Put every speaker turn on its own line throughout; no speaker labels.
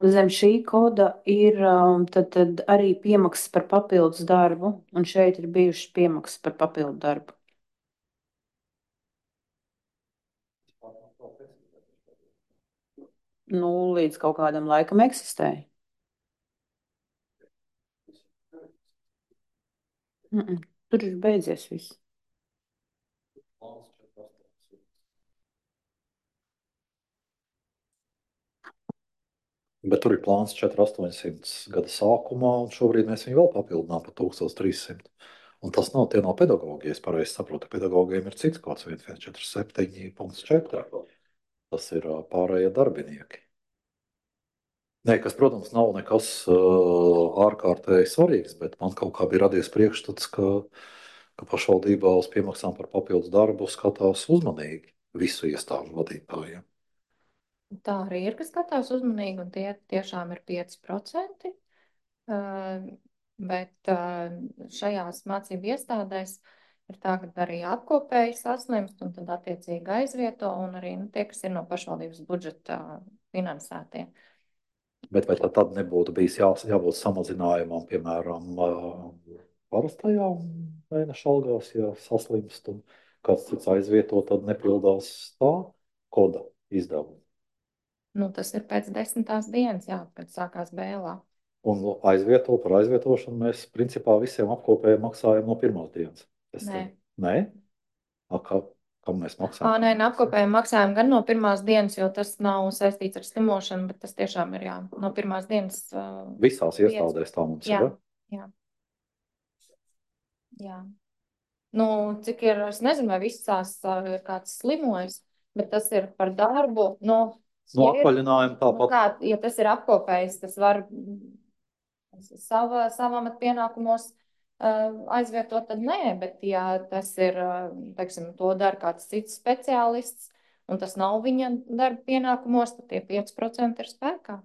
Zem šī koda ir tad arī piemaksas par papildus darbu, un šeit ir bijušas piemaksas par papildu darbu. Nu, līdz kaut kādam laikam eksistēja. Tur ir beidzies viss.
Bet tur ir plāns 4800 gada sākumā, un šobrīd mēs viņu vēl papildinām par 1300. Un tas nav tie no pedagogiem, ja es pareizi saprotu. Pedagogiem ir cits kods 1147.4. Tas ir pārējie darbinieki. Nē, kas, protams, nav nekas ārkārtēji svarīgs, bet man kaut kā bija radies priekšstats, ka pašvaldībā uz piemaksām par papildus darbu skatās uzmanīgi visu iestāžu vadītājiem.
Tā arī ir, kas skatās uzmanīgi, un tie tiešām ir 5%. Bet šajās mācību iestādēs ir tā, ka arī apkopēji saslimst, un tad attiecīgi aizvieto, un arī tie, kas ir no pašvaldības budžeta finansētie.
Bet vai tad nebūtu bijis jābūt samazinājumam, piemēram, parastajā mēneša algās, ja saslimst un kāds cits aizvieto, tad nepildās tā koda izdevuma?
Nu, tas ir pēc 10. dienas, jā, kad sākās bēlā.
Un par aizvietošanu mēs principā visiem apkopējiem maksājam no pirmās dienas.
Nē.
Nē? Kam mēs maksājam?
Nē, apkopējiem maksājam gan no pirmās dienas, jo tas nav saistīts ar slimošanu, bet tas tiešām ir, jā, no pirmās dienas.
Visās iestādēs tā mums
jā,
ir.
Jā. Jā. Nu, cik ir, es nezinu, vai visās ir kāds slimojis, bet tas ir par darbu.
No atvaļinājuma tāpat.
Ja tas ir apkopējis, tas var savam pienākumos aizvietot, tad nē, bet ja tas ir, teiksim, to dara kāds cits speciālists, un tas nav viņa darba pienākumos, tad tie 5% ir spēkā.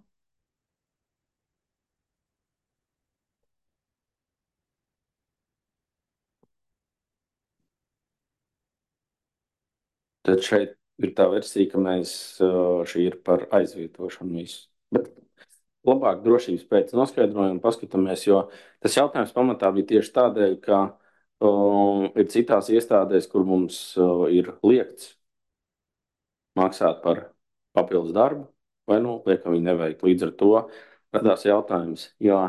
Tad šeit ir tā versija, ka šī ir par aizvietošanu visu. Bet labāk drošības pēc noskaidrojuma paskatāmies, jo tas jautājums pamatā bija tieši tādēļ, ka ir citās iestādēs, kur mums ir liekts maksāt par papildus darbu, vai liekam viņi neveikt. Līdz ar to radās jautājums, jo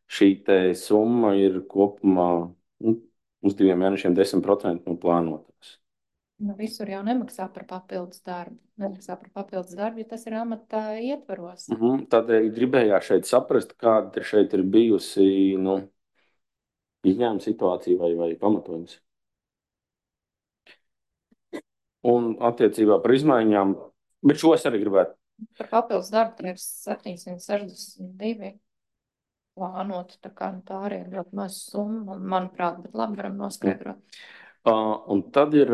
šī te summa ir kopumā uz 2 mēnešiem 10% no plānotās.
Nu, visur jau nemaksā par papildus darbu. Nemaksā par papildus darbu, ja tas ir amata ietvaros.
Tādēļ gribējās šeit saprast, kāda šeit ir bijusi izņēmuma situācija vai pamatojums. Un attiecībā par izmaiņām, bet šo es arī gribētu.
Par papildus darbu ir 762 plānot, tā kā tā arī ir ļoti maza summa, manuprāt, bet labi varam noskaidrot.
Un tad ir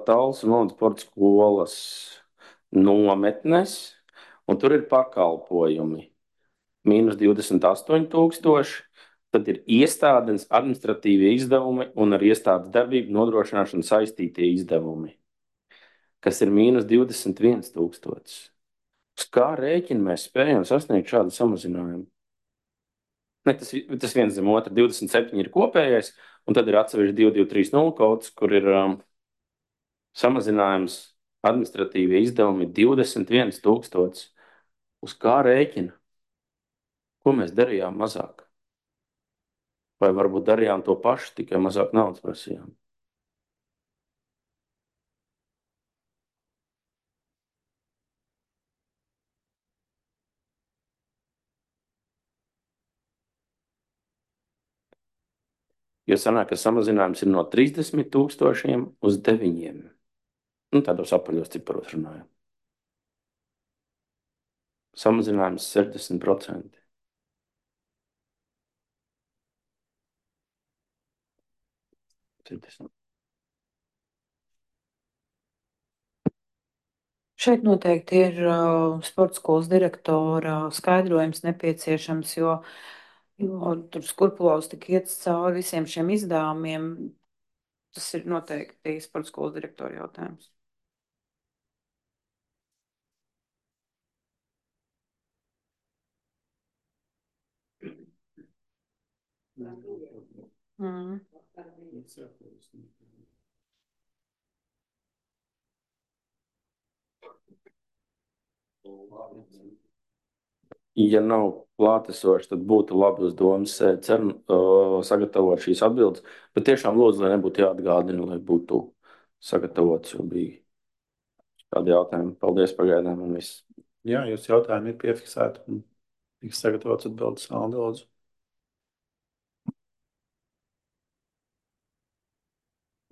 Talsu un sporta skolas nometnes, un tur ir pakalpojumi. Mīnus 28,000. Tad ir iestādes administratīvie izdevumi un ar iestādes darbību nodrošināšanu saistītie izdevumi, kas ir mīnus 21,000. Uz kā rēķina mēs spējam sasniegt šādu samazinājumu? Ne, tas viens zem otra, 27 ir kopējais, un tad ir atsevišķi 2230 kods, kur ir samazinājums administratīvie izdevumi 21,000. Uz kā rēķina? Ko mēs darījām mazāk? Vai varbūt darījām to pašu, tikai mazāk naudas prasījām? Jo sanāk, ka samazinājums ir no 30,000 uz 9. Tādos apaļos ciparos runājam. Samazinājums 60%.
Šeit noteikti ir sporta skolas direktora skaidrojums nepieciešams, jo tur skrupulos tik iet cauri visiem šiem izdevumiem. Tas ir noteikti sporta skolas direktora jautājums. Mm.
Ja nav klātesoši, tad būtu labi uz domas sagatavot šīs atbildes. Bet tiešām lūdzu, lai nebūtu jāatgādina, lai būtu sagatavots, jo bija kādi jautājumi. Paldies pagaidām un viss.
Jā, jūs jautājumi ir piefiksēti un tiks sagatavots atbildes. Aldi, lūdzu.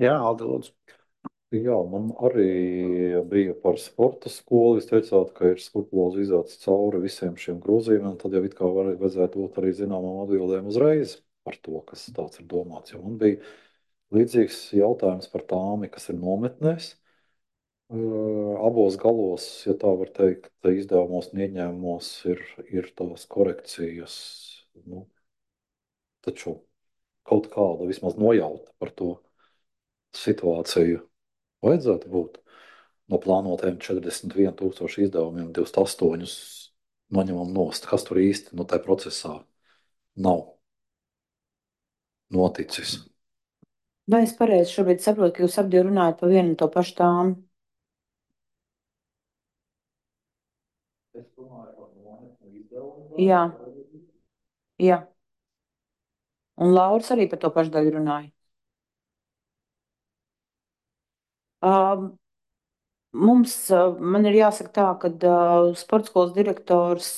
Jā, Aldi, lūdzu.
Jā, man arī bija par sporta skolu. Jūs teicāt, ka ir skrupulozi izdots cauri visiem šiem grozījumiem. Tad jau it kā vajadzētu būt arī zināmām atbildēm uzreiz par to, kas tāds ir domāts. Jo man bija līdzīgs jautājums par tām, kas ir nometnēs. Abos galos, ja tā var teikt, izdevumos un ieņēmumos ir tās korekcijas. Nu, taču kaut kāda vismaz nojauta par to situāciju vajadzētu būt. No plānotajiem 41,000 izdevumiem 28 noņemam nost. Kas tur īsti tajā procesā nav noticis?
Vai es pareizi šobrīd saprotu, ka jūs abi runājat par vienu un to pašu tām? Jā. Jā. Un Lauris arī par to pašu daļu runāja. Man ir jāsaka tā, ka sporta skolas direktors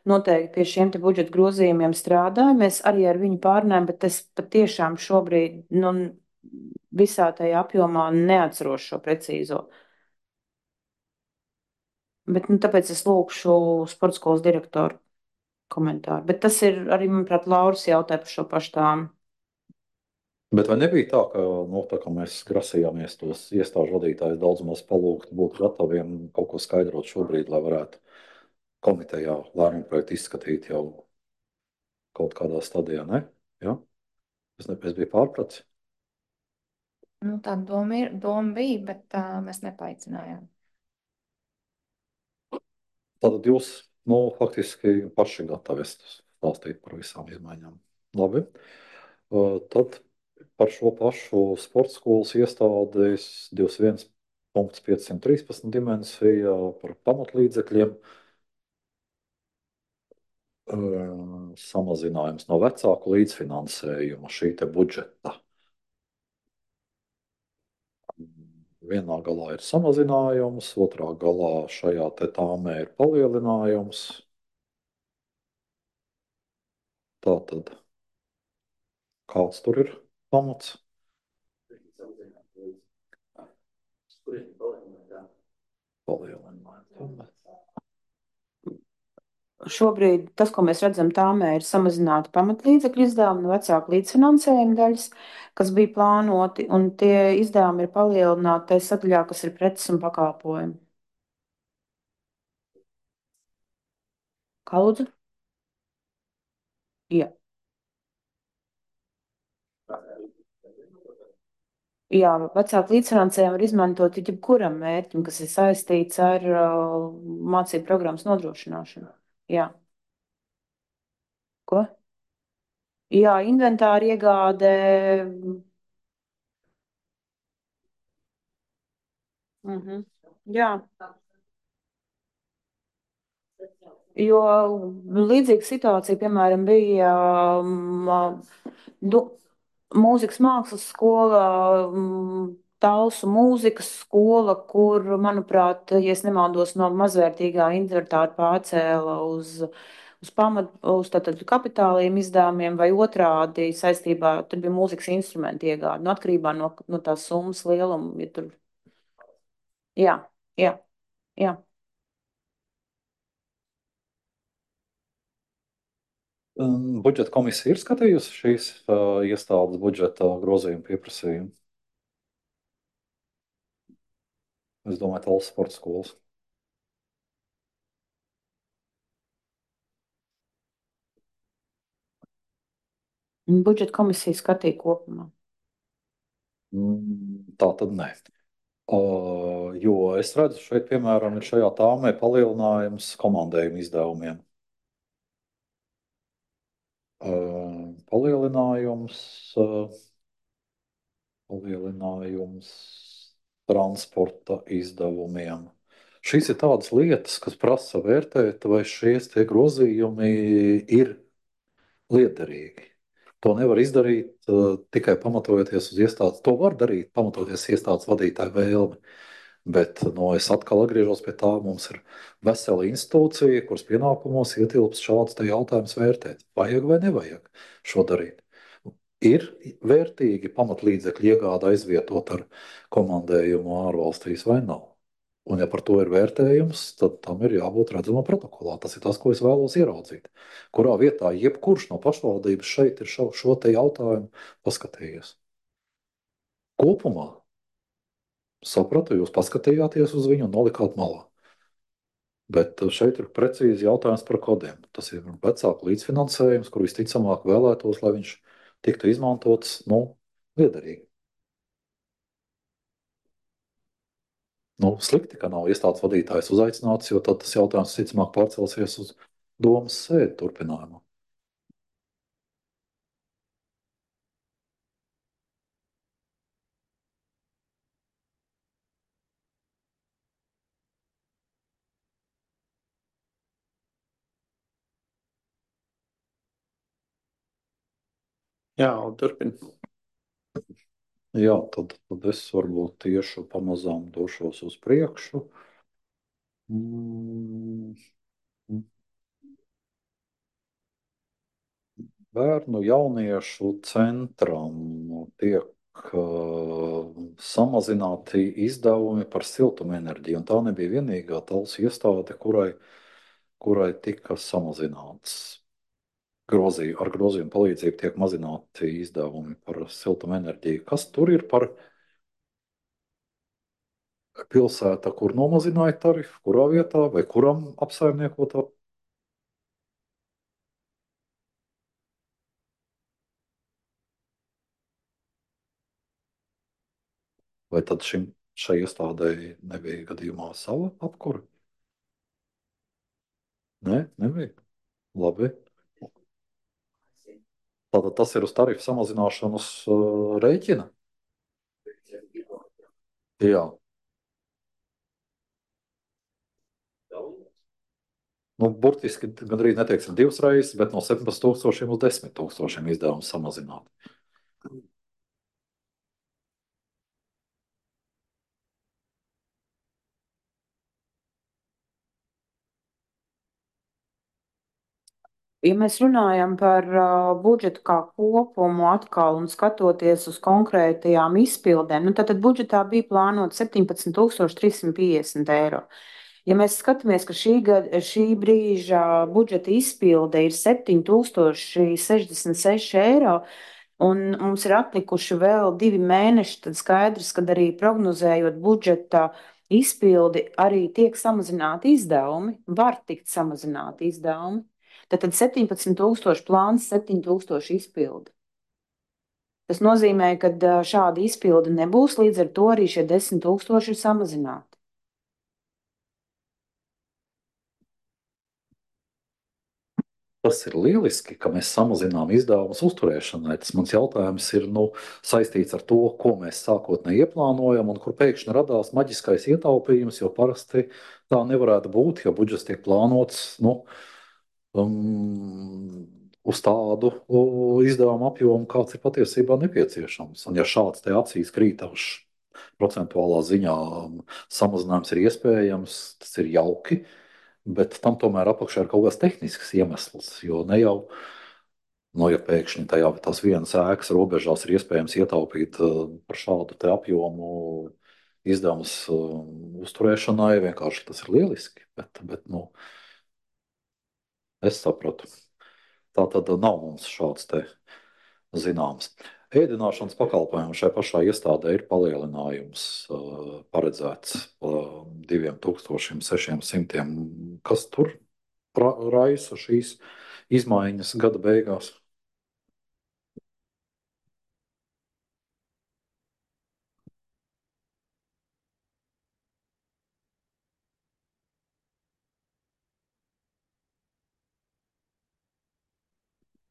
noteikti pie šiem te budžeta grozījumiem strādāja. Mēs arī ar viņu pārunājam, bet es patiešām šobrīd visā tajā apjomā neatceros šo precīzo. Bet tāpēc es lūkšu sporta skolas direktoru komentāru. Bet tas ir arī, manuprāt, Lauris jautāja par šo pašu tām.
Bet vai nebija tā, ka mēs grasījāmies tos iestāžu vadītājus daudz maz palūgt, būt gataviem kaut ko skaidrot šobrīd, lai varētu komitejā lēmumu projektu izskatīt jau kaut kādā stadijā, ne? Ja? Es biju pārpratis.
Tā doma bija, bet mēs nepaaicinājām.
Tātad jūs faktiski paši gatavi stāstīt par visām izmaiņām. Labi. Tad par šo pašu sporta skolas iestādes 21,513 dimensija par pamatlīdzekļiem. Samazinājums no vecāku līdzfinansējuma šī te budžeta. Vienā galā ir samazinājums, otrā galā šajā te tāmē ir palielinājums. Tātad, kāds tur ir pamats?
Šobrīd tas, ko mēs redzam, tāmē ir samazināti pamatlīdzekļu izdevumi no vecāku līdzfinansējuma daļas, kas bija plānoti, un tie izdevumi ir palielināti tajā sadaļā, kas ir preces un pakalpojumi. Kā lūdzu? Jā. Jā, vecāku līdzfinansējumu var izmantot jebkuram mērķim, kas ir saistīts ar mācību programmas nodrošināšanu. Jā. Ko? Jā, inventāra iegāde. Jā. Jo līdzīga situācija, piemēram, bija mūzikas mākslas skola, Talsu mūzikas skola, kur, manuprāt, ja es nemaldos, no mazvērtīgā inventāra pārcēla uz tātad kapitāliem izdevumiem vai otrādi saistībā, tur bija mūzikas instrumenti iegāde, atkarībā no tās summas lieluma. Ja tur... Jā, jā, jā.
Budžeta komisija ir skatījusi šīs iestādes budžeta grozījuma pieprasījumu. Es domāju, Talsu sporta skolas.
Budžeta komisija skatīja kopumā.
Tā tad nē. Jo es redzu, šeit, piemēram, ir šajā tāmē palielinājums komandējuma izdevumiem. palielinājums, transporta izdevumiem. Šīs ir tādas lietas, kas prasa vērtēt, vai šie grozījumi ir liederīgi. To nevar izdarīt tikai pamatojoties uz iestādes. To var darīt, pamatojoties iestādes vadītāju vēlmi. Bet es atkal atgriežos pie tā, mums ir vesela institūcija, kuras pienākumos ietilpst šāds jautājums vērtēt. Vajag vai nevajag šo darīt? Ir vērtīgi pamatlīdzekļu iegāde aizvietot ar komandējumu ārvalstīs vai nav? Un, ja par to ir vērtējums, tad tam ir jābūt redzamam protokolā. Tas ir tas, ko es vēlos ieraudzīt. Kurā vietā jebkurš no pašvaldības šeit ir šo te jautājumu paskatījies. Kopumā sapratu, jūs paskatījāties uz viņu un nolikāt malā. Bet šeit ir precīzi jautājums par kodiem. Tas ir vecāku līdzfinansējums, kur visticamāk vēlētos, lai viņš tiktu izmantots liederīgi. Slikti, ka nav iestādes vadītājs uzaicināts, jo tad tas jautājums visticamāk pārcelsies uz domas sēdi turpinājumu.
Jā, turpin.
Jā, tad es varbūt tieši pamazām došos uz priekšu. Bērnu jauniešu centram tiek samazināti izdevumi par siltumenerģiju. Un tā nebija vienīgā talsu iestāde, kurai tika samazināts. Ar grozījumu palīdzību tiek mazināti izdevumi par siltumenerģiju. Kas tur ir par pilsētu, kur nomazināja tarifu, kurā vietā vai kuram apsaimniekotā? Vai tad šai iestādēji nebija gadījumā sava apkura? Nē, nebija. Labi. Tātad tas ir uz tarifu samazināšanas rēķina? Jā. Burtiski gandrīz neteiksim divas reizes, bet no 17,000 uz 10,000 izdevumu samazināt.
Ja mēs runājam par budžetu kā kopumu atkal un skatoties uz konkrētajām izpildēm, tad budžetā bija plānota 17,350 eiro. Ja mēs skatāmies, ka šī brīža budžeta izpilde ir 7,066 eiro, un mums ir atlikuši vēl 2 mēneši, tad skaidrs, ka arī prognozējot budžeta izpildi, arī tiek samazināti izdevumi, var tikt samazināti izdevumi. Tad 17,000 plāns, 7,000 izpildi. Tas nozīmē, ka šāda izpilde nebūs, līdz ar to arī šie 10,000 ir samazināti.
Tas ir lieliski, ka mēs samazinām izdevumus uzturēšanai. Tas mans jautājums ir saistīts ar to, ko mēs sākotnēji ieplānojam un kur pēkšņi radās maģiskais ietaupījums, jo parasti tā nevarētu būt, ja budžets tiek plānots uz tādu izdevumu apjomu, kāds ir patiesībā nepieciešams. Un ja šāds te acīs krītošs procentuālā ziņā samazinājums ir iespējams, tas ir jauki. Bet tam tomēr apakšā ir kaut kāds tehnisks iemesls. Jo ne jau, ja pēkšņi tās vienas ēkas robežās ir iespējams ietaupīt par šādu apjomu izdevumus uzturēšanai, vienkārši tas ir lieliski. Bet es sapratu. Tā tad nav mums šāds te zināms. Ēdināšanas pakalpojumu šai pašā iestādē ir palielinājums paredzēts 2,600. Kas tur raisa šīs izmaiņas gada beigās?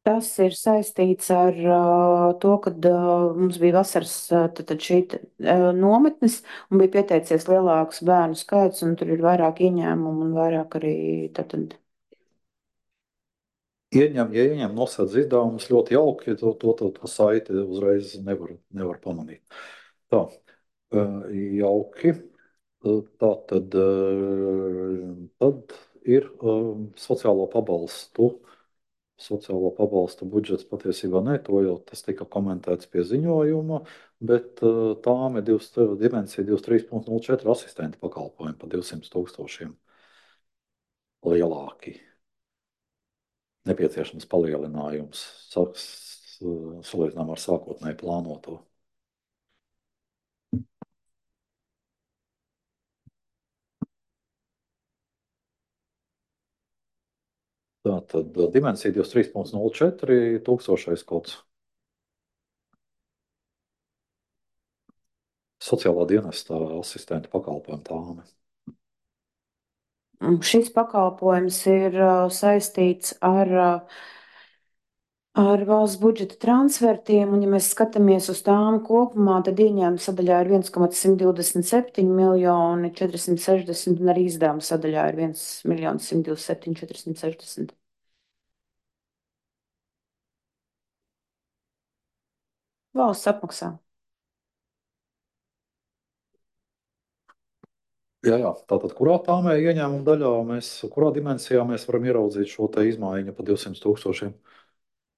Tas ir saistīts ar to, ka mums bija vasaras tad šī nometnes un bija pieteicies lielāks bērnu skaits, un tur ir vairāk ieņēmumu un vairāk arī tad.
Ja ieņem nosēdz izdevumus ļoti jauki, to saiti uzreiz nevar pamanīt. Tā, jauki. Tā tad ir sociālo pabalstu. Sociālo pabalstu budžets patiesībā ne, to jau tas tika komentēts pie ziņojuma, bet tām ir dimensija 23,04 asistenta pakalpojumi pa 200 000 lielāki. Nepieciešams palielinājums salīdzinām ar sākotnēji plānoto. Tātad dimensija 23,04 tūkstošais kods. Sociālā dienesta asistenta pakalpojuma tāme.
Šis pakalpojums ir saistīts ar valsts budžeta transfertiem, un ja mēs skatāmies uz tām kopumā, tad ieņēmuma sadaļā ir 1,127 miljoni 460, un arī izdevuma sadaļā ir 1,127 460. Valsts apmaksā.
Jā, tātad kurā tāmē ieņēmuma daļā kurā dimensijā mēs varam ieraudzīt šo te izmaiņu pa 200 000?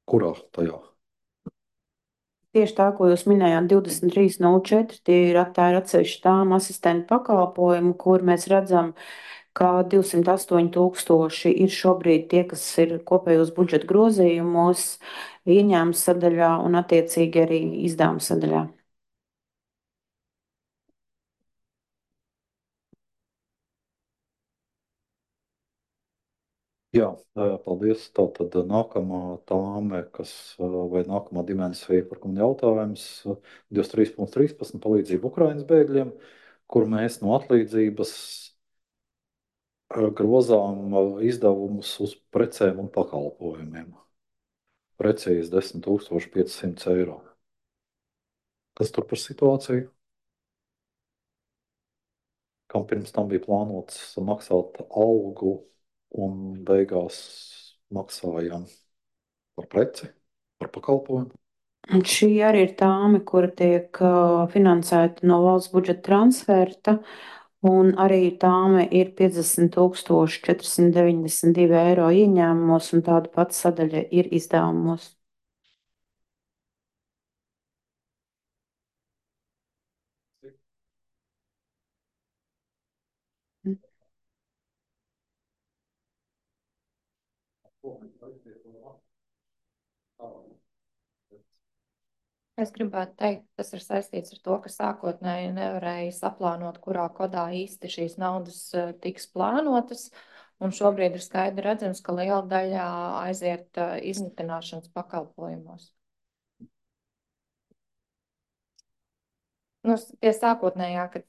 Kurā tajā?
Tieši tā, ko jūs minējāt, 23,04, tā ir atsevišķa tām asistentu pakalpojumu, kur mēs redzam, ka 208 000 ir šobrīd tie, kas ir kopējos budžeta grozījumos, ieņēmuma sadaļā un attiecīgi arī izdevuma sadaļā.
Jā, paldies. Tātad nākamā tāme, vai nākamā dimensija, par ko man jautājums, 23,13 palīdzību Ukrainas bēgļiem, kur mēs no atlīdzības grozām izdevumus uz precēm un pakalpojumiem. Precīzi 10 500 eiro. Kas tur par situāciju? Kam pirms tam bija plānots maksāt algu un beigās maksājām par preci, par pakalpojumu.
Un šī arī ir tāme, kura tiek finansēta no valsts budžeta transferta, un arī tāme ir 50 492 eiro ieņēmumos, un tāda pati sadaļa ir izdevumos.
Es gribētu teikt, tas ir saistīts ar to, ka sākotnēji nevarēja saplānot, kurā kodā īsti šīs naudas tiks plānotas. Un šobrīd ir skaidri redzams, ka liela daļa aiziet izmitināšanas pakalpojumos. Nu, pie sākotnējā, kad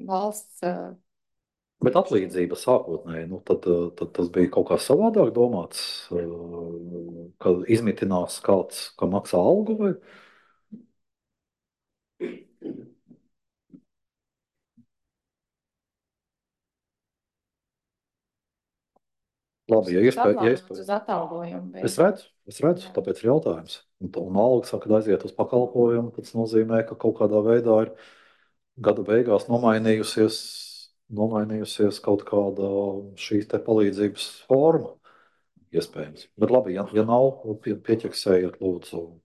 valsts.
Bet atlīdzība sākotnēji, tad tas bija kaut kā savādāk domāts, kad izmitinās kāds, ka maksā algu vai? Labi, ja iespēja.
Uz atalgojumu.
Es redzu, tāpēc ir jautājums. Un alga saka, kad aiziet uz pakalpojumu, tas nozīmē, ka kaut kādā veidā ir gada beigās nomainījusies kaut kāda šīs te palīdzības forma, iespējams. Bet labi, ja nav, pieķeksējiet lūdzu.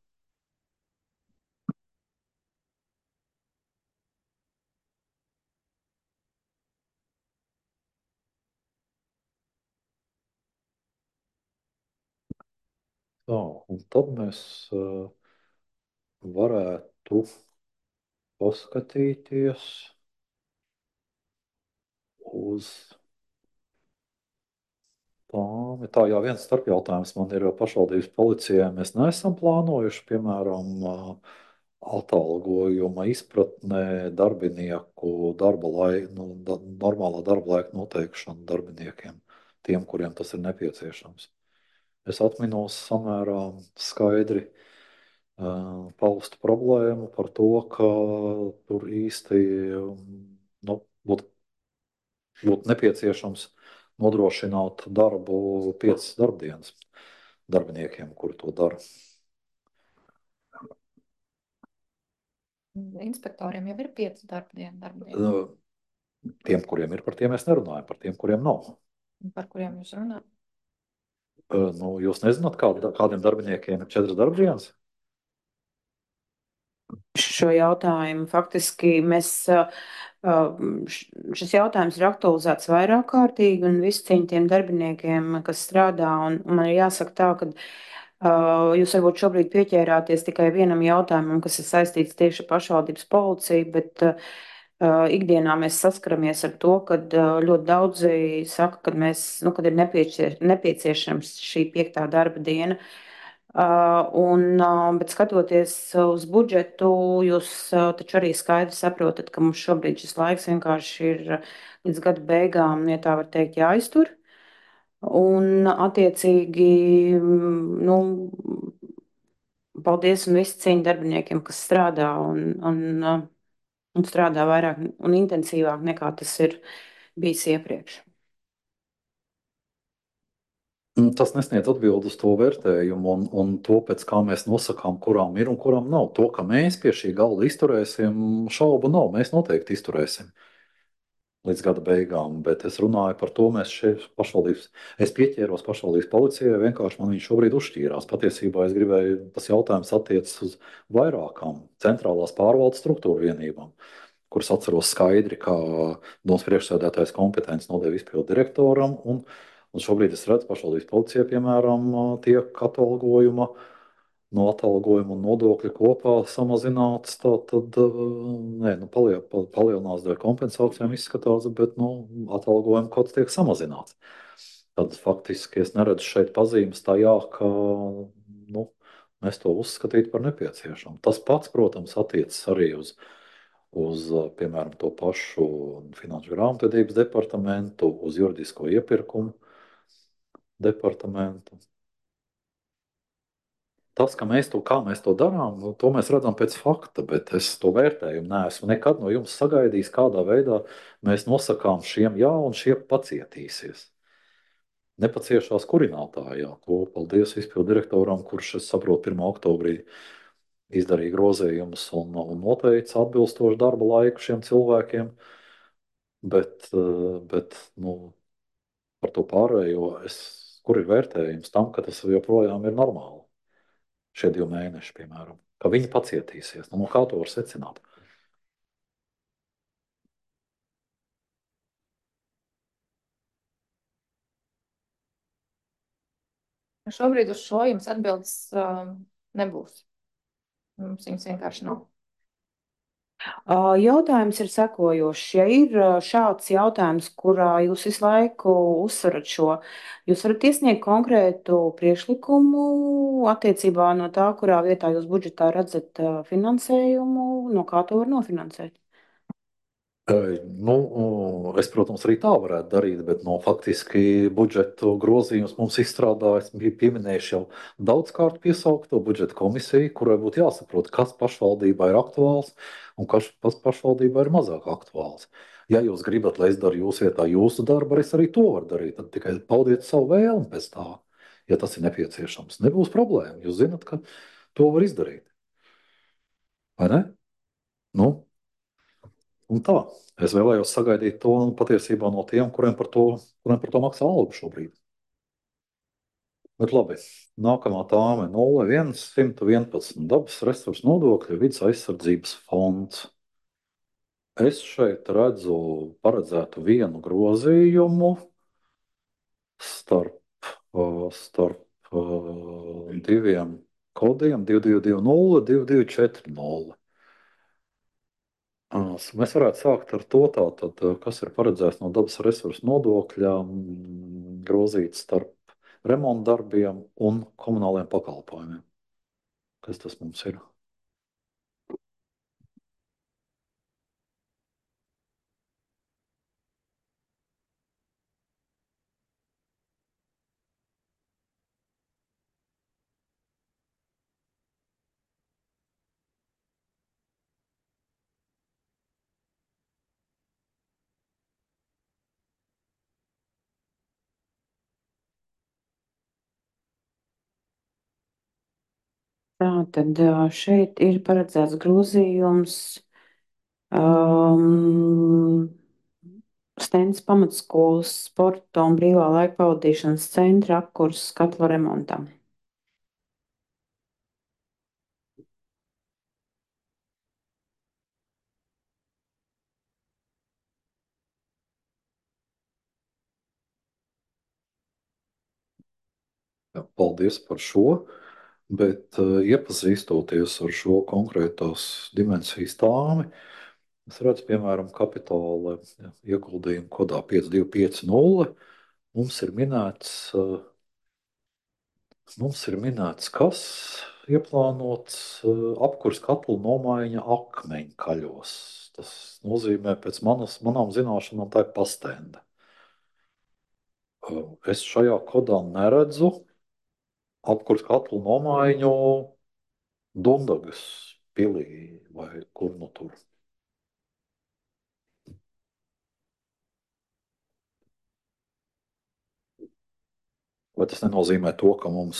Tā, un tad mēs varētu paskatīties uz tām. Tā jau viens starpjautājums man ir pašvaldības policijai. Mēs neesam plānojuši, piemēram, atalgojuma izpratnē darbinieku normālā darba laika noteikšanu darbiniekiem, tiem, kuriem tas ir nepieciešams. es atminos samērā skaidri paustu problēmu par to, ka tur īsti nu, būtu nepieciešams nodrošināt darbu 5 darbdienas darbiniekiem, kuri to dara.
Inspektoriem jau ir 5 darbdienu.
Tiem, kuriem ir, par tiem mēs nerunājam, par tiem, kuriem nav.
Par kuriem jūs runājat?
Nu, jūs nezināt, kādiem darbiniekiem ir 4 darbdienas?
Šo jautājumu faktiski šis jautājums ir aktualizēts vairāk kārtīgi un visi cieņi tiem darbiniekiem, kas strādā. Un man ir jāsaka tā, ka jūs varbūt šobrīd pieķērāties tikai vienam jautājumam, kas ir saistīts tieši ar pašvaldības policiju, bet ikdienā mēs saskaramies ar to, ka ļoti daudzi saka, ka kad ir nepieciešams šī 5. darba diena. Bet skatoties uz budžetu, jūs taču arī skaidri saprotat, ka mums šobrīd šis laiks vienkārši ir līdz gada beigām, ja tā var teikt, jāiztur. Un attiecīgi, nu, paldies un visi cieņu darbiniekiem, kas strādā un strādā vairāk un intensīvāk nekā tas ir bijis iepriekš.
Tas nesniedz atbildi uz to vērtējumu un to, pēc kā mēs nosakām, kurām ir un kurām nav. To, ka mēs pie šī galda izturēsim, šaubu nav. Mēs noteikti izturēsim līdz gada beigām, bet es runāju par to, es pieķēros pašvaldības policijai, vienkārši man viņš šobrīd uzšķīrās. Patiesībā es gribēju, tas jautājums attiecas uz vairākām centrālās pārvaldes struktūru vienībām, kuras atceros skaidri, kā domas priekšsēdētājs kompetences nodeva izpildu direktoram, un šobrīd es redzu, pašvaldības policija, piemēram, tiek no atalgojuma un nodokļu kopā samazināts. Tad nē, palielinās dēļ kompensācijām izskatās, bet atalgojuma kods tiek samazināts. Tad faktiski es neredzu šeit pazīmes tajā, ka mēs to uzskatītu par nepieciešamu. Tas pats, protams, attiecas arī uz piemēram, to pašu Finanšu grāmatvedības departamentu, uz juridisko iepirkumu departamentu. Tas, kā mēs to darām, to mēs redzam pēc fakta, bet es to vērtējumu neesmu nekad no jums sagaidījis, kādā veidā mēs nosakām šiem jā un šie pacietīsies. Nepaciešās kurinātājā. To paldies izpildu direktoram, kurš, es saprotu, 1. oktobrī izdarīja grozījumus un noteica atbilstošu darba laiku šiem cilvēkiem. Bet par to pārējo, kur ir vērtējums tam, ka tas joprojām ir normāli. Šie 2 mēneši, piemēram, ka viņi pacietīsies. No kā to var secināt?
Šobrīd uz šo jums atbildes nebūs. Mums viņas vienkārši nav.
Jautājums ir sekojošs. Ja ir šāds jautājums, kurā jūs visu laiku uzsverat šo, jūs varat iesniegt konkrētu priekšlikumu attiecībā no tā, kurā vietā jūs budžetā redzat finansējumu, no kā to var nofinansēt?
Es, protams, arī tā varētu darīt, bet faktiski budžetu grozījumus mums izstrādājas, bija pieminējuši jau daudzkārt piesaukto budžeta komisiju, kurai būtu jāsaprot, kas pašvaldībā ir aktuāls un kas pašvaldībā ir mazāk aktuāls. Ja jūs gribat, lai es daru jūsu vietā jūsu darbu, es arī to varu darīt. Tad tikai paudiet savu vēlmi pēc tā, ja tas ir nepieciešams. Nebūs problēma. Jūs zinat, ka to var izdarīt. Vai ne? Un tā, es vēlējos sagaidīt to patiesībā no tiem, kuriem par to maksā algu šobrīd. Bet labi, nākamā tāme 0111 dabas resursu nodokļu vidas aizsardzības fonds. Es šeit redzu paredzētu vienu grozījumu starp diviem kodiem 2220, 2240. Mēs varētu sākt ar to, tātad, kas ir paredzēts no dabas resursu nodokļa grozīt starp remonta darbiem un komunāliem pakalpojumiem. Kas tas mums ir?
Tā tad šeit ir paredzēts grozījums. Um, Stends pamatskolas sporta un brīvā laika pavadīšanas centra apkurs skatla remontam.
Jā, paldies par šo, bet iepazīstoties ar šo konkrētās dimensijas tāmi, es redzu, piemēram, kapitāla ieguldījumu kodā 5250. Mums ir minēts, kas ieplānots apkurs katlu nomaiņa akmeņkaļos. Tas nozīmē, pēc manām zināšanām, tā ir pastenda. Es šajā kodā neredzu apkurs katlu nomaiņu Dundagas pilī vai kur nu tur. Vai tas nenozīmē to, ka mums,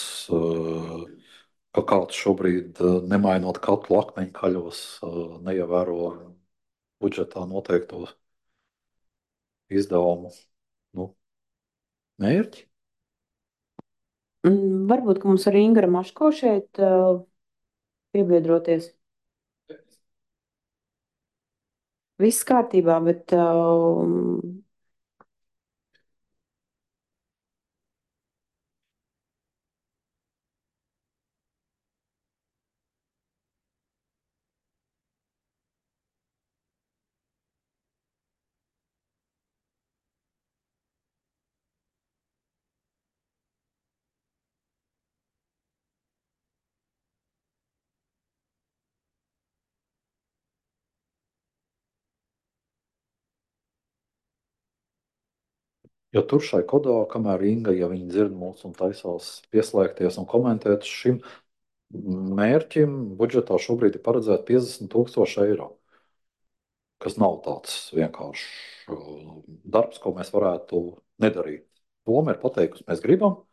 ka kāds šobrīd, nemainot katlu akmeņkaļos, neievēro budžetā noteikto izdevumu nu, mērķi?
Varbūt, ka mums arī Ingra Maško šeit piebiedroties. Viss kārtībā, bet
Jo tur šai kodā, kamēr Inga, ja viņi dzird mūs un taisās pieslēgties un komentēt, šim mērķim budžetā šobrīd ir paredzēta 50 000 eiro, kas nav tāds vienkāršs darbs, ko mēs varētu nedarīt. Doma ir pateikusi, mēs gribam,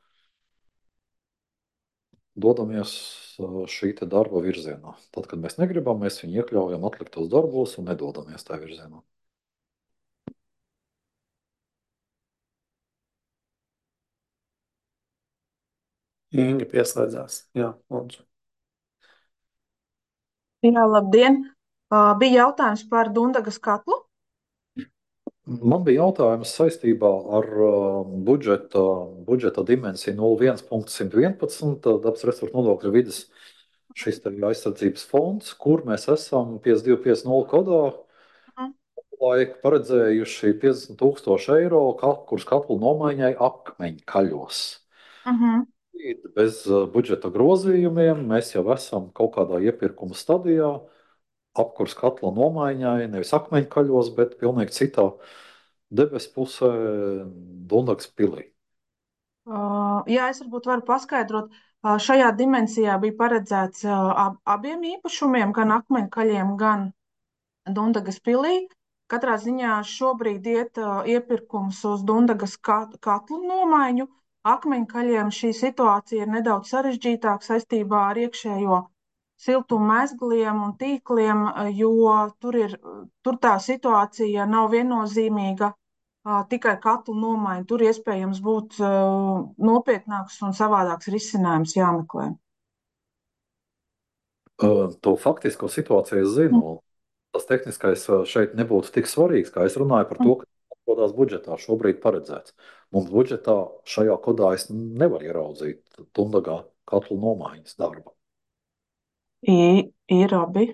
dodamies šī te darba virzienā. Tad, kad mēs negribam, mēs viņu iekļaujam atliktos darbos un nedodamies tajā virzienā.
Inga pieslēdzās. Jā, lūdzu.
Jā, labdien! Bija jautājums par Dundagas katlu.
Man bija jautājums saistībā ar budžeta dimensiju 01.111. Dabas resursu nodokļu vidas šis te aizsardzības fonds, kur mēs esam 5250 kodā
Mhm.
laika paredzējuši 50 000 eiro, kurus katlu nomaiņai akmeņkaļos. Bez budžeta grozījumiem mēs jau esam kaut kādā iepirkuma stadijā, apkurs katla nomaiņai, nevis akmeņkaļos, bet pilnīgi citā debesu pusē, Dundagas pilī.
Jā, es varbūt varu paskaidrot. Šajā dimensijā bija paredzēts abiem īpašumiem, gan akmeņkaļiem, gan Dundagas pilī. Katrā ziņā šobrīd iet iepirkums uz Dundagas katlu nomaiņu. Akmeņkaļiem šī situācija ir nedaudz sarežģītāka saistībā ar iekšējo siltummezgliem un tīkliem, jo tur tā situācija nav viennozīmīga. Tikai katlu nomaiņa. Tur iespējams būt nopietnāks un savādāks risinājums jāmeklē.
To faktisko situāciju es zinu. Tas tehniskais šeit nebūtu tik svarīgs, kā es runāju par to, ka atrodas budžetā šobrīd paredzēts. Mums budžetā šajā kodā es nevaru ieraudzīt Dundagā katlu nomaiņas darbu.
Ir abi.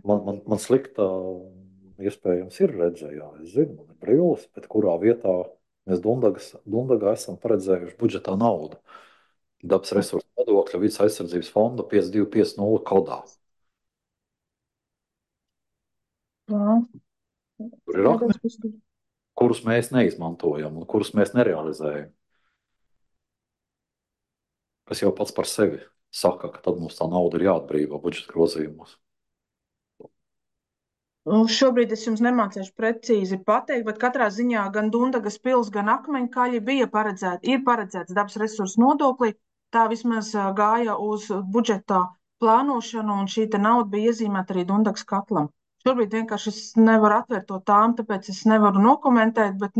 Man slikta iespējams ir redzējā. Es zinu, man ir brilles, bet kurā vietā mēs Dundagā esam paredzējuši budžetā naudu. Dabas resursu nodokļa vidas aizsardzības fonda 5250 kodā. Tur ir akmeņi, kurus mēs neizmantojam un kurus mēs nerealizējam. Kas jau pats par sevi saka, ka tad mums tā nauda ir jāatbrīvo budžeta grozījumos.
Šobrīd es jums nemācīšu precīzi pateikt, bet katrā ziņā gan Dundagas pils, gan Akmeņkaļi ir paredzēts dabas resursu nodoklī. Tā vismaz gāja uz budžeta plānošanu, un šī nauda bija iezīmēta arī Dundagas katlam. Šobrīd vienkārši es nevaru atvērt to tām, tāpēc es nevaru nokomentēt, bet,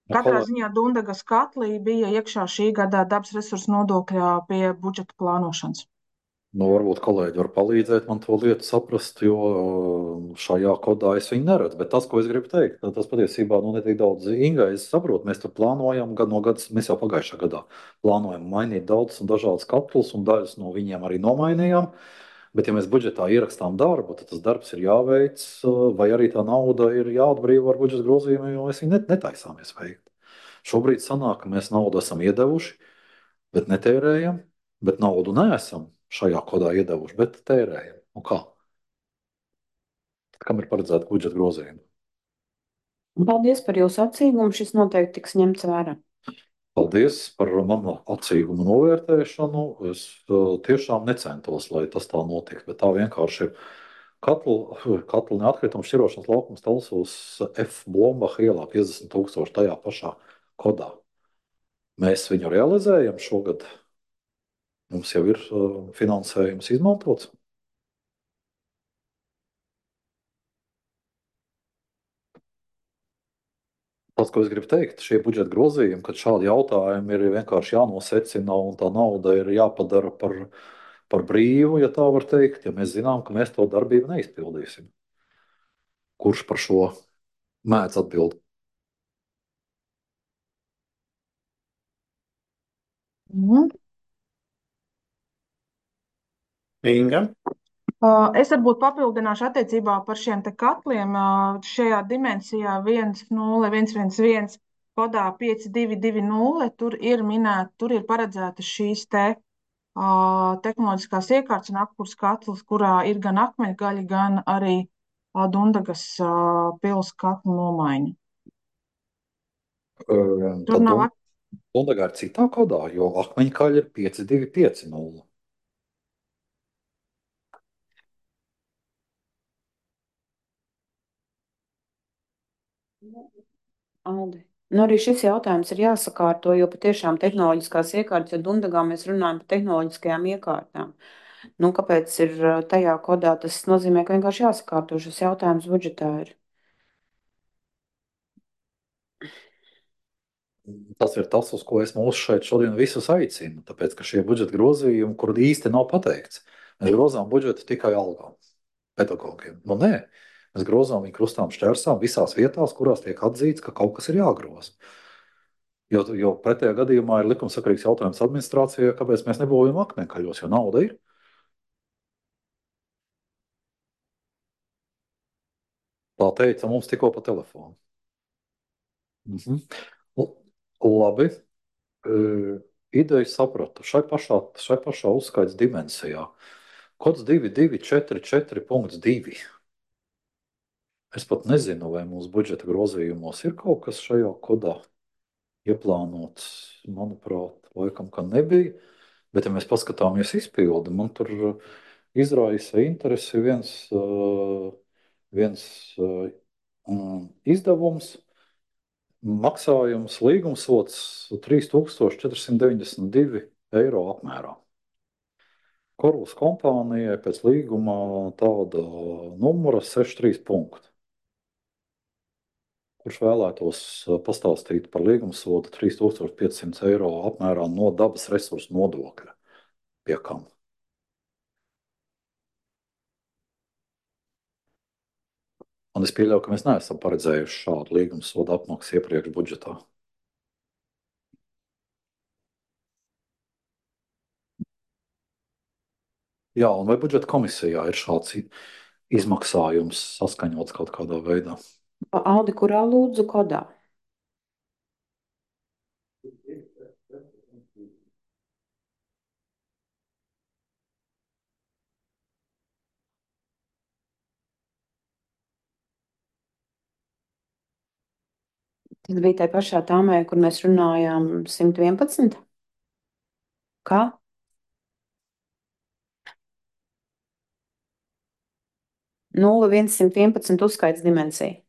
katrā ziņā Dundagas katlī bija iekšā šī gada dabas resursu nodokļā pie budžeta plānošanas.
Varbūt kolēģi var palīdzēt man to lietu saprast, jo šajā kodā es viņu neredzu. Bet tas, ko es gribu teikt, tas patiesībā ne tik daudz Inga. Es saprotu, mēs tur plānojam gadu no gada, mēs jau pagājušā gadā plānojam mainīt daudz un dažādas katlus, un daļas no viņiem arī nomainījām. Bet, ja mēs budžetā ierakstām darbu, tad tas darbs ir jāveic, vai arī tā nauda ir jāatbrīvo ar budžeta grozījumiem, jo mēs viņu netaisāmies veikt. Šobrīd sanāk, ka mēs naudu esam iedevuši, bet netērējam, bet naudu neesam šajā kodā iedevuši, bet tērējam. Un kā? Kam ir paredzēta budžeta grozījuma?
Paldies par jūsu atsīgumu. Šis noteikti tiks ņemts vērā.
Paldies par manu atsīgumu novērtēšanu. Es tiešām necentos, lai tas tā notiktu, bet tā vienkārši ir. Katlu neatkritumu šķirošanas laukums Talsos F. Blombacha ielā 50 000 tajā pašā kodā. Mēs viņu realizējam šogad. Mums jau ir finansējums izmantots. Tas, ko es gribu teikt, šie budžeta grozījumi, kad šādi jautājumi ir vienkārši jānosecina un tā nauda ir jāpadara par brīvu, ja tā var teikt, ja mēs zinām, ka mēs to darbību neizpildīsim. Kurš par šo mēdz atbildēt?
Inga.
Es varbūt papildināšu attiecībā par šiem te katliem. Šajā dimensijā 10111 kodā 5220 tur ir minēta, tur ir paredzētas šīs te tehnoloģiskās iekārtas un apkurs katls, kurā ir gan akmeņgaļi, gan arī Dundagas pils katlu nomaiņa. Tur nav
Dundagā ir citā kodā, jo akmeņkaļi ir 5250.
Aldi. Arī šis jautājums ir jāsakārto, jo patiešām tehnoloģiskās iekārtas, ja Dundagā mēs runājam par tehnoloģiskajām iekārtām, kāpēc ir tajā kodā, tas nozīmē, ka vienkārši jāsakārto šis jautājums budžetā ir.
Tas ir tas, uz ko es mūs šeit šodien visus aicinu, tāpēc, ka šie budžeta grozījumi, kur īsti nav pateikts, mēs grozām budžetu tikai algām, pedagogiem. Nē, mēs grozām viņu krustām šķērsām visās vietās, kurās tiek atzīts, ka kaut kas ir jāgroza. Jo pretējā gadījumā ir likumsakarīgs jautājums administrācijai, kāpēc mēs nebūvējam akmeņkaļos, jo nauda ir. Tā teica mums tikko pa telefonu. Labi. Ideju sapratu. Šai pašā uzskaits dimensijā. Kods 2244.2. Es pat nezinu, vai mūsu budžeta grozījumos ir kaut kas šajā kodā ieplānots. Manuprāt, laikam, ka nebija. Bet, ja mēs paskatāmies izpildi, man tur izraisa interesi viens izdevums, maksājums, līgumsots 3492 eiro apmērā. Korvus kompānijai pēc līguma tāda numura 63 punkti. Kurš vēlētos pastāstīt par līgumsodu 3500 eiro apmērā no dabas resursu nodokļa? Pie kam? Un es pieļauju, ka mēs neesam paredzējuši šādu līgumsodu apmaksu iepriekš budžetā. Jā, un vai budžeta komisijā ir šāds izmaksājums saskaņots kaut kādā veidā?
Aldi, kurā lūdzu kodā? Tas bija tajā pašā tāmē, kur mēs runājām 111. Kā? 0,111 uzskaits dimensija.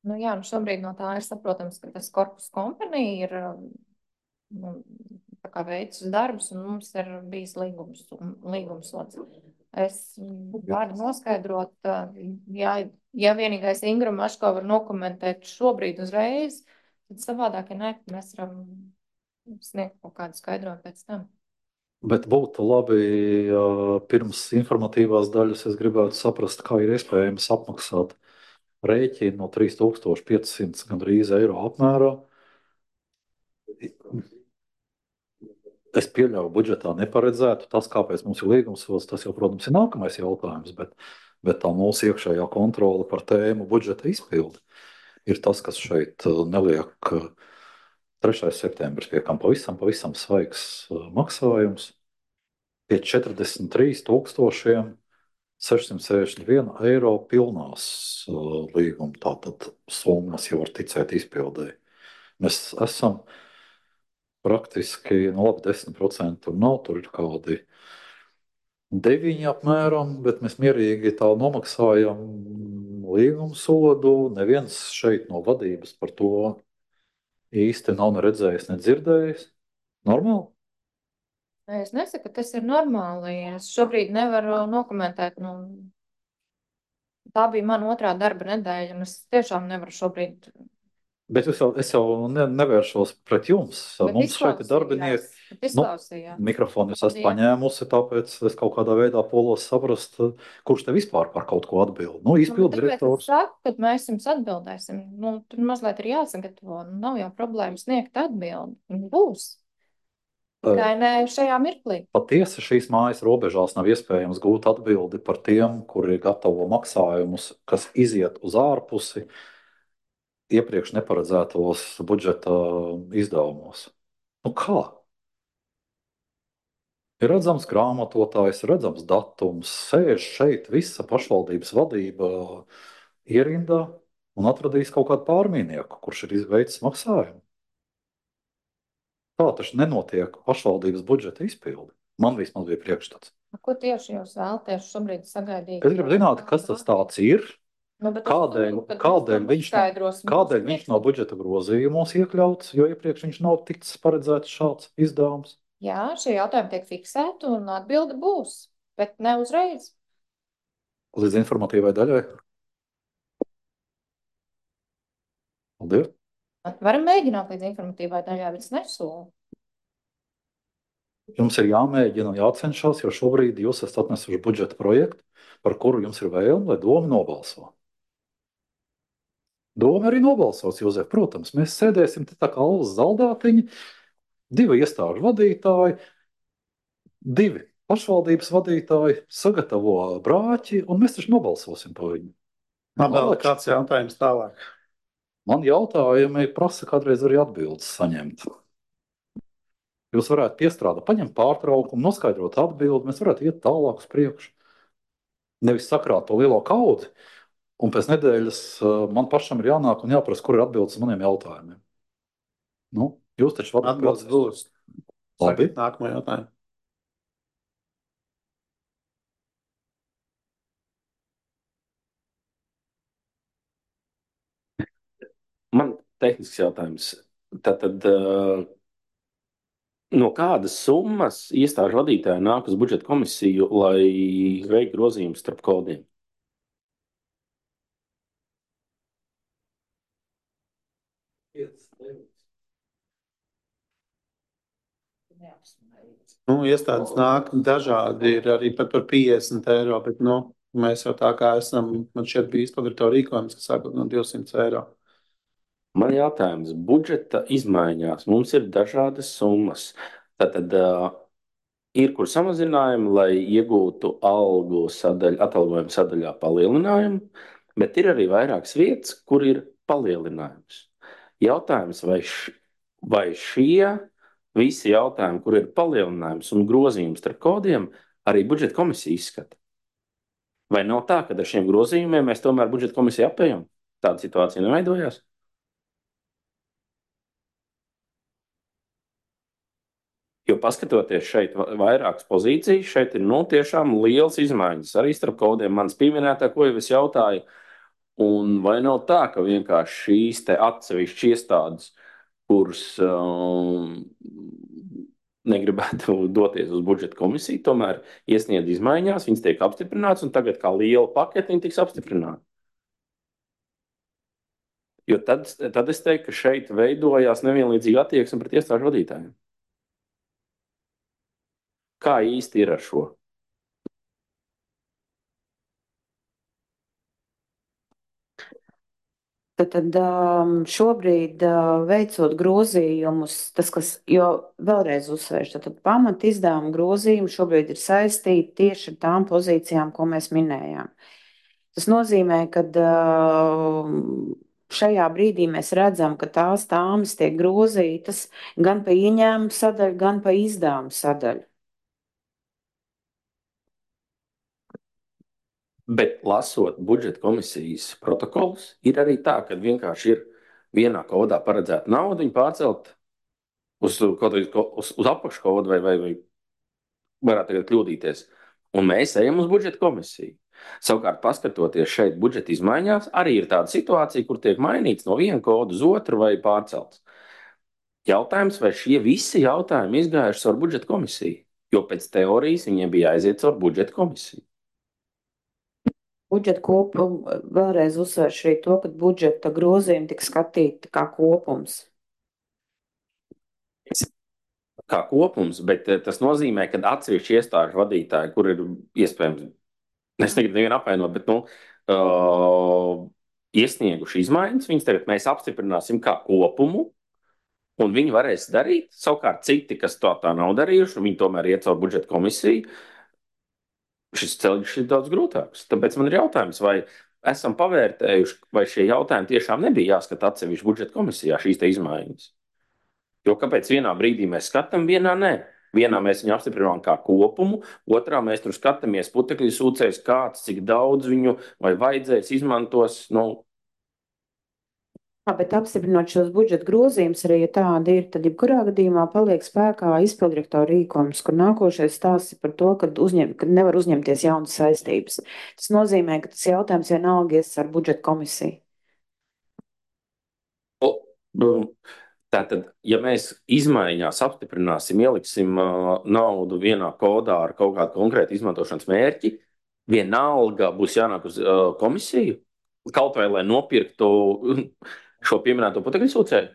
Nu, jā, nu šobrīd no tā ir saprotams, ka tas korpus kompanija ir nu, tā kā veicis darbus, un mums ir bijis līgumsots. Es varu noskaidrot, ja vienīgais Ingra Maško var nokomentēt šobrīd uzreiz, tad savādāk, ja nē, mēs varam sniegt kaut kādu skaidrojumu pēc tam.
Bet būtu labi, pirms informatīvās daļas es gribētu saprast, kā ir iespējams apmaksāt rēķinu no 3500 gandrīz eiro apmērā. Es pieļauju, budžetā neparedzētu. Tas, kāpēc mums ir līgumsots, tas jau, protams, ir nākamais jautājums, bet tā mūsu iekšējā kontrole par tēmu budžeta izpildi ir tas, kas šeit neliek 3. septembris, pie kam pavisam svaigs maksājums pie 43,661 eiro pilnās līguma. Tātad summas jau var ticēt izpildēji. Mēs esam praktiski, nu labi, 10% tur nav, tur ir kādi 9 apmēram, bet mēs mierīgi tā nomaksājam līguma sodu. Neviens šeit no vadības par to īsti nav ne redzējis, ne dzirdējis. Normāli?
Es nesaku, ka tas ir normāli. Es šobrīd nevaru nokomentēt. Nu, tā bija mana otrā darba nedēļa, un es tiešām nevaru šobrīd.
Bet es jau nevēršos pret jums.
Bet
Mums šeit ir darbinieki.
Izklausījās.
Mikrofonu es esmu paņēmusi, tāpēc es kaut kādā veidā polos saprast, kurš te vispār par kaut ko atbild. Nu, izpildu direktors.
Es saku, kad mēs jums atbildēsim. Nu, tur mazliet ir jāsagatavo. Nu, nav jau problēma sniegt atbildi. Viņa būs. Tikai ne šajā mirklī.
Patiesi šīs mājas robežās nav iespējams gūt atbildi par tiem, kuri gatavo maksājumus, kas iziet uz ārpusi iepriekš neparedzētos budžeta izdevumos. Nu kā? Ir redzams grāmatotājs, redzams datums, sēž šeit visa pašvaldības vadība ierindā un atradīs kaut kādu pārmīnieku, kurš ir veicis maksājumu. Tā taču nenotiek pašvaldības budžeta izpildi. Man vismaz bija priekšstats.
Ko tieši jūs vēlaties šobrīd sagaidīt?
Es gribu zināt, kas tas tāds ir.
Nu,
kādēļ viņš nav budžeta grozījumos iekļauts, jo iepriekš viņš nav ticis paredzēts šāds izdevums?
Jā, šie jautājumi tiek fiksēti un atbilde būs, bet ne uzreiz.
Līdz informatīvai daļai. Paldies.
Varam mēģināt līdz informatīvai daļai, bet es nesolu.
Jums ir jāmēģina un jācenšas, jo šobrīd jūs esat atnesuši budžeta projektu, par kuru jums ir vēlme, lai doma nobalso. Doma arī nobalsos, Jozef. Protams, mēs sēdēsim te tā kā alus zaldātiņi, 2 iestāžu vadītāji, 2 pašvaldības vadītāji sagatavo brāķi, un mēs taču nobalsosim par viņu.
Vēl kāds jautājums tālāk?
Man jautājumi prasa kādreiz arī atbildes saņemt. Jūs varētu piestrādāt, paņemt pārtraukumu, noskaidrot atbildi, mēs varētu iet tālāk uz priekšu. Nevis sakrāt to lielo kaudzi, un pēc nedēļas man pašam ir jānāk un jāprasa, kur ir atbildes uz maniem jautājumiem. Nu, jūs taču varat
atbildes būs.
Labi.
Nākamā jautājuma.
Man tehnisks jautājums. Tātad, no kādas summas iestāžu vadītāji nāk uz budžeta komisiju, lai veiktu grozījumus starp kodiem?
Iestādes nāk dažādi, ir arī pat par 50 eiro, bet, mēs jau tā kā esam, man šķiet bija izpildīto rīkojums, kas sākot no 200 eiro.
Man jautājums, budžeta izmaiņās mums ir dažādas summas. Tātad ir kur samazinājumi, lai iegūtu atalgojuma sadaļā palielinājumu, bet ir arī vairākas vietas, kur ir palielinājums. Jautājums, vai šie visi jautājumi, kur ir palielinājums un grozījums starp kodiem, arī budžeta komisija izskata? Vai nav tā, ka ar šiem grozījumiem mēs tomēr budžeta komisiju apējam? Tāda situācija neveidojās? Jo paskatoties šeit vairākas pozīcijas, šeit ir tiešām liels izmaiņas. Arī starp kodiem manas pieminētā, ko jau es jautāju. Un vai nav tā, ka vienkārši šīs te atsevišķas iestādes, kuras negribētu doties uz budžeta komisiju, tomēr iesniedz izmaiņās, viņas tiek apstiprinātas, un tagad kā liela pakete viņi tiks apstiprināti? Jo tad es teiktu, ka šeit veidojās nevienlīdzīga attieksme pret iestāžu vadītājiem. Kā īsti ir ar šo?
Tad šobrīd veicot grozījumus, jo vēlreiz uzsvēršu, tad pamat izdevuma grozījumi šobrīd ir saistīti tieši ar tām pozīcijām, ko mēs minējām. Tas nozīmē, ka šajā brīdī mēs redzam, ka tās tāmas tiek grozītas gan pa ieņēmumu sadaļu, gan pa izdevumu sadaļu.
Bet lasot budžeta komisijas protokolus, ir arī tā, ka vienkārši ir vienā kodā paredzēta nauda, viņa pārcelt uz apakškodu vai varētu tagad kļūdīties. Un mēs ejam uz budžeta komisiju. Savukārt, paskatoties šeit budžeta izmaiņās, arī ir tāda situācija, kur tiek mainīts no viena koda uz otru vai pārcelts. Jautājums, vai šie visi jautājumi izgājuši caur budžeta komisiju? Jo pēc teorijas viņiem bija jāaiziet caur budžeta komisiju.
Budžeta kopuma vēlreiz uzsvēršu arī to, ka budžeta grozījumi tika skatīti kā kopums.
Kā kopums, bet tas nozīmē, ka atsevišķi iestāžu vadītāji, kur ir iespējams, es negribu nevienu apvainot, bet iesnieguši izmaiņas, viņas tagad mēs apstiprināsim kā kopumu, un viņi varēs darīt. Savukārt citi, kas tā nav darījuši, viņi tomēr iet caur budžeta komisiju. Šis ceļš ir daudz grūtāks. Tāpēc man ir jautājums, vai esam pavērtējuši, vai šie jautājumi tiešām nebija jāskata atsevišķi budžeta komisijā, šīs te izmaiņas. Jo kāpēc vienā brīdī mēs skatām, vienā nē? Vienā mēs viņu apstiprinām kā kopumu, otrā mēs tur skatāmies putekļu sūcējs, kāds, cik daudz viņu vai vajadzēs izmantos.
Bet apstiprinot šos budžeta grozījumus, arī ja tādi ir, tad jebkurā gadījumā paliek spēkā izpilddirektora rīkojums, kur nākošais stāsts ir par to, ka nevar uzņemties jaunas saistības. Tas nozīmē, ka tas jautājums vienalga ies ar budžeta komisiju.
Tātad, ja mēs izmaiņās apstiprināsim, ieliksim naudu vienā kodā ar kaut kādu konkrētu izmantošanas mērķi, vienalga būs jānāk uz komisiju, kaut vai lai nopirktu šo pieminēto putekļu sūcēju?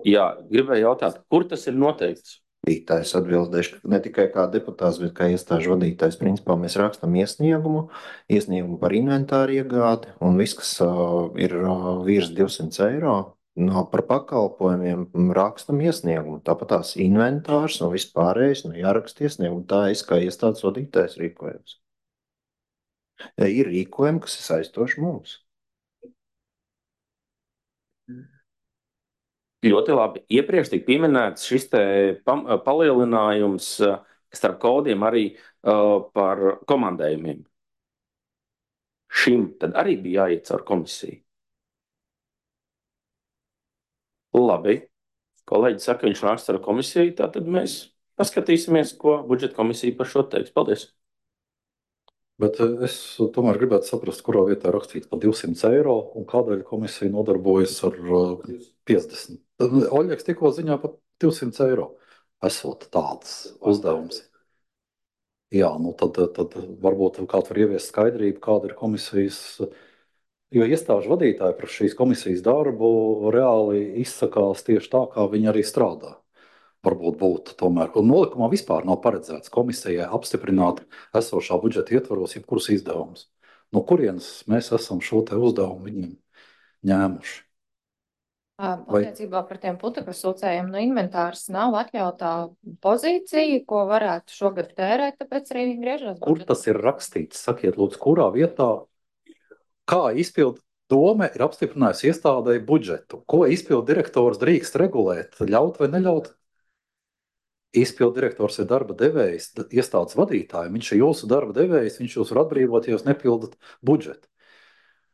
Jā, gribēju jautāt, kur tas ir noteikts?
Es atbildēšu, ka ne tikai kā deputāts, bet kā iestāžu vadītājs. Principā mēs rakstam iesniegumu par inventāru iegādi, un viss, kas ir virs 200 eiro, par pakalpojumiem rakstam iesniegumu. Tāpat tās inventārs un vispārējais jāraksta iesniegumu. Tā es kā iestādes vadītājs rīkojums. Ir rīkojumi, kas ir saistoši mums.
Ļoti labi. Iepriekš tika pieminēts šis te palielinājums starp kodiem arī par komandējumiem. Šim tad arī bija jāiet caur komisiju. Labi. Kolēģi saka, viņš nāks caur komisiju, tātad mēs paskatīsimies, ko budžeta komisija par šo teiks. Paldies!
Bet es tomēr gribētu saprast, kurā vietā rakstīts par 200 eiro un kādēļ komisija nodarbojas ar 50. Oļegs tikko ziņā par 200 eiro. Esot tāds uzdevums. Jā, tad varbūt kāds var ieviest skaidrību, kāda ir komisijas, jo iestāžu vadītāji par šīs komisijas darbu reāli izsakās tieši tā, kā viņi arī strādā. varbūt būtu tomēr. Un nolikumā vispār nav paredzēts komisijai apstiprināt esošā budžeta ietvaros jebkurus izdevumus. No kurienes mēs esam šo te uzdevumu viņiem ņēmuši? Vai
Attiecībā par tiem putekļu sūcējiem no inventārs nav atļautā pozīcija, ko varētu šogad tērēt, tāpēc arī viņi griežas.
kur tas ir rakstīts? Sakiet, lūdzu, kurā vietā, kā izpildu dome ir apstiprinājusi iestādēji budžetu? Ko izpildu direktors drīkst regulēt, ļaut vai neļaut? Izpildu direktors ir darba devējs, iestādes vadītāji. Viņš ir jūsu darba devējs, viņš jūs var atbrīvot, ja jūs nepildat budžetu.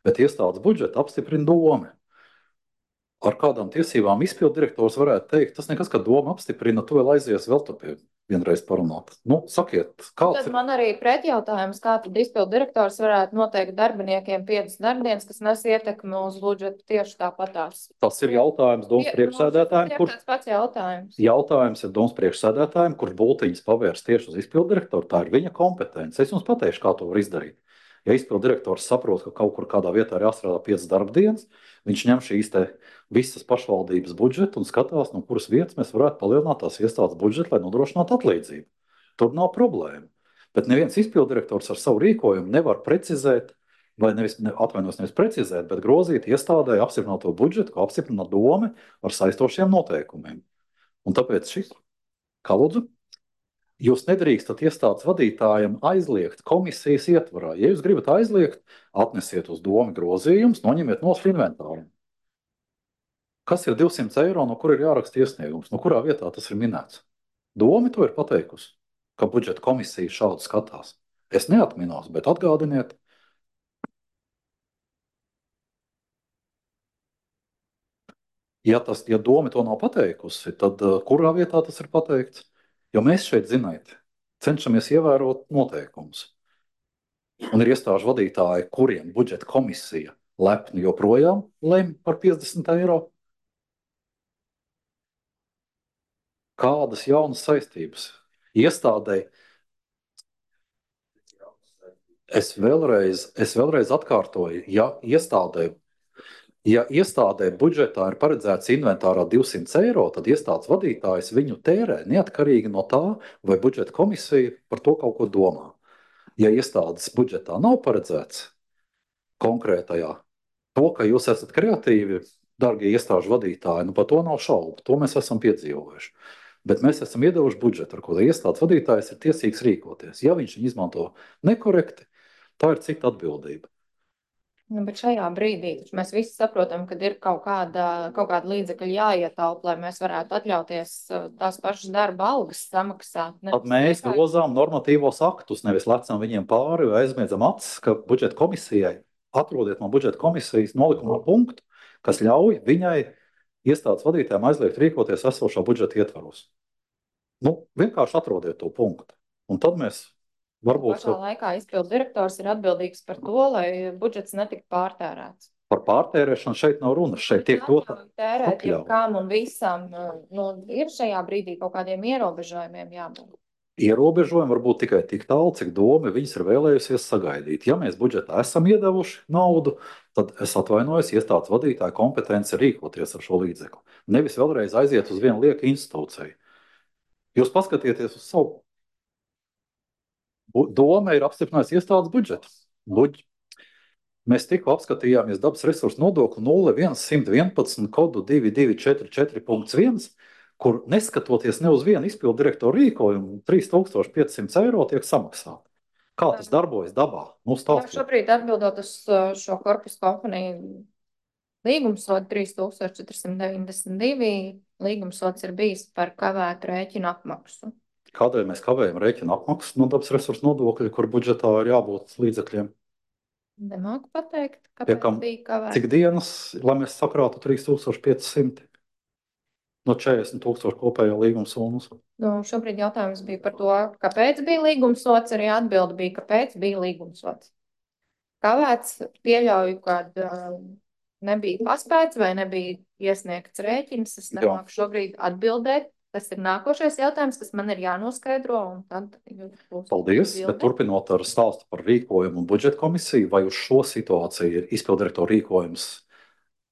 Bet iestādes budžetu apstiprina dome. Ar kādām tiesībām izpildu direktors varētu teikt, tas nekas, ka doma apstiprina, tu vēl aizies vēl tur pie vienreiz parunāt. Nu, sakiet, kāds
Tad
ir?
man arī pretjautājums, kā tad izpildu direktors varētu noteikt darbiniekiem 5 darbdienas, kas nes ietekmi uz budžetu tieši tāpatās.
Tas ir jautājums domas priekšsēdētājiem,
Tieši
kurš
tāds pats jautājums.
jautājums ir domas priekšsēdētājiem, kurš bultiņas pavērs tieši uz izpildu direktoru. Tā ir viņa kompetence. Es jums pateikšu, kā to var izdarīt. Ja izpildu direktors saprot, ka kaut kur kādā vietā ir jāstrādā 5 darbdienas, viņš ņem šīs te visas pašvaldības budžetu un skatās, no kuras vietas mēs varētu palielināt tās iestādes budžetu, lai nodrošinātu atlīdzību. Tur nav problēma. Bet neviens izpildu direktors ar savu rīkojumu nevar precizēt, vai nevis precizēt, bet grozīt iestādē apstiprināto budžetu, ko apstiprina dome ar saistošiem noteikumiem. Un tāpēc šis, kā lūdzu, jūs nedrīkstat iestādes vadītājiem aizliegt komisijas ietvarā. Ja jūs gribat aizliegt, atnesiet uz domu grozījumus, noņemiet no inventāra. Kas ir 200 eiro, no kur ir jāraksta iesniegums? No kurā vietā tas ir minēts? Doma to ir pateikusi, ka budžeta komisija šādi skatās. Es neatminos, bet atgādiniet. Ja doma to nav pateikusi, tad kurā vietā tas ir pateikts? Jo mēs šeit, ziniet, cenšamies ievērot noteikumus. Un ir iestāžu vadītāji, kuriem budžeta komisija lepni joprojām lemj par 50 eiro. Kādas jaunas saistības? Iestādēji. Es vēlreiz atkārtoju, ja iestādē budžetā ir paredzēts inventārā 200 eiro, tad iestādes vadītājs viņu tērē neatkarīgi no tā, vai budžeta komisija par to kaut ko domā. Ja iestādes budžetā nav paredzēts konkrētajā, to, ka jūs esat kreatīvi, darbie iestāžu vadītāji, par to nav šaubu. To mēs esam piedzīvojuši. Bet mēs esam iedevuši budžetu, ar ko iestādes vadītājs ir tiesīgs rīkoties. Ja viņš viņu izmanto nekorekti, tā ir cita atbildība.
Nu, bet šajā brīdī mēs visi saprotam, ka ir kaut kāda līdzekļa jāietaupa, lai mēs varētu atļauties tās pašas darba algas samaksāt.
Tad mēs grozām normatīvos aktus, nevis lecam viņiem pāri vai aizmiedzam acis, ka budžeta komisijai, atrodiet no budžeta komisijas nolikumā punktu, kas ļauj viņai iestādes vadītājiem aizliegt rīkoties esošā budžeta ietvaros. Vienkārši atrodiet to punktu. Un tad mēs varbūt...
Pašā laikā izpildu direktors ir atbildīgs par to, lai budžets netiktu pārtērēts.
Par pārtērēšanu šeit nav runa. Šeit tiek dota
tērēt jebkām un visam. Ir šajā brīdī kaut kādiem ierobežojumiem jābūt.
Ierobežojumi var būt tikai tik tālu, cik doma viņas ir vēlējusies sagaidīt. Ja mēs budžetā esam iedevuši naudu, tad es atvainojos, iestādes vadītāja kompetence rīkoties ar šo līdzekli. Nevis vēlreiz aiziet uz vienu lieku institūciju. Jūs paskatieties uz savu. Doma ir apstiprinājusi iestādes budžetu. Mēs tikko apskatījāmies dabas resursu nodokli 0111 kodu 2244.1, kur neskatoties ne uz vienu izpildu direktoru rīkojumu, 3500 eiro tiek samaksāti. Kā tas darbojas dabā?
Šobrīd atbildot uz šo korpusu kompaniju līgumsodu 3492, līgumsods ir bijis par kavētu rēķinu apmaksu.
Kādēļ mēs kavējam rēķinu apmaksu no dabas resursu nodokļa, kur budžetā ir jābūt līdzekļiem?
Nemāku pateikt, kāpēc bija kavēts.
Cik dienas, lai mēs sakrātu 3500 no 40,000 kopējā līguma summas?
Šobrīd jautājums bija par to, kāpēc bija līgumsots, arī atbilde bija, kāpēc bija līgumsots. Kavēts pieļauju, kad nebija paspēts vai nebija iesniegts rēķins, es nemāku šobrīd atbildēt. Tas ir nākošais jautājums, kas man ir jānoskaidro.
Paldies, bet turpinot ar stāstu par rīkojumu un budžeta komisiju, vai uz šo situāciju izpildirektora rīkojums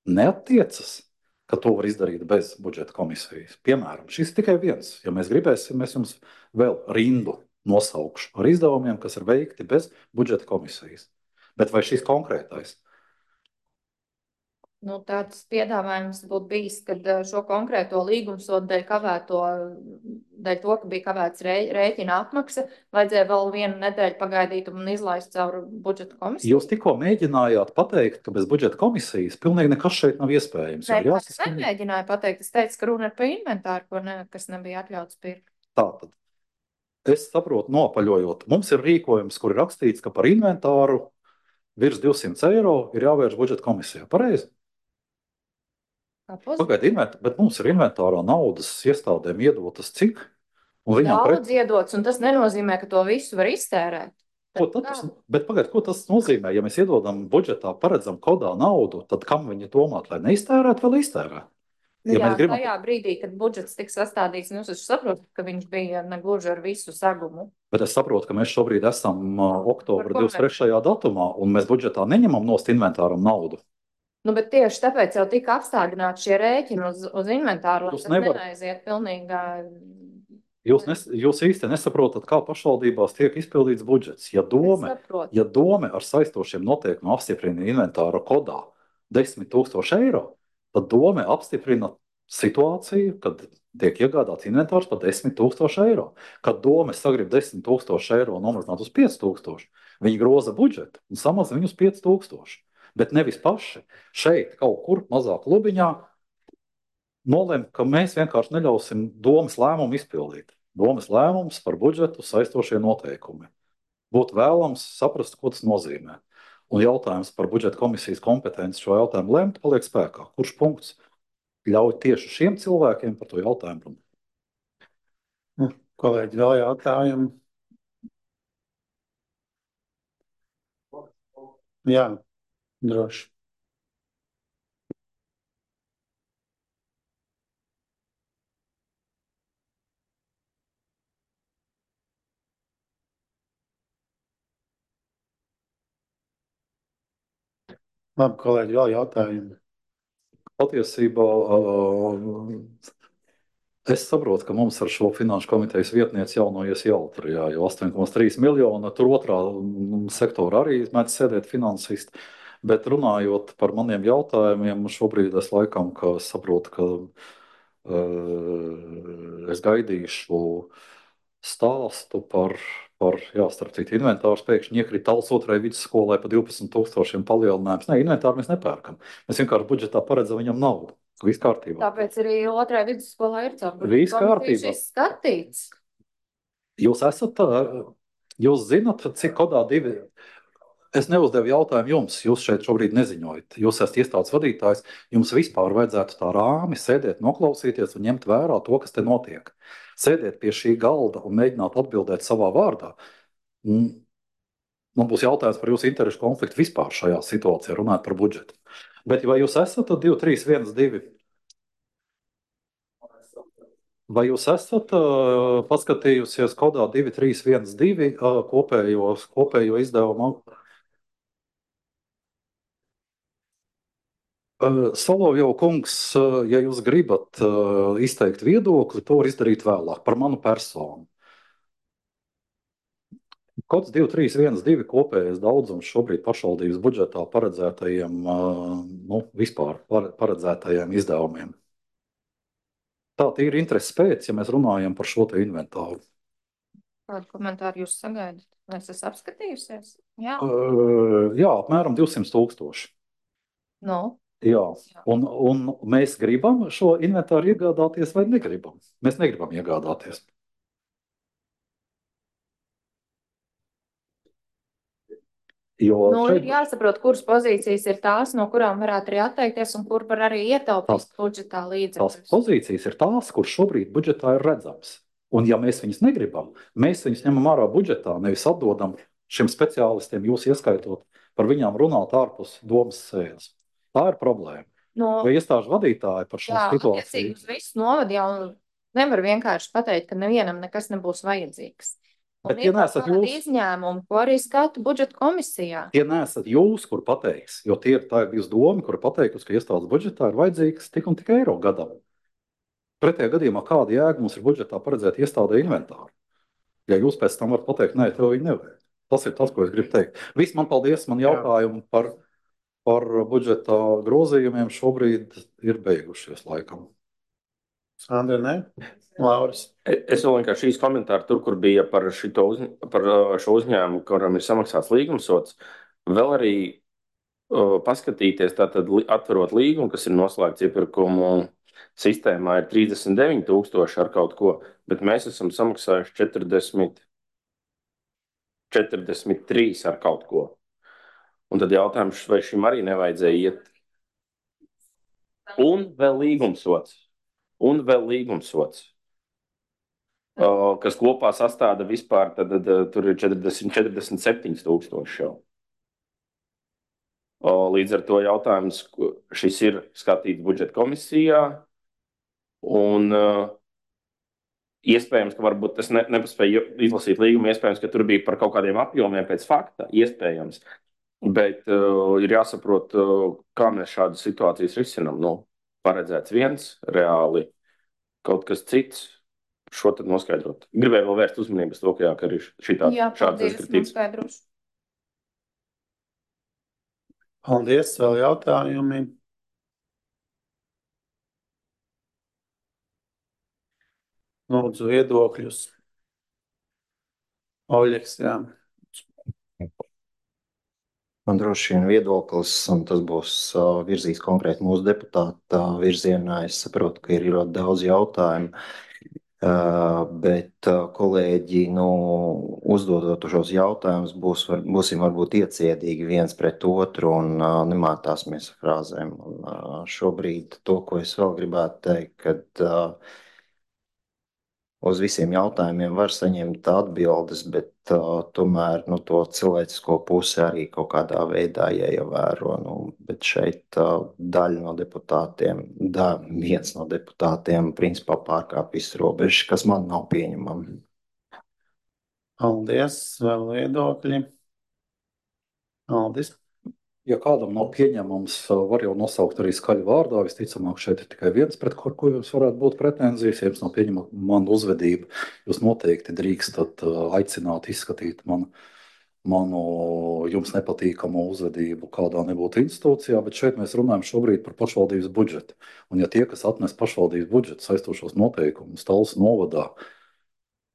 neattiecas? ka to var izdarīt bez budžeta komisijas. Piemēram, šis ir tikai viens. Ja mēs gribēsim, mēs jums vēl rindu nosaukšu ar izdevumiem, kas ir veikti bez budžeta komisijas. Bet vai šis konkrētais?
Nu, tāds piedāvājums būtu bijis, kad šo konkrēto līgumsodu dēļ to, ka bija kavēts rēķina apmaksa, vajadzēja vēl vienu nedēļu pagaidīt un izlaist caur budžeta komisiju.
Jūs tikko mēģinājāt pateikt, ka bez budžeta komisijas pilnīgi nekas šeit nav iespējams.
Nē, es nemēģināju pateikt. Es teicu, ka runa ir par inventāru, kas nebija atļauts pirkt.
Tātad, es saprotu, nopaļojot, mums ir rīkojums, kur ir rakstīts, ka par inventāru virs 200 eiro ir jāvērš budžeta komisijā. Pareizi? Pagaidiet, bet mums ir inventārā naudas iestādēm iedotas cik?
Daudz iedots, un tas nenozīmē, ka to visu var iztērēt.
Bet pagaidiet, ko tas nozīmē? Ja mēs iedodam budžetā, paredzam kodā naudu, tad kam viņi domāt, lai neiztērētu, vēl iztērēt?
Ja jā, gribam... tajā brīdī, kad budžets tiks sastādīts, es saprotu, ka viņš bija negluži ar visu segumu.
Bet es saprotu, ka mēs šobrīd esam oktobra 23. datumā, un mēs budžetā neņemam nost inventāram naudu.
Nu, bet tieši tāpēc jau tika apstādināti šie rēķini uz inventāru, lai tas neaiziet pilnīgā...
Jūs īsti nesaprotat, kā pašvaldībās tiek izpildīts budžets. Ja dome ar saistošiem noteikumiem apstiprina inventāra kodā 10 000 eiro, tad dome apstiprina situāciju, kad tiek iegādāts inventārs par 10 000 eiro. Kad dome sagrib 10 000 eiro nomazināt uz 5 000, viņi groza budžetu un samazina viņu uz 5 000. Bet nevis paši šeit kaut kur mazā klubiņā nolem, ka mēs vienkārši neļausim domas lēmumu izpildīt. Domas lēmums par budžetu saistošie noteikumi. Būtu vēlams saprast, ko tas nozīmē. Un jautājums par budžeta komisijas kompetenci šo jautājumu lemt paliek spēkā. Kurš punkts ļauj tieši šiem cilvēkiem par to jautājumu runāt?
Kolēģi, vēl jautājumu? Jā. Droši. Labi, kolēģi, vēl jautājumi.
Patiesībā es saprotu, ka mums ar šo finanšu komitejas vietnieci jaunojies jautrijā, jo 8,3 miljonu, tur otrā sektora arī mēdz sēdēt finansisti. Bet runājot par maniem jautājumiem, šobrīd es laikam saprotu, ka es gaidīšu stāstu par starp citu, inventārs pēkšņi iekrita Tallas otrajai vidusskolai pa 12 000 palielinājums. Nē, inventāru mēs nepērkam. Mēs vienkārši budžetā paredzam viņam naudu. Viss kārtībā.
Tāpēc arī otrajai vidusskolā ir caur
Viss kārtībā.
Skatīts.
Jūs zinat, cik kodā divi... Es neuzdevu jautājumu jums, jūs šeit šobrīd neziņojat. Jūs esat iestādes vadītājs, jums vispār vajadzētu tā rāmi sēdēt, noklausīties un ņemt vērā to, kas te notiek. Sēdēt pie šī galda un mēģināt atbildēt savā vārdā. Man būs jautājums par jūsu interešu konfliktu vispār šajā situācijā, runāt par budžetu. Bet vai jūs esat 2, 3, 1, 2? Vai jūs esat paskatījusies kodā 2, 3, 1, 2 kopējo izdevumu? Solovjov kungs, ja jūs gribat izteikt viedokli, to var izdarīt vēlāk par manu personu. Kods 2, 3, 1, 2 kopējais daudzums šobrīd pašvaldības budžetā paredzētajiem, vispār paredzētajiem izdevumiem. Tā ir interesi pēc, ja mēs runājam par šo te inventāru.
Kādu komentāru jūs sagaidat? Vai es esmu apskatījusies? Jā,
apmēram 200 000.
No.
Jā, un mēs gribam šo inventāru iegādāties vai negribam? Mēs negribam iegādāties.
Ir jāsaprot, kuras pozīcijas ir tās, no kurām varētu arī atteikties un kur var arī ietaupīt budžetā līdzekļus.
Tās pozīcijas ir tās, kur šobrīd budžetā ir redzams. Un ja mēs viņus negribam, mēs viņus ņemam ārā budžetā, nevis atdodam šiem speciālistiem, jūs ieskaitot, par viņām runāt ārpus domas sēdes. Tā ir problēma. Vai iestāžu vadītāji par šo situāciju?
Jā, uz visu novadu jau nevar vienkārši pateikt, ka nevienam nekas nebūs vajadzīgs.
Bet
Un
tie
ir kaut
neesat
kādi
jūs.
izņēmumi, ko arī skatu budžeta komisijā.
Tie neesat jūs, kur pateiks, jo tā ir bijusi doma, kur pateikusi, ka iestādes budžetā ir vajadzīgs tik un tik eiro gadam. Pretējā gadījumā kāda jēga mums ir budžetā paredzēt iestādē inventāru? Ja jūs pēc tam varat pateikt, nē, tev viņi nevajag. Tas ir tas, ko es gribu teikt. Viss, man paldies, man jautājumi par budžeta grozījumiem šobrīd ir beigušies laikam.
Sandra, ne? Lauris.
Es vēl vienkārši šīs komentāru tur, kur bija par šo uzņēmumu, kuram ir samaksāts līgumsots, vēl arī paskatīties, tātad atverot līgumu, kas ir noslēgts iepirkumu sistēmā, ir 39,000 ar kaut ko, bet mēs esam samaksājuši 43 ar kaut ko. Un tad jautājums, vai šim arī nevajadzēja iet. Un vēl līgumsots. Kas kopā sastāda vispār, tad tur ir 47,000 jau. Līdz ar to jautājums, šis ir skatīts budžeta komisijā, un iespējams, ka varbūt es nepaspēju izlasīt līgumu, iespējams, ka tur bija par kaut kādiem apjomiem pēc fakta, iespējams, bet ir jāsaprot, kā mēs šādas situācijas risinām. Nu, paredzēts viens, reāli kaut kas cits. Šo tad noskaidrot. Gribēju vēl vērst uzmanības to, ka arī šāds kritīts.
Paldies, vēl jautājumi. Lūdzu, viedokļus. Oļeks, jā.
Man droši vien viedoklis, un tas būs virzīs konkrēti mūsu deputāta virzienā. Es saprotu, ka ir ļoti daudz jautājumu. Bet kolēģi, uzdodot šos jautājumus, būsim varbūt iecietīgi viens pret otru un nemātāsimies ar frāzēm. Un šobrīd to, ko es vēl gribētu teikt, kad uz visiem jautājumiem var saņemt atbildes, bet tomēr to cilvēcisko pusi arī kaut kādā veidā jāievēro. Bet šeit daļa no deputātiem, viens no deputātiem principā pārkāpj visas robežas, kas man nav pieņemami.
Paldies, vēl viedokļi. Aldis.
Ja kādam nav pieņemams, var jau nosaukt arī skaļu vārdā. Visticamāk, šeit ir tikai viens, pret ko jums varētu būt pretenzijas. Ja jums nav pieņemama mana uzvedība, jūs noteikti drīkstat aicināt izskatīt manu jums nepatīkamu uzvedību kādā nebūtu institūcijā, bet šeit mēs runājam šobrīd par pašvaldības budžetu. Un ja tie, kas atnes pašvaldības budžetu saistošos noteikumus Talsu novadā,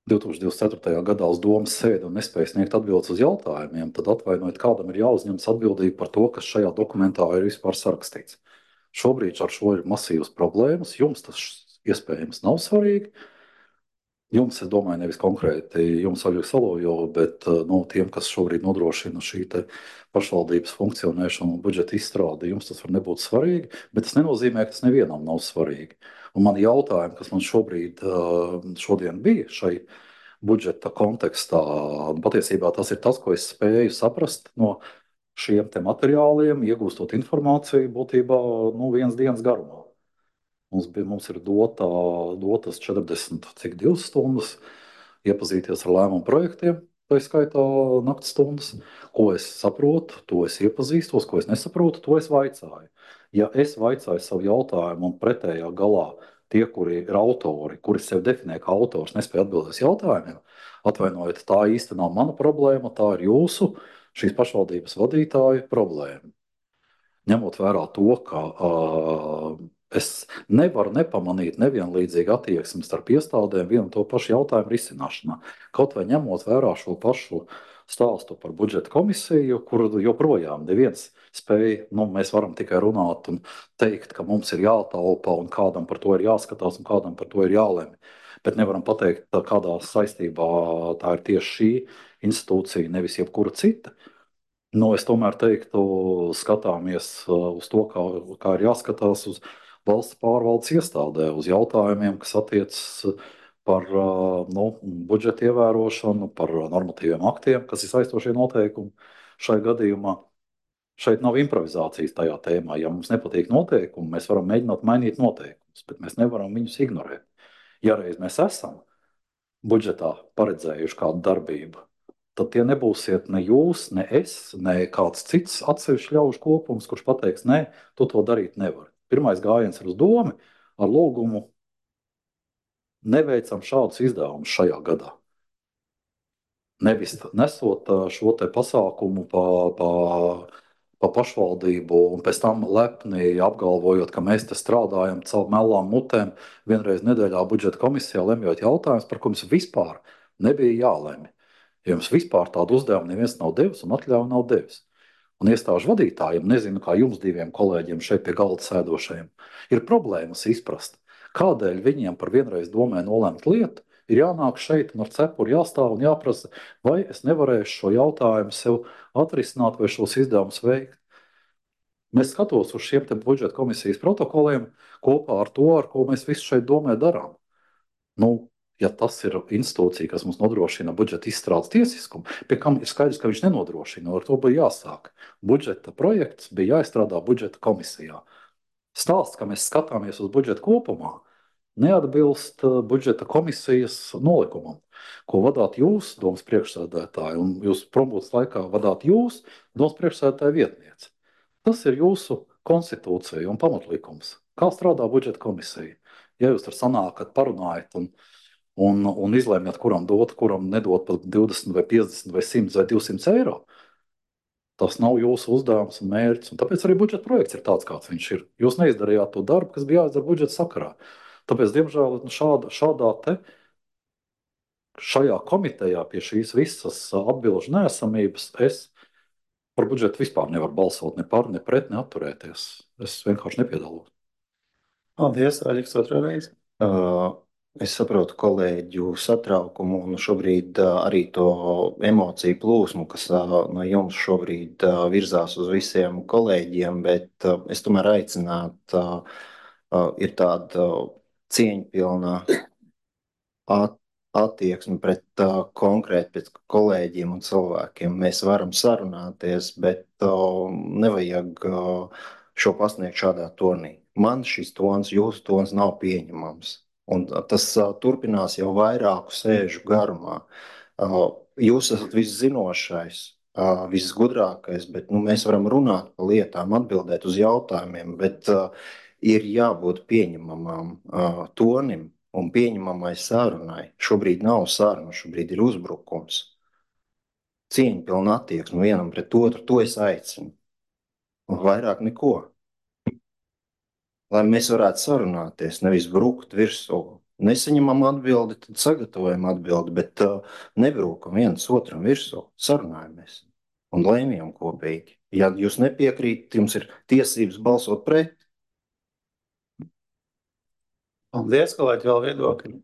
2024. gadā uz domas sēdi un nespēja sniegt atbildes uz jautājumiem, tad atvainojiet, kādam ir jāuzņemas atbildība par to, kas šajā dokumentā ir vispār sarakstīts. Šobrīd ar šo ir masīvas problēmas, jums tas iespējams nav svarīgi. Jums, es domāju, nevis konkrēti jums, Aļģis Salojo, bet tiem, kas šobrīd nodrošina šī pašvaldības funkcionēšanu un budžeta izstrādi, jums tas var nebūt svarīgi, bet tas nenozīmē, ka tas nevienam nav svarīgi. Un man jautājumi, kas man šodien bija šai budžeta kontekstā, patiesībā tas ir tas, ko es spēju saprast no šiem te materiāliem, iegūstot informāciju būtībā vienas dienas garumā. Mums ir dotas 42 stundas iepazīties ar lēmumu projektiem, tā skaitā naktas stundas. Ko es saprotu, to es iepazīstos, ko es nesaprotu, to es vaicāju. Ja es vaicāju savu jautājumu un pretējā galā tie, kuri ir autori, kuri sevi definē kā autors, nespēja atbildēt uz jautājumiem, atvainojiet, tā īsti nav mana problēma, tā ir jūsu, šīs pašvaldības vadītāju problēma. Ņemot vērā to, ka es nevaru nepamanīt nevienlīdzīgu attieksmi starp iestādēm vienu un to pašu jautājumu risināšanā. Kaut vai ņemot vērā šo pašu stāstu par budžeta komisiju, kur joprojām neviens spēja, mēs varam tikai runāt un teikt, ka mums ir jātaupa un kādam par to ir jāskatās un kādam par to ir jālemj. Bet nevaram pateikt, kādā saistībā tā ir tieši šī institūcija, nevis jebkura cita. Es tomēr teiktu, skatāmies uz to, kā ir jāskatās uz valsts pārvaldes iestādē, uz jautājumiem, kas attiecas par budžeta ievērošanu, par normatīviem aktiem, kas ir saistošie noteikumi. Šai gadījumā šeit nav improvizācijas tajā tēmā. Ja mums nepatīk noteikumi, mēs varam mēģināt mainīt noteikumus, bet mēs nevaram viņus ignorēt. Ja reiz mēs esam budžetā paredzējuši kādu darbību, tad tie nebūsiet ne jūs, ne es, ne kāds cits atsevišķs ļaužu kopums, kurš pateiks, nē, tu to darīt nevari. Pirmais gājiens ir uz domu ar lūgumu neveicam šādus izdevumus šajā gadā. Nevis nesot šo te pasākumu pa pašvaldību un pēc tam lepni apgalvojot, ka mēs te strādājam caur melām mutēm vienreiz nedēļā budžeta komisijā, lemjot jautājumus, par ko mums vispār nebija jālemj. Jo jums vispār tādu uzdevumu neviens nav devis un atļauju nav devis. Un iestāžu vadītājiem, nezinu, kā jums diviem kolēģiem šeit pie galda sēdošajiem, ir problēmas izprast, kādēļ viņiem par vienreiz domē nolemt lietu, ir jānāk šeit un ar cepuri jāstāv un jāprasa, vai es nevarēšu šo jautājumu sev atrisināt vai šos izdevumus veikt. Mēs skatos uz šiem te budžeta komisijas protokoliem kopā ar to, ar ko mēs visu šeit domē darām. Nu, ja tas ir institūcija, kas mums nodrošina budžeta izstrādes tiesiskumu, pie kam ir skaidrs, ka viņš nenodrošina, ar to bija jāsāk. Budžeta projekts bija jāizstrādā budžeta komisijā. Stāsts, ka mēs skatāmies uz budžetu kopumā, neatbilst budžeta komisijas nolikumam, ko vadāt jūs, domas priekšsēdētāji, un jūs prombūtas laikā vadāt jūs, domas priekšsēdētāja vietniece. Tas ir jūsu konstitūcija un pamatlikums. Kā strādā budžeta komisija? Ja jūs tur sanākat, parunājat un izlēmjat, kuram dot, kuram nedot pat 20 vai 50 vai 100 vai 200 eiro, tas nav jūsu uzdevums un mērķis. Un tāpēc arī budžeta projekts ir tāds, kāds viņš ir. Jūs neizdarījāt to darbu, kas bija jāizdara budžeta sakarā. Tāpēc, diemžēl, šajā komitejā pie šīs visas atbilžu neesamības es par budžetu vispār nevaru balsot ne par, ne pret, ne atturēties. Es vienkārši nepiedalos.
Paldies, Aļiks, otrā reize.
Es saprotu kolēģu satraukumu un šobrīd arī to emociju plūsmu, kas no jums šobrīd virzās uz visiem kolēģiem, bet es tomēr aicinātu, ir tāda cieņpilna attieksme pret konkrēti pret kolēģiem un cilvēkiem. Mēs varam sarunāties, bet nevajag šo pasniegt šādā tonī. Man šis tons, jūsu tons nav pieņemams. Un tas turpinās jau vairāku sēžu garumā. Jūs esat viszinošais, visgudrākais, bet mēs varam runāt par lietām, atbildēt uz jautājumiem, bet ir jābūt pieņemamam tonim un pieņemamai sarunai. Šobrīd nav saruna, šobrīd ir uzbrukums. Cieņpilna attieksme vienam pret otru, to es aicinu. Un vairāk neko. Lai mēs varētu sarunāties, nevis brukt virsū. Nesaņemam atbildi, tad sagatavojam atbildi, bet nebrukam viens otram virsū. Sarunājamies un lēmjam kopīgi. Ja jūs nepiekrītat, jums ir tiesības balsot pret.
Paldies, kolēģi, vēl viedokļi.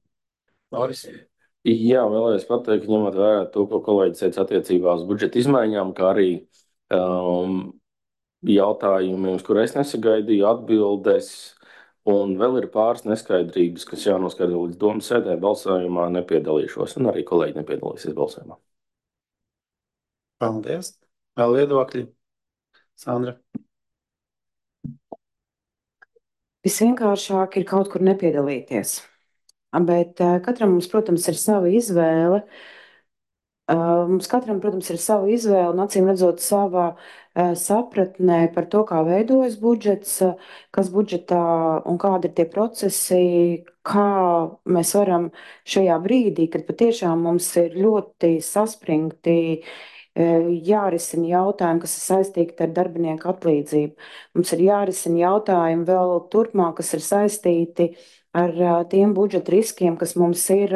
Jā, vēlējos pateikt, ņemot vērā to, ko kolēģis teica attiecībā uz budžeta izmaiņām, kā arī jautājumiem, uz kur es nesagaidīju atbildes, un vēl ir pāris neskaidrības, kas jānoskaidro līdz domas sēdē, balsojumā nepiedalīšos, un arī kolēģi nepiedalīsies balsojumā.
Paldies. Vēl viedokļi. Sandra.
Visvienkāršāk ir kaut kur nepiedalīties. Bet katram mums, protams, ir sava izvēle. Mums katram, protams, ir sava izvēle un acīm redzot savā sapratnē par to, kā veidojas budžets, kas budžetā un kādi ir tie procesi, kā mēs varam šajā brīdī, kad patiešām mums ir ļoti saspringti jārisina jautājumi, kas ir saistīti ar darbinieku atlīdzību. Mums ir jārisina jautājumi vēl turpmāk, kas ir saistīti ar tiem budžeta riskiem, kas mums ir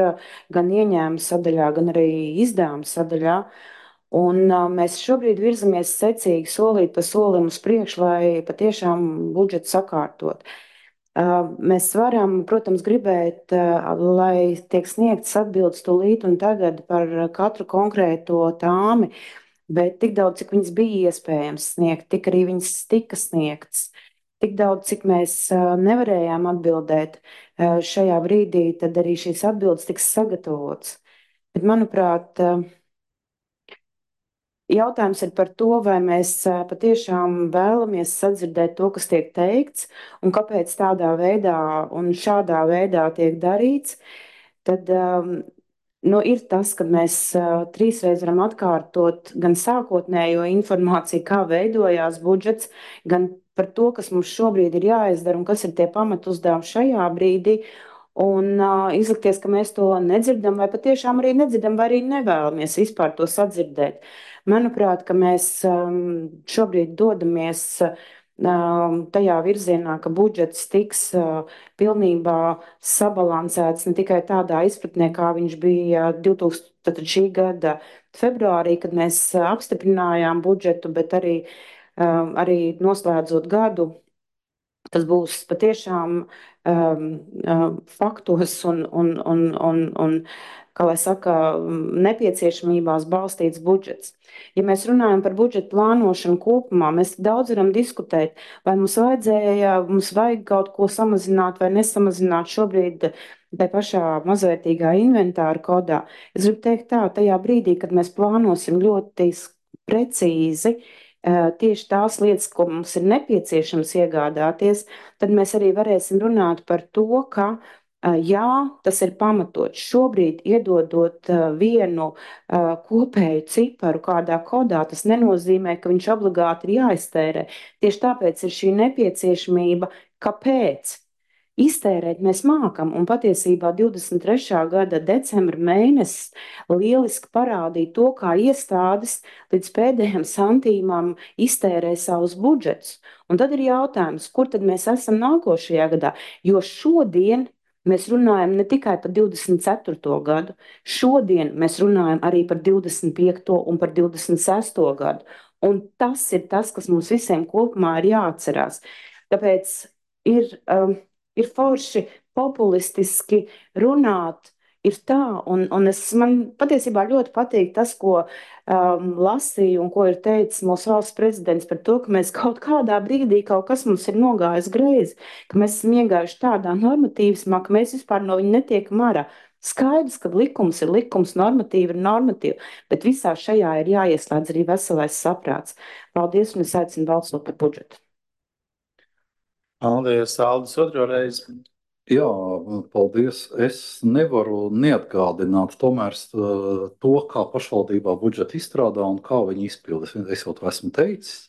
gan ieņēmuma sadaļā, gan arī izdevuma sadaļā. Un mēs šobrīd virzamies secīgi solīt pa solim uz priekšu, lai patiešām budžetu sakārtot. Mēs varam, protams, gribēt, lai tiek sniegtas atbildes tūlīt un tagad par katru konkrēto tāmi, bet tik daudz, cik viņas bija iespējams sniegt, tik arī viņas tika sniegtas. Tik daudz, cik mēs nevarējām atbildēt šajā brīdī, tad arī šīs atbildes tiks sagatavotas. Bet, manuprāt, jautājums ir par to, vai mēs patiešām vēlamies sadzirdēt to, kas tiek teikts, un kāpēc tādā veidā un šādā veidā tiek darīts. Tad Nu, ir tas, ka mēs trīsreiz varam atkārtot gan sākotnējo informāciju, kā veidojās budžets, gan par to, kas mums šobrīd ir jāizdara un kas ir tie pamatu uzdevumi šajā brīdī. Un izlikties, ka mēs to nedzirdam, vai patiešām arī nedzirdam, vai arī nevēlamies vispār to sadzirdēt. Manuprāt, ka mēs šobrīd dodamies tajā virzienā, ka budžets tiks pilnībā sabalansēts ne tikai tādā izpratnē, kā viņš bija 2000, tātad šī gada februārī, kad mēs apstiprinājām budžetu, bet arī noslēdzot gadu. Tas būs patiešām faktos un, kā lai saka, nepieciešamībās balstīts budžets. Ja mēs runājam par budžeta plānošanu kopumā, mēs daudz varam diskutēt, vai mums vajag kaut ko samazināt vai nesamazināt šobrīd tai pašā mazvērtīgā inventāra kodā. Es gribu teikt tā, tajā brīdī, kad mēs plānosim ļoti precīzi tieši tās lietas, ko mums ir nepieciešams iegādāties, tad mēs arī varēsim runāt par to, ka jā, tas ir pamatots. Šobrīd, iedodot vienu kopēju ciparu kādā kodā, tas nenozīmē, ka viņš obligāti ir jāiztērē. Tieši tāpēc ir šī nepieciešamība, kāpēc. Iztērēt mēs mākam, un patiesībā 23. gada decembra mēnesis lieliski parādīja to, kā iestādes līdz pēdējiem santīmam iztērē savus budžetus. Un tad ir jautājums, kur tad mēs esam nākošajā gadā, jo šodien mēs runājam ne tikai par 24. gadu, šodien mēs runājam arī par 25. un par 26. gadu. Un tas ir tas, kas mums visiem kopumā ir jāatcerās. Tāpēc ir forši populistiski runāt, ir tā, un man patiesībā ļoti patīk tas, ko lasīju un ko ir teicis mūsu valsts prezidents par to, ka mēs kaut kādā brīdī kaut kas mums ir nogājis greizi, ka mēs esam iegājuši tādā normatīvismā, ka mēs vispār no viņa netiekam ārā. Skaidrs, ka likums ir likums, normatīva ir normatīva, bet visā šajā ir jāieslēdz arī veselais saprāts. Paldies, un es aicinu balsot par budžetu.
Paldies, Aldis, otro reizi.
Jā, paldies. Es nevaru neatgādināt tomēr to, kā pašvaldībā budžetu izstrādā un kā viņi izpilda. Es jau to esmu teicis,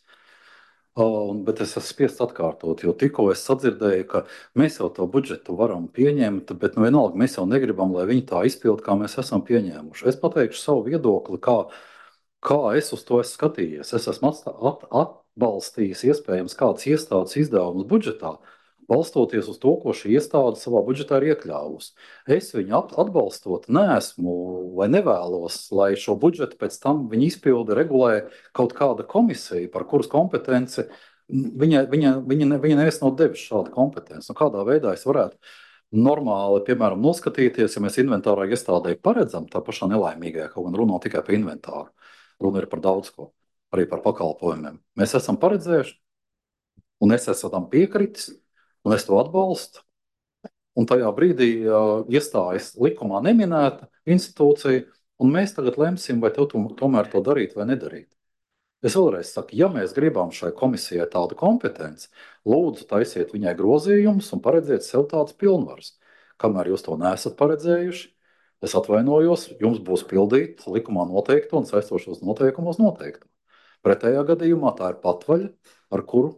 bet es esmu spiests atkārtot, jo tikko es sadzirdēju, ka mēs jau to budžetu varam pieņemt, bet nu vienalga mēs jau negribam, lai viņi tā izpilda, kā mēs esam pieņēmuši. Es pateikšu savu viedokli, kā es uz to esmu skatījies. Es esmu atbalstījis iespējams kādas iestādes izdevumus budžetā, balstoties uz to, ko šī iestāde savā budžetā ir iekļāvusi. Es viņu atbalstot neesmu vai nevēlos, lai šo budžetu pēc tam viņi izpilda, regulē kaut kāda komisija, par kuras kompetenci viņa neviens nav devis šādu kompetenci. Kādā veidā es varētu normāli, piemēram, noskatīties, ja mēs inventārā iestādē paredzam, tā pašā nelaimīgajā, kaut gan runā tikai par inventāru. Runa ir par daudz ko, arī par pakalpojumiem. Mēs esam paredzējuši, un es esmu tam piekritis, un es to atbalstu. Un tajā brīdī iestājas likumā neminēta institūcija, un mēs tagad lemsim, vai tev tomēr to darīt vai nedarīt. Es vēlreiz saku, ja mēs gribam šai komisijai tādu kompetenci, lūdzu taisiet viņai grozījumus un paredziet sev tādas pilnvaras. Kamēr jūs to neesat paredzējuši, es atvainojos, jums būs pildīt likumā noteikto un saistošos noteikumus noteikto. Pretējā gadījumā tā ir patvaļa, ar kuru,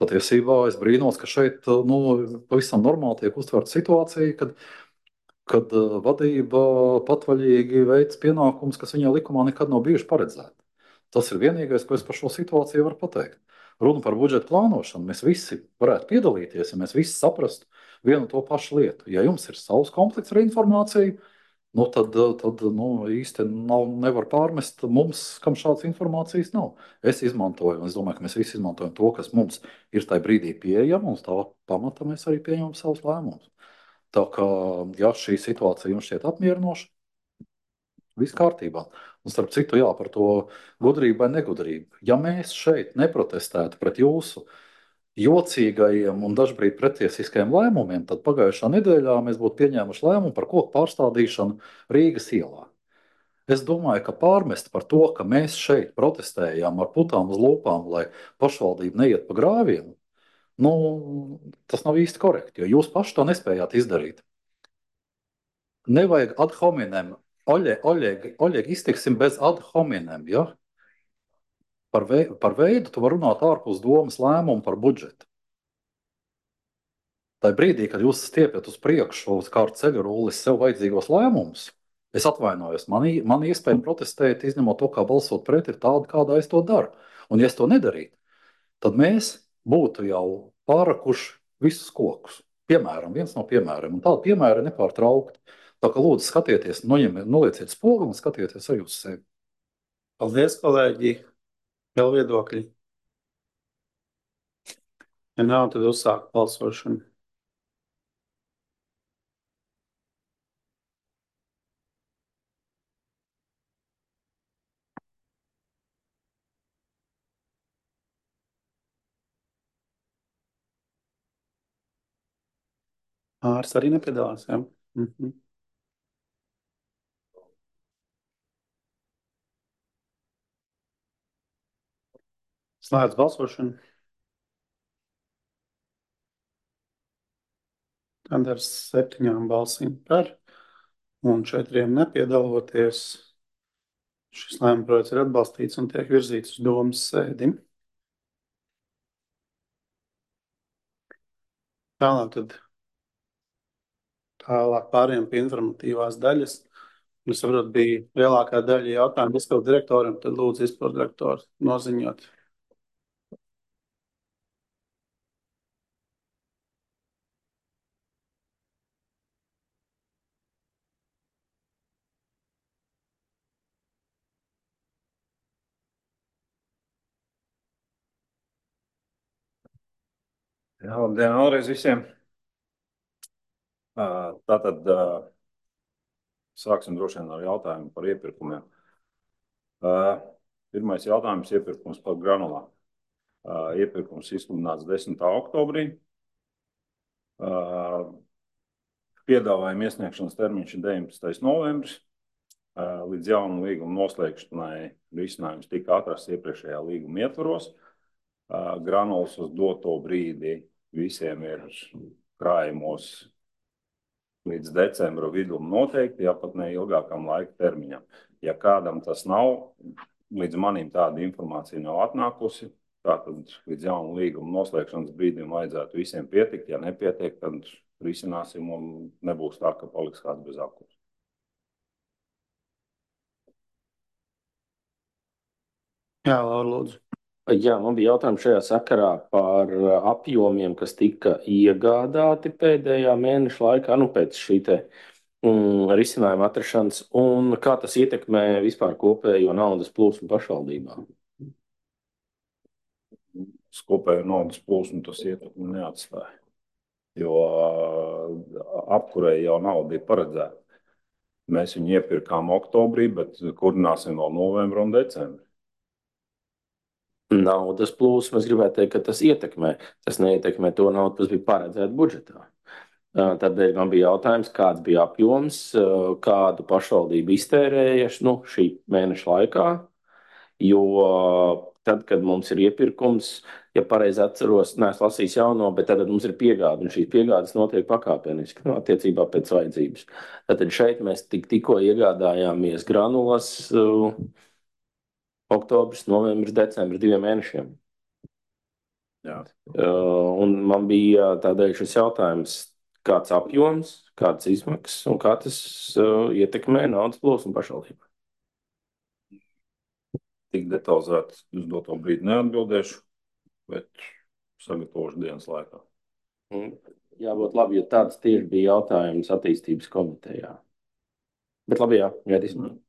patiesībā es brīnos, ka šeit pavisam normāli tiek uztverta situācija, kad vadība patvaļīgi veic pienākumus, kas viņai likumā nekad nav bijuši paredzēti. Tas ir vienīgais, ko es par šo situāciju varu pateikt. Runa par budžeta plānošanu. Mēs visi varētu piedalīties, ja mēs visi saprastu vienu to pašu lietu. Ja jums ir savs komplekts ar informāciju, tad īsti nevar pārmest mums, kam šādas informācijas nav. Es izmantoju, un es domāju, ka mēs visi izmantojam to, kas mums ir tajā brīdī pieejama, un uz tā pamata mēs arī pieņemam savus lēmumus. Tā kā, ja šī situācija jums šķiet apmierinoša, viss kārtībā. Un starp citu, jā, par to gudrību vai negudrību. Ja mēs šeit neprotestētu pret jūsu jocīgajiem un dažkārt pretiesiskajiem lēmumiem, tad pagājušā nedēļā mēs būtu pieņēmuši lēmumu par koku pārstādīšanu Rīgas ielā. Es domāju, ka pārmest par to, ka mēs šeit protestējām ar putām uz lūpām, lai pašvaldība neiet pa grāviem, tas nav īsti korekti, jo jūs paši to nespējāt izdarīt. nevajag ad hominem. Oļeg, iztiksim bez ad hominem, ja? Par veidu tu vari runāt ārpus domas lēmumu par budžetu. Tā brīdī, kad jūs stiepiet uz priekšu uz kādu ceļu rullis sev vajadzīgos lēmumus, es atvainojos, man iespēja protestēt, izņemot to, kā balsot pret, ir tāda, kādā es to daru. Un ja es to nedarītu, tad mēs būtu jau pārakuši visus kokus. Piemēram, viens no piemēriem. Un tāda piemēra ir nepārtraukti. Tā kā lūdzu skatieties, nolieciet spogu un skatieties arī uz sevi.
Paldies, kolēģi. Vēl viedokļi. Ja nav, tad uzsāk balsošanu. Ārs arī nepiedalās, jā? Slēdz balsošanu. Tad ar 7 balsīm par un 4 nepiedaloties. Šis lēmuma projekts ir atbalstīts un tiek virzīts uz domas sēdi. Tālāk pārējām pie informatīvās daļas. Es saprotu, bija lielākā daļa jautājumu izpildu direktoram, tad lūdzu izpildu direktoru noziņot.
Jā, labdien vēlreiz visiem. Tātad sāksim droši vien ar jautājumu par iepirkumiem. Pirmais jautājums - iepirkums par granulām. Iepirkums izsludināts 10. oktobrī. Piedāvājuma iesniegšanas termiņš ir 19. novembris. Līdz jaunu līgumu noslēgšanai risinājums tika atrasts iepriekšējā līguma ietvaros. Granulas uz doto brīdi visiem ir krājumos līdz decembra vidum noteikti, ja pat ne ilgākam laika termiņam. Ja kādam tas nav, līdz manim tāda informācija nav atnākusi, tātad līdz jaunu līguma noslēgšanas brīdim vajadzētu visiem pietikt. Ja nepietiek, tad risināsim un nebūs tā, ka paliks kāds bez akurs.
Jā, Laura, lūdzu.
Jā, man bija jautājums šajā sakarā par apjomiem, kas tika iegādāti pēdējā mēneša laikā, pēc šī risinājuma atrašanas, un kā tas ietekmē vispār kopējo naudas plūsmu pašvaldībām?
Kopējo naudas plūsmu tas ietekmi neatstāja, jo apkurei jau nauda ir paredzēta. Mēs viņu iepirkām oktobrī, bet kurināsim vēl novembru un decembri.
Naudas plūsmu, es gribētu teikt, ka tas ietekmē. Tas neietekmē to naudu, kas bija paredzēta budžetā. Tādēļ man bija jautājums, kāds bija apjoms, kādu pašvaldību iztērēja šī mēneša laikā, jo tad, kad mums ir iepirkums, ja pareizi atceros, neesmu lasījis jauno, bet tad mums ir piegāde, un šīs piegādes notiek pakāpeniski, attiecībā pēc vajadzības. Tad šeit mēs tikko iegādājāmies granulas oktobris, novembris, decembris, 2 mēnešiem.
Jā.
Un man bija tādēļ šis jautājums, kāds apjoms, kādas izmaksas un kā tas ietekmē naudas plūsmu pašvaldībā.
Tik detalizēti uz doto brīdi neatbildēšu, bet sagatavošu dienas laikā.
Jābūt labi, jo tāds tieši bija jautājums attīstības komitejā. Bet labi, jā, gaidīsim.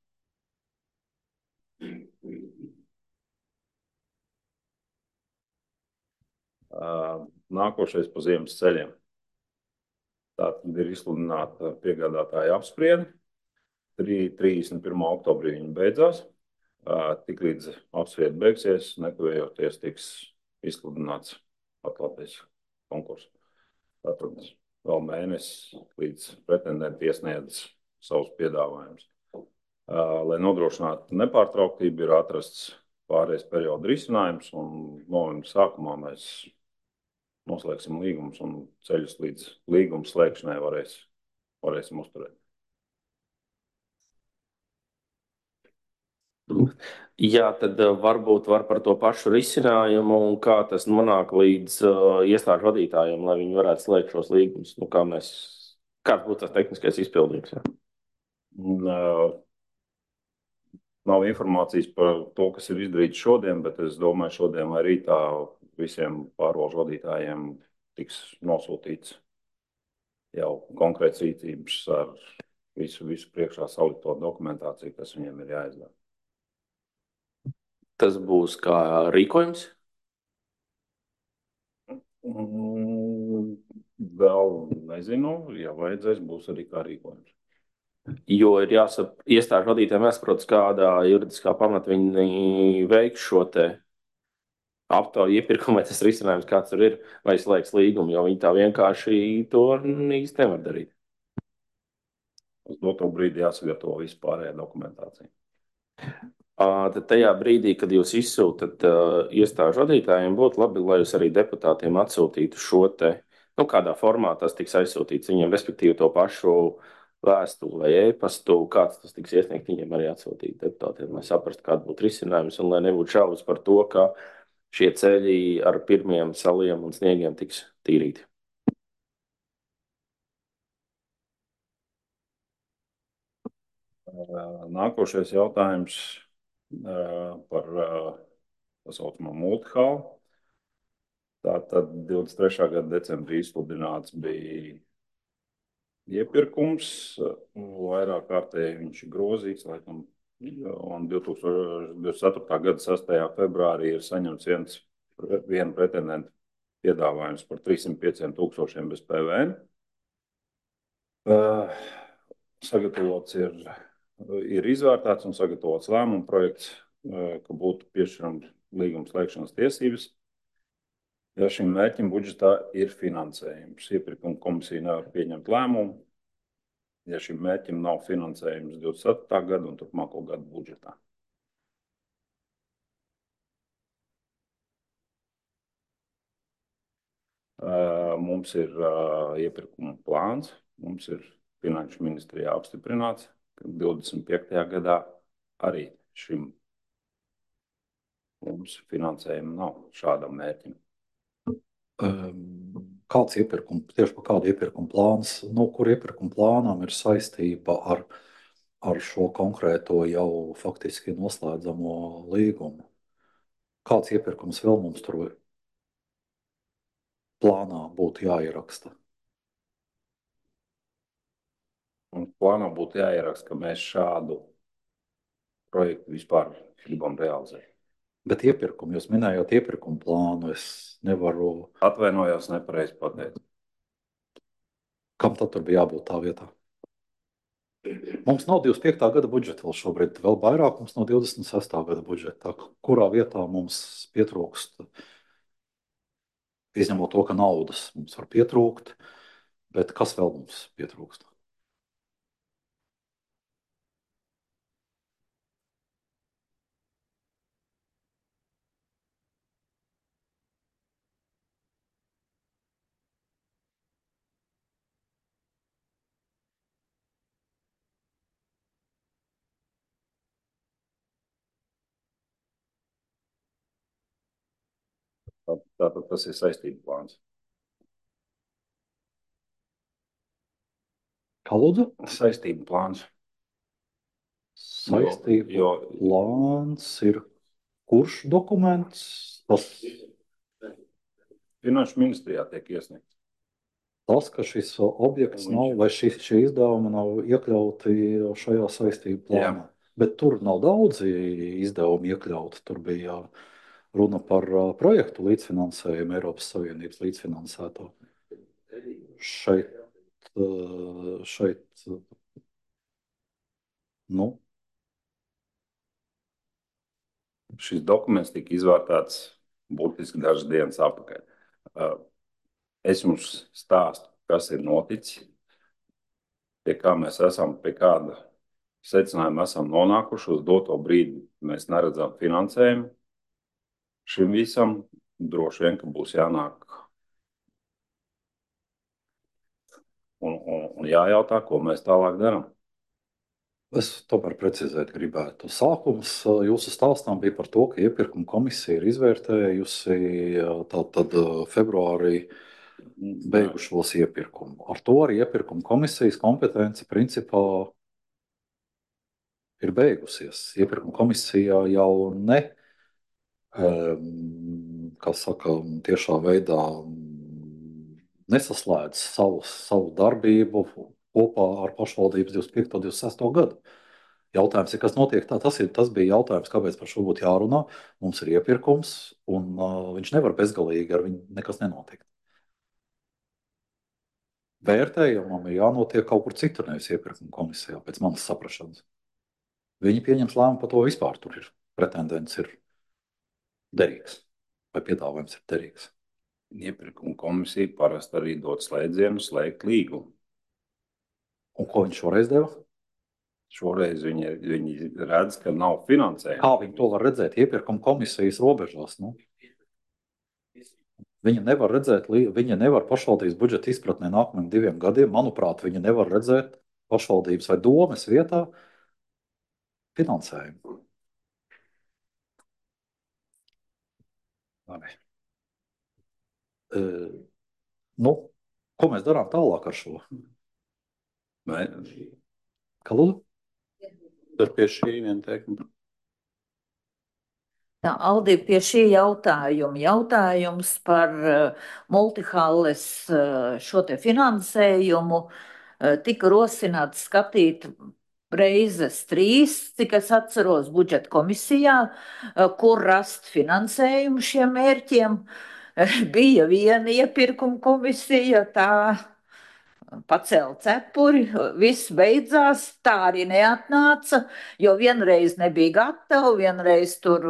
Nākošais pa ziemas ceļiem. Tātad ir izsludināta piegādātāja apspriede. 31. oktobrī viņa beidzās. Tiklīdz apspriede beigsies, nekavējoties tiks izsludināts atklātais konkurss. Tātad vēl mēnesis līdz pretendenti iesniedz savus piedāvājumus. Lai nodrošinātu nepārtrauktību, ir atrasts pārējais perioda risinājums, un novembra sākumā mēs noslēgsim līgumus un ceļus līdz līguma slēgšanai varēsim uzturēt.
Jā, tad varbūt var par to pašu risinājumu un kā tas nonāk līdz iestāžu vadītājiem, lai viņi varētu slēgt šos līgumus. Nu, kāds būtu tas tehniskais izpildījums? Jā?
Un, nav informācijas par to, kas ir izdarīts šodien, bet es domāju, šodien vai rītā visiem pārvalžu vadītājiem tiks nosūtīts jau konkrēts rīcības ar visu priekšā salikto dokumentāciju, kas viņiem ir jāizdara.
Tas būs kā rīkojums?
Vēl nezinu, ja vajadzēs, būs arī kā rīkojums.
Jo ir jāsaka, iestāžu vadītājiem jāsaprot, kādā juridiskā pamatā viņi veiks šo te aptauju iepirkumu, vai tas risinājums kāds tur ir, vai slēgs līgumu, jo viņi tā vienkārši to īsti nevar darīt.
Uz doto brīdi jāsagatavo vispārējā dokumentācija.
Tad tajā brīdī, kad jūs izsūtat iestāžu vadītājiem, būtu labi, lai jūs arī deputātiem atsūtītu šo te, nu, kādā formā tas tiks aizsūtīts viņiem, respektīvi to pašu vēstuli vai e-pastu, kāds tas tiks iesniegt, viņiem arī atsūtīt deputātiem, lai saprastu, kāda būtu risinājums un lai nebūtu šaubas par to, ka šie ceļi ar pirmiem saliem un sniegiem tiks tīrīti.
Nākošais jautājums par tā saucamo multihalu. Tātad 23. gada decembrī izsludināts bija iepirkums, vairāk kārtēji viņš ir grozīts, laikam, un 2024. gada 6. februārī ir saņemts viena pretendenta piedāvājums par 305,000 bez PVN. Sagatavots ir izvērtēts un sagatavots lēmuma projekts, ka būtu piešķirams līguma slēgšanas tiesības. Ja šim mērķim budžetā ir finansējums, iepirkuma komisija nevar pieņemt lēmumu, ja šim mērķim nav finansējums 27. gada un turpmāko gadu budžetā. Mums ir iepirkuma plāns, mums ir Finanšu ministrijā apstiprināts, ka 25. gadā arī šim mums finansējuma nav šādam mērķim.
Kāds iepirkums, tieši par kādu iepirkuma plāns, kur iepirkuma plānam ir saistība ar šo konkrēto jau faktiski noslēdzamo līgumu? Kāds iepirkums vēl mums tur plānā būtu jāieraksta?
Un plānā būtu jāieraksta, ka mēs šādu projektu vispār gribam realizēt.
Bet iepirkumu, jūs minējāt iepirkumu plānu, es nevaru...
Atvainojos, nepareizi pateicu.
Kam tad tur bija jābūt tā vietā? Mums nav 25. gada budžeta vēl šobrīd, vēl vairāk mums nav 26. gada budžeta. Kurā vietā mums pietrūkst, izņemot to, ka naudas mums var pietrūkt, bet kas vēl mums pietrūkst?
Tātad tas ir saistību plāns.
Kā lūdzu?
Saistību plāns.
Saistību plāns ir kurš dokuments? Tas
Finanšu ministrijā tiek iesniegts.
Tas, ka šis objekts nav, vai šie izdevumi nav iekļauti šajā saistību plānā. Bet tur nav daudzi izdevumi iekļauti. Tur bija runa par projektu līdzfinansējumu, Eiropas Savienības līdzfinansēto. Šeit,
Šis dokuments tika izvērtēts būtiski dažas dienas atpakaļ. Es jums stāstu, kas ir noticis, pie kā mēs esam, pie kāda secinājuma esam nonākuši. Uz doto brīdi mēs neredzam finansējumu. Šim visam droši vien, ka būs jānāk un jājautā, ko mēs tālāk darām.
Es tomēr precizēt gribētu. Sākums jūsu stāstām bija par to, ka iepirkuma komisija ir izvērtējusi tātad februārī beigušos iepirkumu. Ar to arī iepirkuma komisijas kompetence principā ir beigusies. Iepirkuma komisija jau ne, kā saka, tiešā veidā nesaslēdz savu darbību kopā ar pašvaldības 25. un 26. gadu. Jautājums ir, kas notiek tā? Tas bija jautājums, kāpēc par šo būtu jārunā. Mums ir iepirkums, un viņš nevar bezgalīgi ar viņu nekas nenotikt. Vērtējumam ir jānotiek kaut kur citur, nevis iepirkuma komisijā, pēc manas saprašanas. Viņi pieņems lēmumu par to vispār. Tur ir pretendents ir derīgs vai piedāvājums ir derīgs.
Iepirkuma komisija parasti arī dod slēdzienu slēgt līgumu.
Un ko viņš šoreiz deva?
Šoreiz viņi redz, ka nav finansējuma.
Kā viņi to var redzēt iepirkuma komisijas robežās? Nu? Viņa nevar redzēt, viņa nevar pašvaldības budžeta izpratnē nākamajiem 2 gadiem. Manuprāt, viņa nevar redzēt pašvaldības vai domes vietā finansējumu. Nu, ko mēs darām tālāk ar šo? Kā lūdzu?
Tad pie šī viena teikuma.
Tā, Aldi, pie šī jautājuma. Jautājums par multihalles šo te finansējumu tika rosināts skatīt reizes 3, cik es atceros, budžeta komisijā, kur rast finansējumu šiem mērķiem. Bija viena iepirkuma komisija, tā pacēla cepuri, viss beidzās, tā arī neatnāca, jo vienreiz nebija gatava, vienreiz tur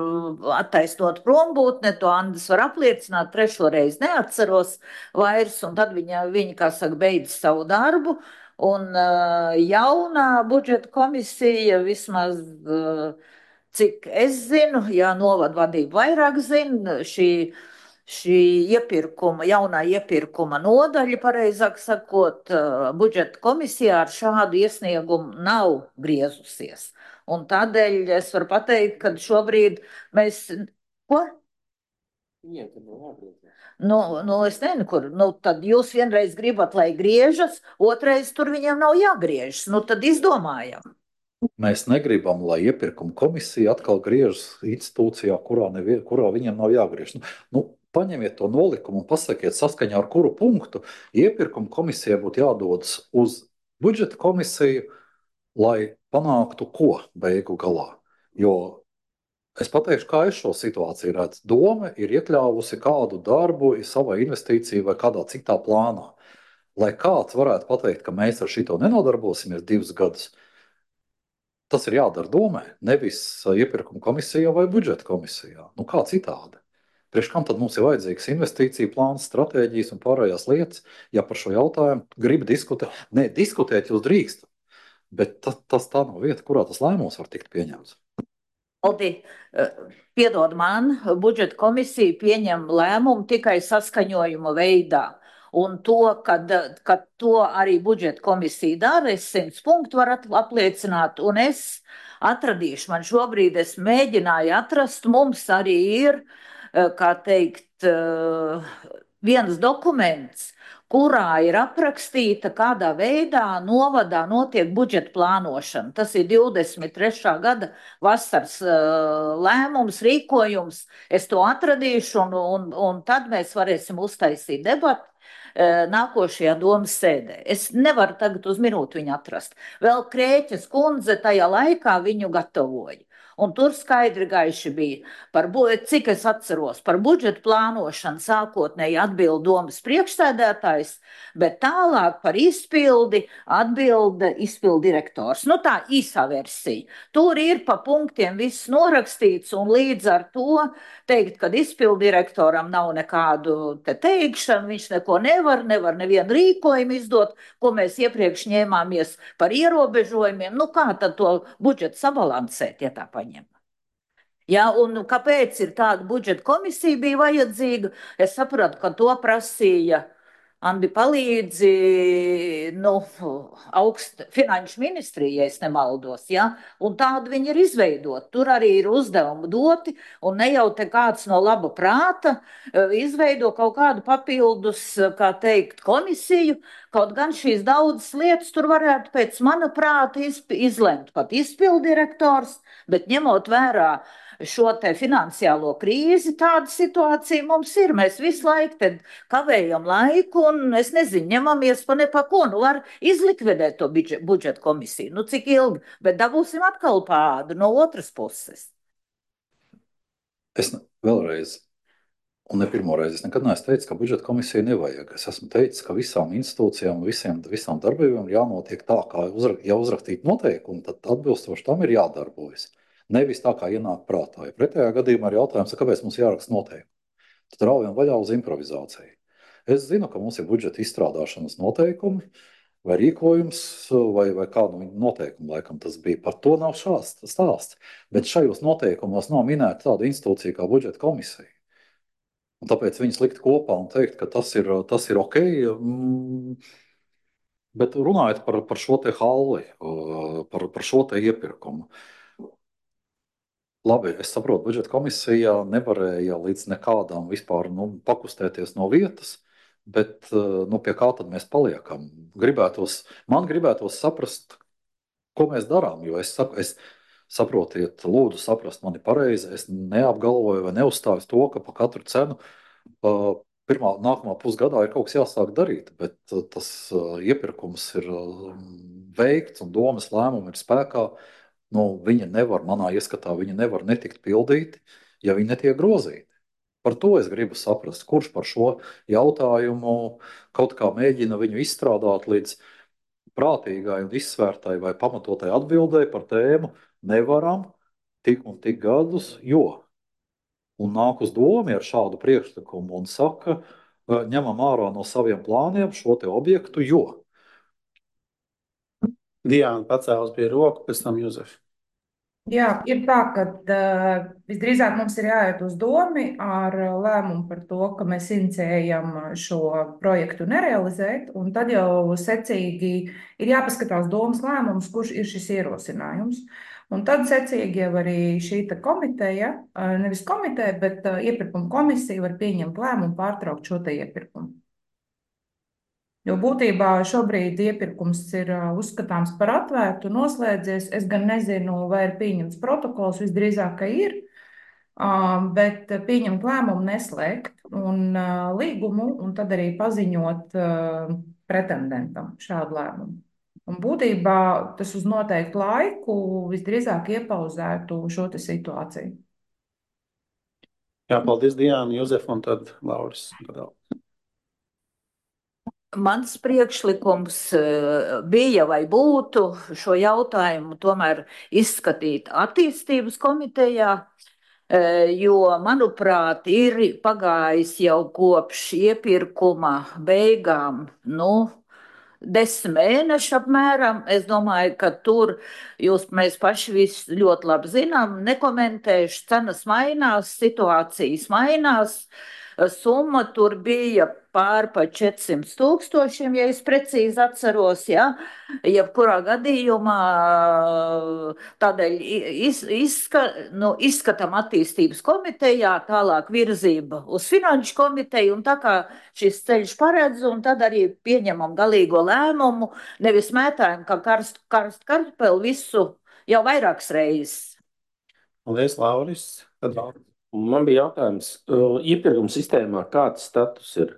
attaisnot prombūtne, to Andis var apliecināt, 3. reizi neatceros vairs, un tad viņi kā saka, beidz savu darbu, un jaunā budžeta komisija vismaz, cik es zinu, jā, novada vadība vairāk zina, šī jaunā iepirkuma nodaļa, pareizāk sakot, budžeta komisijā ar šādu iesniegumu nav griezusies. Un tādēļ es varu pateikt, ka šobrīd mēs. Ko? Es nezinu, kur. Tad jūs vienreiz gribat, lai griežas, otrais tur viņiem nav jāgriežas. Tad izdomājam.
Mēs negribam, lai iepirkuma komisija atkal griežas institūcijā, kurā viņiem nav jāgriež. Paņemiet to nolikumu un pasakiet, saskaņā ar kuru punktu iepirkuma komisijai būtu jādodas uz budžeta komisiju, lai panāktu ko beigu galā. Jo es pateikšu, kā es šo situāciju redzu. Doma ir iekļāvusi kādu darbu savā investīciju vai kādā citā plānā. Lai kāds varētu pateikt, ka mēs ar šito nenodarbosimies 2 gadus, tas ir jādara domē, nevis iepirkuma komisijā vai budžeta komisijā. Kā citādi? Priekš kam tad mums ir vajadzīgs investīcija plāns, stratēģijas un pārējās lietas, ja par šo jautājumu grib diskutēt? Nē, diskutēt jūs drīkstat, bet tas tā nav vieta, kurā tas lēmums var tikt pieņemts.
Aldi, piedod man, budžeta komisija pieņem lēmumu tikai saskaņojuma veidā. Un to, kad to arī budžeta komisija dara, es 100 punktu varu apliecināt, un es atradīšu, man šobrīd es mēģināju atrast, mums arī ir, kā teikt, viens dokuments, kurā ir aprakstīta, kādā veidā novadā notiek budžeta plānošana. Tas ir 23. gada vasaras lēmums, rīkojums. Es to atradīšu, un tad mēs varēsim uztaisīt debatu nākošajā domas sēdē. Es nevaru tagad uz minūti viņu atrast. Vēl Krēķes kundze tajā laikā viņu gatavoja. Un tur skaidri gaiši bija, cik es atceros, par budžeta plānošanu sākotnēji atbild domas priekšsēdētājs, bet tālāk par izpildi atbilda izpildu direktors. Tā īsā versija. Tur ir pa punktiem viss norakstīts, un līdz ar to teikt, ka izpildu direktoram nav nekādu teikšanu, viņš neko nevar nevienu rīkojumu izdot, ko mēs iepriekš ņēmāmies par ierobežojumiem. Kā tad to budžetu sabalansēt, ja tā paņem? Ja, un kāpēc ir tāda budžeta komisija bija vajadzīga? Es sapratu, ka to prasīja Andi palīdzi, nu, finanšu ministrija, ja es nemaldos, ja, un tādu viņi ir izveidot. Tur arī ir uzdevumi doti, un ne jau te kāds no laba prāta izveido kaut kādu papildus, kā teikt, komisiju, kaut gan šīs daudzas lietas tur varētu pēc mana prāta izlemt pat izpildirektors, bet ņemot vērā šo te finansiālo krīzi, tāda situācija mums ir. Mēs visu laiku te kavējam laiku, un es nezinu, ņemamies pa nepako. Nu, var izlikvidēt to budžeta komisiju. Nu, cik ilgi, bet dabūsim atkal pādu no otras puses.
Es vēlreiz, un ne pirmo reizi, es nekad neesmu teicis, ka budžeta komisiju nevajag. Es esmu teicis, ka visām institūcijām un visām darbībām jānotiek tā, kā ja uzrakstīt noteikumi, tad atbilstoši tam ir jādarbojas. Nevis tā, kā ienāk prātā. Ja pretējā gadījumā ir jautājums, kāpēc mums jāraksta noteikumi. Tad raujam vaļā uz improvizāciju. Es zinu, ka mums ir budžeta izstrādāšanas noteikumi, vai rīkojums, vai kādu noteikumu, laikam tas bija. Par to nav stāsts. Bet šajos noteikumos nav minēta tāda institūcija kā budžeta komisija. Un tāpēc viņas likt kopā un teikt, ka tas ir ok. Bet runājot par šo te halli, par šo te iepirkumu. Labi, es saprotu, budžeta komisija nevarēja līdz nekādām vispār pakustēties no vietas, bet pie kā tad mēs paliekam? Man gribētos saprast, ko mēs darām, jo es saprotiet, lūdzu saprast mani pareizi, es neapgalvoju vai neuzstāju to, ka pa katru cenu nākamā pusgadā ir kaut kas jāsāk darīt, bet tas iepirkums ir veikts un domas lēmumi ir spēkā. Viņa nevar, manā ieskatā, viņa nevar netikt pildīti, ja viņi netiek grozīti. Par to es gribu saprast, kurš par šo jautājumu kaut kā mēģina viņu izstrādāt līdz prātīgai un izsvērtai vai pamatotai atbildēji par tēmu nevaram tik un tik gadus, jo. Un nāk uz domu ar šādu priekšlikumu un saka, ņemam ārā no saviem plāniem šo te objektu, jo.
Diana pacēlus pie roku, pēc tam Juzef.
Jā, ir tā, ka visdrīzāk mums ir jāiet uz domu ar lēmumu par to, ka mēs inicējam šo projektu nerealizēt, un tad jau secīgi ir jāpaskatās domas lēmums, kurš ir šis ierosinājums. Un tad secīgi jau arī šī komiteja, nevis komiteja, bet iepirkuma komisija var pieņemt lēmumu pārtraukt šo te iepirkumu. Jo būtībā šobrīd iepirkums ir uzskatāms par atvērtu, noslēdzies. Es gan nezinu, vai ir pieņemts protokols, visdrīzāk, ka ir, bet pieņemt lēmumu neslēgt un līgumu un tad arī paziņot pretendentam šādu lēmumu. Un būtībā tas uz noteiktu laiku visdrīzāk iepauzētu šo te situāciju.
Jā, paldies Diana, Juzef un tad Lauris.
Mans priekšlikums bija vai būtu šo jautājumu tomēr izskatīt attīstības komitejā, jo, manuprāt, ir pagājis jau kopš iepirkuma beigām, 10 mēneši apmēram. Es domāju, ka tur mēs paši visu ļoti labi zinām, nekomentējuši, cenas mainās, situācijas mainās. Summa tur bija pār pa 400 000, ja es precīzi atceros, ja? Jebkurā gadījumā tādēļ izskatām attīstības komitejā, tālāk virzība uz finanšu komiteju, un tā kā šis ceļš paredz, un tad arī pieņemam galīgo lēmumu, nevis mētājam, kā karstu kartupeli visu jau vairākas reizes.
Paldies, Lauris. Tad Lauris.
Man bija jautājums, iepirkuma sistēmā kāds status ir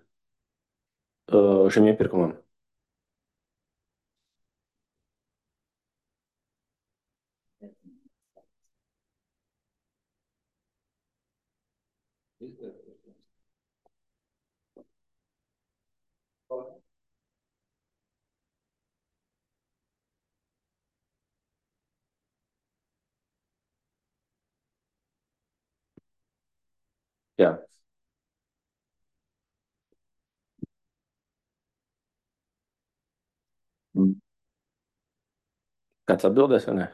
šim iepirkumam? Jā. Kāds atbildēs vai ne?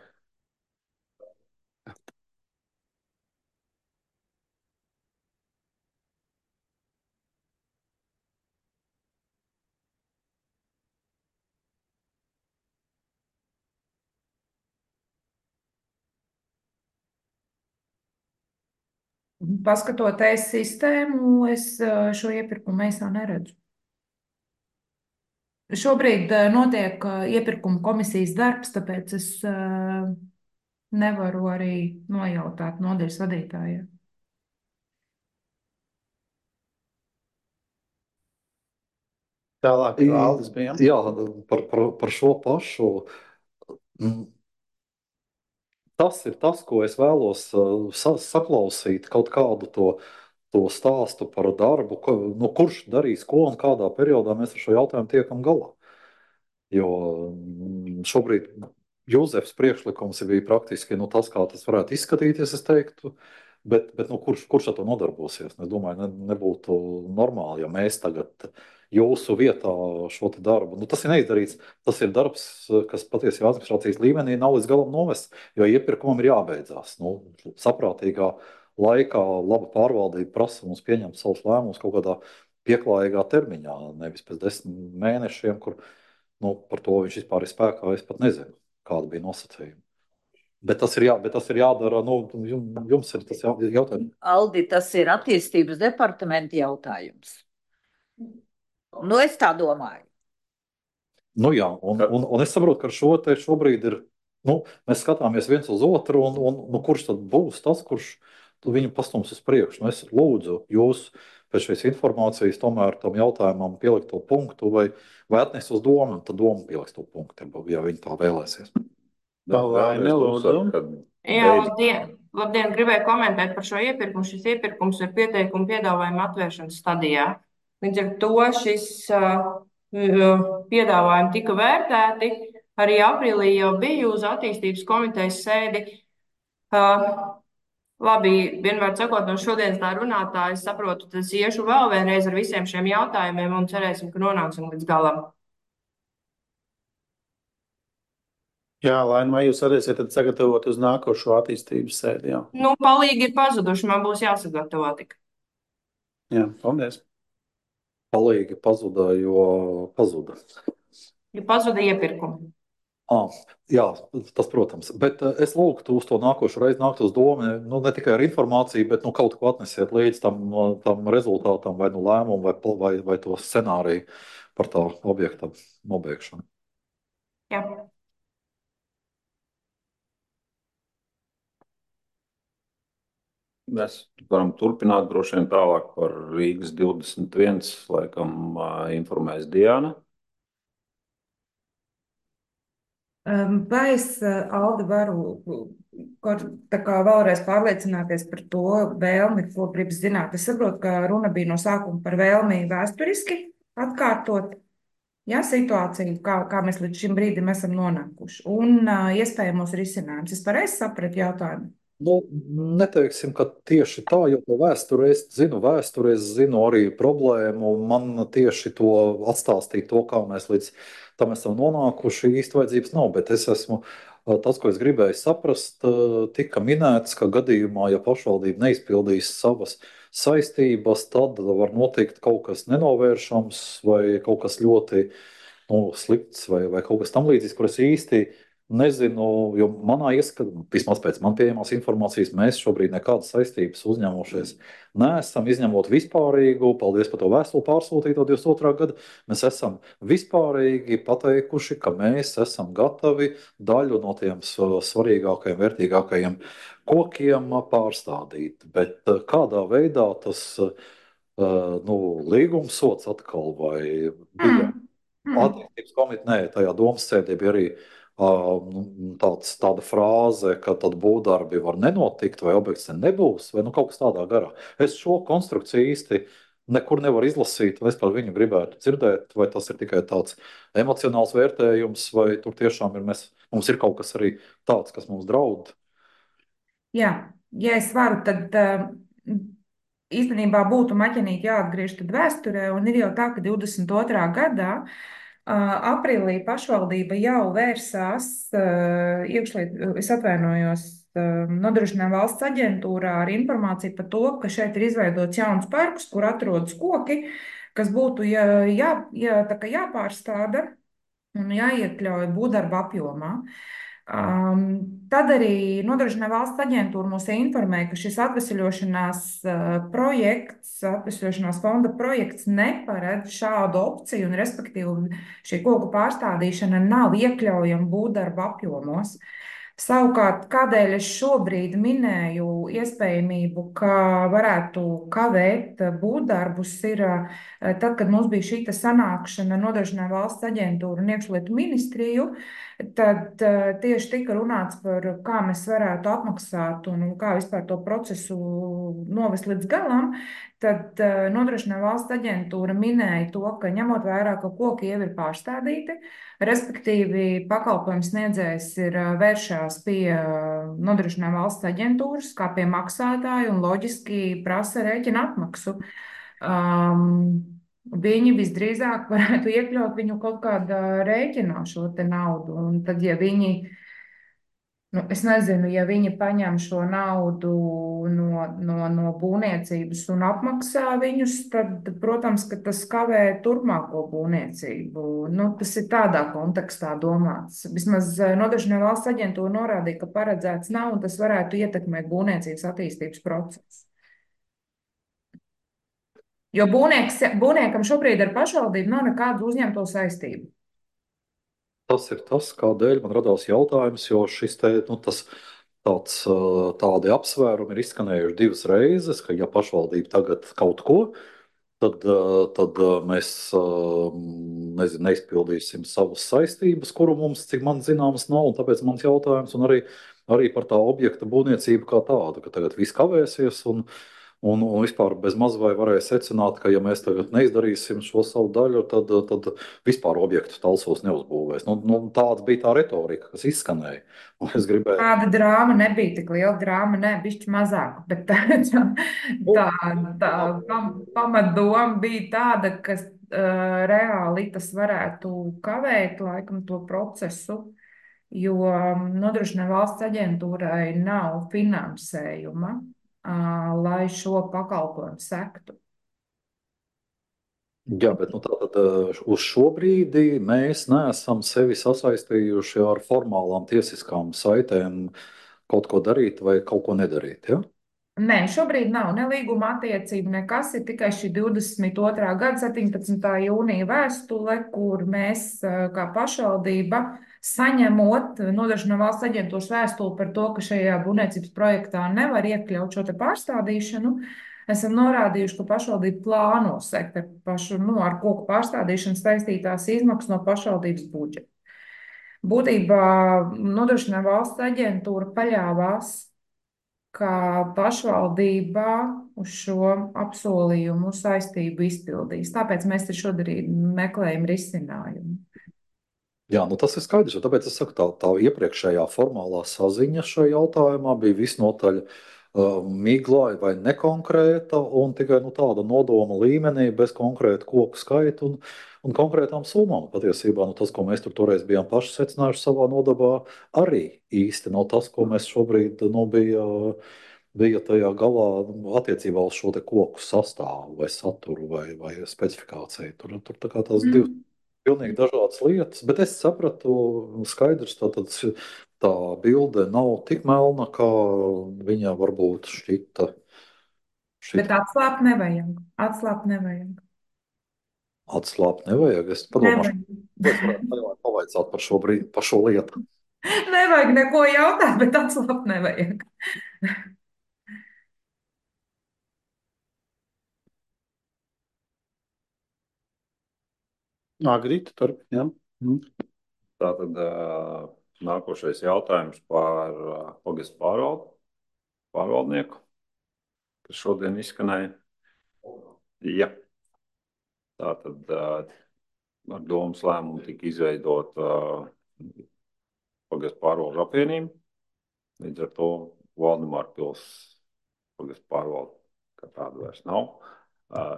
Paskatoties sistēmu, es šo iepirkumu mēsā neredzu. Šobrīd notiek iepirkuma komisijas darbs, tāpēc es nevaru arī nojautāt nodaļas vadītājai.
Tālāk, Aldis bija.
Jā, par šo pašu. Tas ir tas, ko es vēlos saklausīt, kaut kādu to stāstu par darbu, kurš darīs ko un kādā periodā mēs ar šo jautājumu tiekam galā. Jo šobrīd Jūzefs priekšlikums bija praktiski tas, kā tas varētu izskatīties, es teiktu. Bet kurš ar to nodarbosies? Es domāju, nebūtu normāli, ja mēs tagad jūsu vietā šo darbu. Tas ir neizdarīts. Tas ir darbs, kas patiesībā administrācijas līmenī nav līdz galam novests, jo iepirkumam ir jābeidzās. Saprātīgā laikā laba pārvaldība prasa mums pieņemt savus lēmumus kaut kādā pieklājīgā termiņā, nevis pēc 10 mēnešiem, kur par to viņš vispār ir spēkā. Es pat nezinu, kāda bija nosacījuma. Bet tas ir jādara. Jums ir tas jautājums.
Aldi, tas ir attīstības departamenta jautājums. Es tā domāju.
Jā, un es saprotu, ka ar šo te šobrīd ir. Mēs skatāmies viens uz otru, un kurš tad būs tas, kurš viņu pastums uz priekšu. Es lūdzu jūs pēc šīs informācijas tomēr tam jautājumam pielikt to punktu vai atnest uz domu, un tad doma pieliks to punktu, ja viņi tā vēlēsies.
Jā, labdien, gribēju komentēt par šo iepirkumu. Šis iepirkums ir pieteikumu piedāvājuma atvēršanas stadijā. Līdz ar to šis piedāvājumi tika vērtēti. Arī aprīlī jau biju uz attīstības komitejas sēdi. Labi, vienmēr sakot, no šodienas tā runātāja, es saprotu, tad es iešu vēl vienreiz ar visiem šiem jautājumiem un cerēsim, ka nonāksim līdz galam.
Jā, Laina, vai jūs varēsiet sagatavot uz nākošo attīstības sēdi? Jā.
Palīgi ir pazuduši, man būs jāsagatavo tik.
Jā, paldies.
Palīgi pazuda, jo pazuda.
Jo pazuda iepirkumi.
Jā, tas, protams. Bet es lūgtu uz to nākošo reizi nākt uz domu, ne tikai ar informāciju, bet kaut ko atnesiet līdz tam rezultātam, vai lēmumu, vai to scenāriju par tā objekta nobeigšanu.
Jā.
Mēs varam turpināt droši vien tālāk par Rīgas 21, laikam informēs Diana.
Vai es, Aldi, varu vēlreiz pārliecināties par to vēlmi, ko gribas zināt? Es saprotu, ka runa bija no sākuma par vēlmi vēsturiski atkārtot situāciju, kā mēs līdz šim brīdim esam nonākuši, un iespējamos risinājumus. Es pareizi sapratu jautājumu?
Neteiksim, ka tieši tā, jo to vēsturi es zinu arī problēmu. Man tieši to atstāstīt, kā mēs līdz tam esam nonākuši, īsti vajadzības nav. Bet tas, ko es gribēju saprast, tika minēts, ka gadījumā, ja pašvaldība neizpildīs savas saistības, tad var notikt kaut kas nenovēršams vai kaut kas ļoti slikts vai kaut kas tam līdzīgs, kur es īsti nezinu, jo manā ieskatā, vismaz pēc man pieejamās informācijas, mēs šobrīd nekādas saistības uzņēmušies neesam, izņemot vispārīgu, paldies par to vēstuli pārsūtīto 22. gada, mēs esam vispārīgi pateikuši, ka mēs esam gatavi daļu no tiem svarīgākajiem, vērtīgākajiem kokiem pārstādīt. Bet kādā veidā tas līgums sots atkal vai bija attīstības komitejā, tajā domas sēdē bija arī tāda frāze, ka tad būvdarbi var nenotikt, vai objekts nebūs, vai kaut kas tādā garā. Es šo konstrukciju īsti nekur nevaru izlasīt, vai es par viņu gribētu dzirdēt, vai tas ir tikai tāds emocionāls vērtējums, vai tur tiešām mums ir kaut kas arī tāds, kas mums draud.
Jā, ja es varu, tad īstenībā būtu maķenīt jāatgriež tad vēsturē, un ir jau tā, ka 22. gadā aprīlī pašvaldība jau vērsās Nodrošinājuma valsts aģentūrā ar informāciju par to, ka šeit ir izveidots jauns parks, kur atrodas koki, kas būtu jāpārstāda un jāiekļauj būvdarba apjomā.
Tad arī Nodrošinājuma valsts aģentūra mūs informēja, ka šis atvesļošanās fonda projekts neparedz šādu opciju, un respektīvi šī koku pārstādīšana nav iekļaujama būvdarba apjomos. Savukārt, kādēļ es šobrīd minēju iespējamību, ka varētu kavēt būvdarbus, ir tad, kad mums bija šī sanākšana Nodrošinājuma valsts aģentūra un iekšlietu ministriju, tad tieši tika runāts par, kā mēs varētu apmaksāt un kā vispār to procesu novest līdz galam. Tad Nodrošinājuma valsts aģentūra minēja to, ka ņemot vērā, ka koki jau ir pārstādīti, respektīvi pakalpojums sniedzējs ir vēršās pie Nodrošinājuma valsts aģentūras kā pie maksātāja un loģiski prasa rēķina atmaksu. Viņi visdrīzāk varētu iekļaut viņu kaut kādā rēķinā šo te naudu. Un tad, ja viņi, es nezinu, ja viņi paņem šo naudu no būvniecības un apmaksā viņus, tad, protams, ka tas kavē turpmāko būvniecību. Tas ir tādā kontekstā domāts. Vismaz Nodrošinājuma valsts aģentūra norādīja, ka paredzēts nav, un tas varētu ietekmēt būvniecības attīstības procesu. Jo būvniekam šobrīd ar pašvaldību nav nekādu uzņemto saistību.
Tas ir tas, kādēļ man radās jautājums, jo šis te, tādi apsvērumi ir izskanējuši 2 reizes, ka ja pašvaldība tagad kaut ko, tad mēs nezinu, neizpildīsim savas saistības, kuru mums, cik man zināms, nav, un tāpēc mans jautājums, un arī par tā objekta būvniecību kā tādu, ka tagad viss kavēsies, un vispār bez maz vai varēja secināt, ka ja mēs tagad neizdarīsim šo savu daļu, tad vispār objektu Talsos neuzbūvēs. Tāda bija tā retorika, kas izskanēja. Un es gribēju.
Tāda drāma nebija tik liela, drāma bišķi mazāka, bet tā pamatdoma bija tāda, ka reāli tas varētu kavēt laikam to procesu, jo Nodrošinājuma valsts aģentūrai nav finansējuma, lai šo pakalpojumu sektu.
Jā, bet tātad uz šo brīdi mēs neesam sevi sasaistījuši ar formālām tiesiskām saitēm kaut ko darīt vai kaut ko nedarīt, ja?
Nē, šobrīd nav ne līguma attiecība, nekas, ir tikai šī 22. gada 17. jūnija vēstule, kur mēs kā pašvaldība saņemot Nodrošinājuma valsts aģentūras vēstuli par to, ka šajā būvniecības projektā nevar iekļaut šo te pārstādīšanu, esam norādījuši, ka pašvaldība plāno sekt ar koku pārstādīšanu saistītās izmaksas no pašvaldības budžeta. Būtībā Nodrošinājuma valsts aģentūra paļāvās, ka pašvaldībā uz šo apsolījumu saistību izpildīs. Tāpēc mēs te šodien meklējam risinājumu.
Jā, tas ir skaidrs, jo tāpēc es saku, tā iepriekšējā formālā saziņa šajā jautājumā bija visnotaļ migla vai nekonkrēta un tikai tāda nodoma līmenī bez konkrēta koku skaita un konkrētām summām. Patiesībā tas, ko mēs tur toreiz bijām paši secinājuši savā nodabā, arī īsti nav tas, ko mēs šobrīd bija tajā galā attiecībā uz šo te koku sastāvu vai saturu vai specifikāciju. Tur tā kā tās divas pilnīgi dažādas lietas, bet es sapratu skaidrs, tā bilde nav tik melna, kā viņa varbūt šķita.
Bet atslābt nevajag. Atslābt nevajag.
Atslābt nevajag. Es padomāšu, ko es varētu pavaicāt par šo lietu.
Nevajag neko jautāt, bet atslābt nevajag.
Agrīti, turpinām.
Tātad nākošais jautājums par pagastu pārvaldnieku, kas šodien izskanēja. Ja. Tātad ar domas lēmumu tika izveidot pagastu pārvaldu apvienību. Līdz ar to Valdemāra pils pagastu pārvaldu kā tādu vairs nav.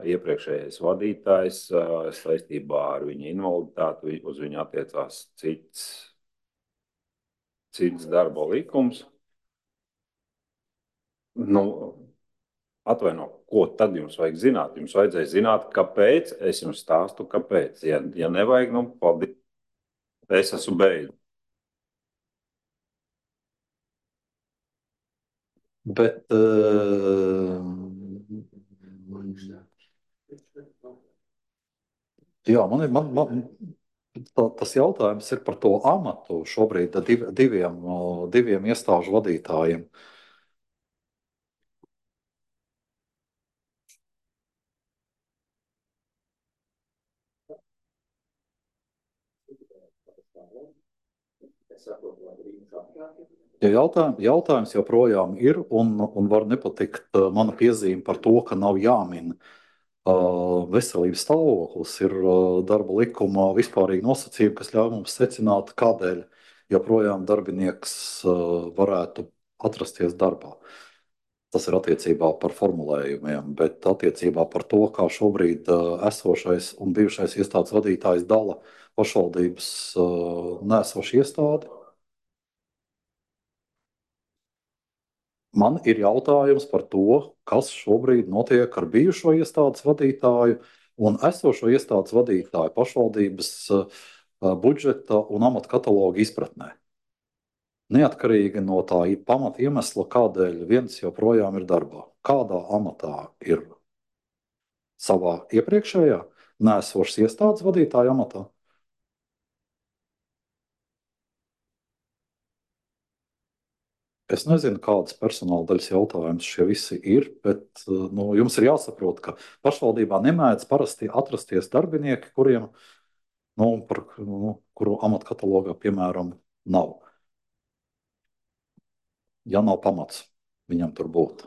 Iepriekšējais vadītājs saistībā ar viņa invaliditāti, uz viņu attiecās cits darba likums. Atvaino, ko tad jums vajag zināt? Jums vajadzēja zināt, kāpēc. Es jums stāstu, kāpēc. Ja nevajag, paldies. Es esmu beidzu.
Bet jā, tas jautājums ir par to amatu šobrīd diviem iestāžu vadītājiem. Ja jautājums joprojām ir, un var nepatikt mana piezīme par to, ka nav jāmin veselības stāvoklis, ir darba likumā vispārīgi nosacījumi, kas ļauj mums secināt, kādēļ joprojām darbinieks varētu atrasties darbā. Tas ir attiecībā par formulējumiem, bet attiecībā par to, kā šobrīd esošais un bijušais iestādes vadītājs dala pašvaldības nesošu iestādi. Man ir jautājums par to, kas šobrīd notiek ar bijušo iestādes vadītāju un esošo iestādes vadītāju pašvaldības budžeta un amata kataloga izpratnē. Neatkarīgi no tā pamata iemesla, kādēļ viens joprojām ir darbā. Kādā amatā ir savā iepriekšējā neesošas iestādes vadītāja amatā? Es nezinu, kādas personāla daļas jautājumus šie visi ir, bet jums ir jāsaprot, ka pašvaldībā nemēdz parasti atrasties darbinieki, kuru amatkatalogā, piemēram, nav. Ja nav pamats viņam tur būt.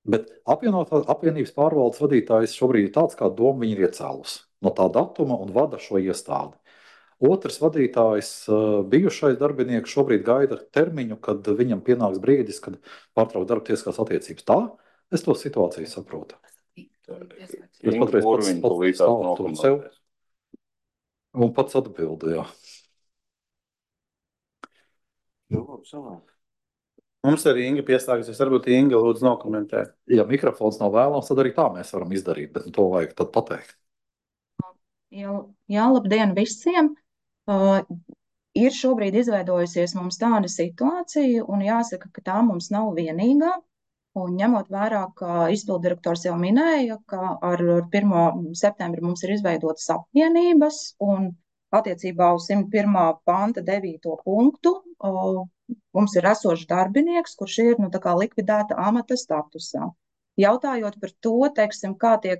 Bet apvienības pārvaldes vadītājs šobrīd ir tāds, kādu domu viņi ir iecēlusi no tā datuma un vada šo iestādi. Otrs vadītājs, bijušais darbinieks, šobrīd gaida termiņu, kad viņam pienāks brīdis, kad pārtraukt darba tiesiskās attiecības. Tā es to situāciju saprotu. Es patreiz pats stāvu to sev un pats atbildu, jā.
Mums arī Inga pieslēgsies. Varbūt Inga lūdzu nokomentēt.
Ja mikrofons nav vēlams, tad arī tā mēs varam izdarīt, bet to vajag tad pateikt.
Jā, labdien visiem! Ir šobrīd izveidojusies mums tāda situācija, un jāsaka, ka tā mums nav vienīgā. Un ņemot vērā, ka izpildirektors jau minēja, ka ar 1. septembri mums ir izveidotas apvienības, un attiecībā uz 101. panta 9. punktu mums ir esošs darbinieks, kurš ir tā kā likvidēta amata statusā. Jautājot par to, teiksim, kā tiek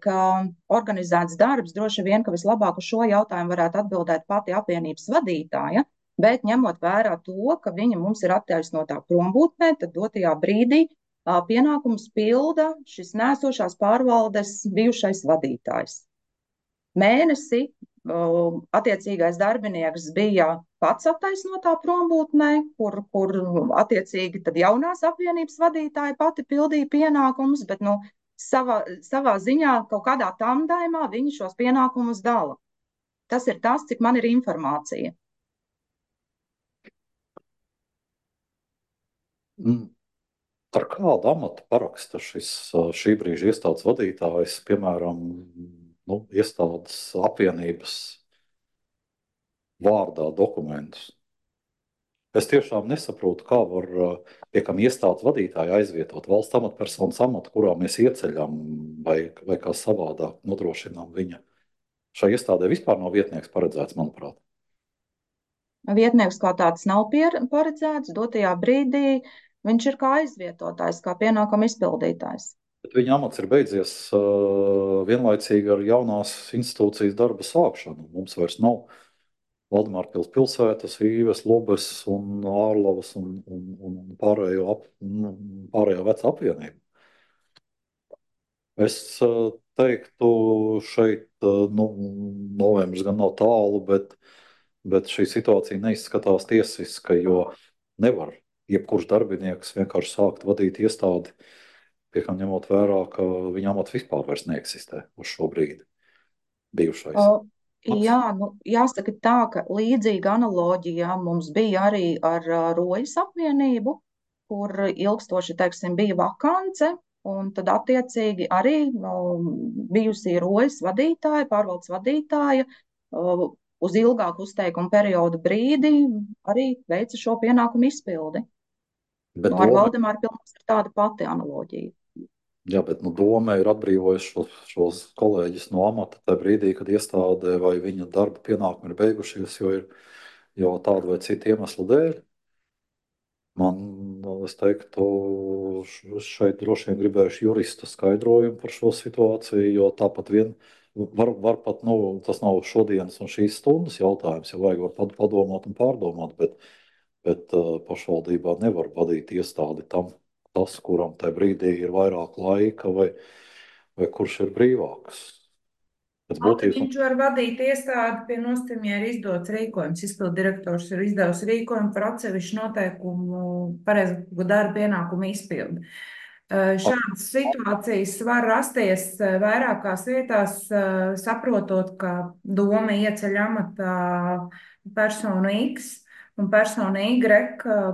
organizēts darbs, droši vien, ka vislabāk uz šo jautājumu varētu atbildēt pati apvienības vadītāja, bet ņemot vērā to, ka viņa mums ir attaisnotā prombūtnē, tad dotajā brīdī pienākumus pilda šis nesošās pārvaldes bijušais vadītājs. Mēnesi attiecīgais darbinieks bija pats attaisnotā prombūtnē, kur attiecīgi tad jaunās apvienības vadītāja pati pildīja pienākumus, bet savā ziņā kaut kādā tandēmā viņi šos pienākumus dala. Tas ir tas, cik man ir informācija.
Ar kādu amatu paraksta šī brīža iestādes vadītājs, piemēram, iestādes apvienības vārdā dokumentus? Es tiešām nesaprotu, kā var piekam iestādes vadītāju aizvietot valsts amatpersonas amatu, kurā mēs ieceļam vai kā savādāk nodrošinām viņa. Šai iestādē vispār nav vietnieks paredzēts, manuprāt.
Vietnieks kā tāds nav paredzēts, dotajā brīdī viņš ir kā aizvietotājs, kā pienākuma izpildītājs.
Bet viņa amats ir beidzies vienlaicīgi ar jaunās institūcijas darba sākšanu. Mums vairs nav Valdemārpils pilsētas, Īves, Lobes un Ārlavas un pārējo veca apvienību. Es teiktu, šeit novembris gan nav tālu, bet šī situācija neizskatās tiesiska, jo nevar jebkurš darbinieks vienkārši sākt vadīt iestādi, piekam ņemot vērā, ka viņa amats vispār vairs neeksistē uz šo brīdi bijušais.
Jā, jāsaka tā, ka līdzīga analoģija mums bija arī ar Rojas apvienību, kur ilgstoši, teiksim, bija vakance, un tad attiecīgi arī bijusī Rojas vadītāja, pārvaldes vadītāja, uz ilgāku uzteikumu periodu brīdi arī veica šo pienākumu izpildi.
Bet
Ar
doma,
Valdemāru pilsētu ir tāda pati analoģija.
jā, bet doma ir atbrīvojuši šos kolēģus no amata tajā brīdī, kad iestādē vai viņa darba pienākumi ir beigušies, jo tādu vai citu iemeslu dēļ. Man, es teiktu, šeit droši vien gribējuši jurista skaidrojumu par šo situāciju, jo tāpat vien var pat, tas nav šodienas un šīs stundas jautājums, ja vajag var padomāt un pārdomāt, bet pašvaldībā nevar vadīt iestādi tas, kuram tajā brīdī ir vairāk laika vai kurš ir brīvāks. Pēc būtības,
Viņš var vadīt iestādi pie nosacījuma, ja ir izdots rīkojums. Izpildu direktors ir izdevusi rīkojumu par atsevišķu noteikumu pareizu darba pienākumu izpildi. Šādas situācijas var rasties vairākās vietās, saprotot, ka doma ieceļ amatā personu X un persona Y,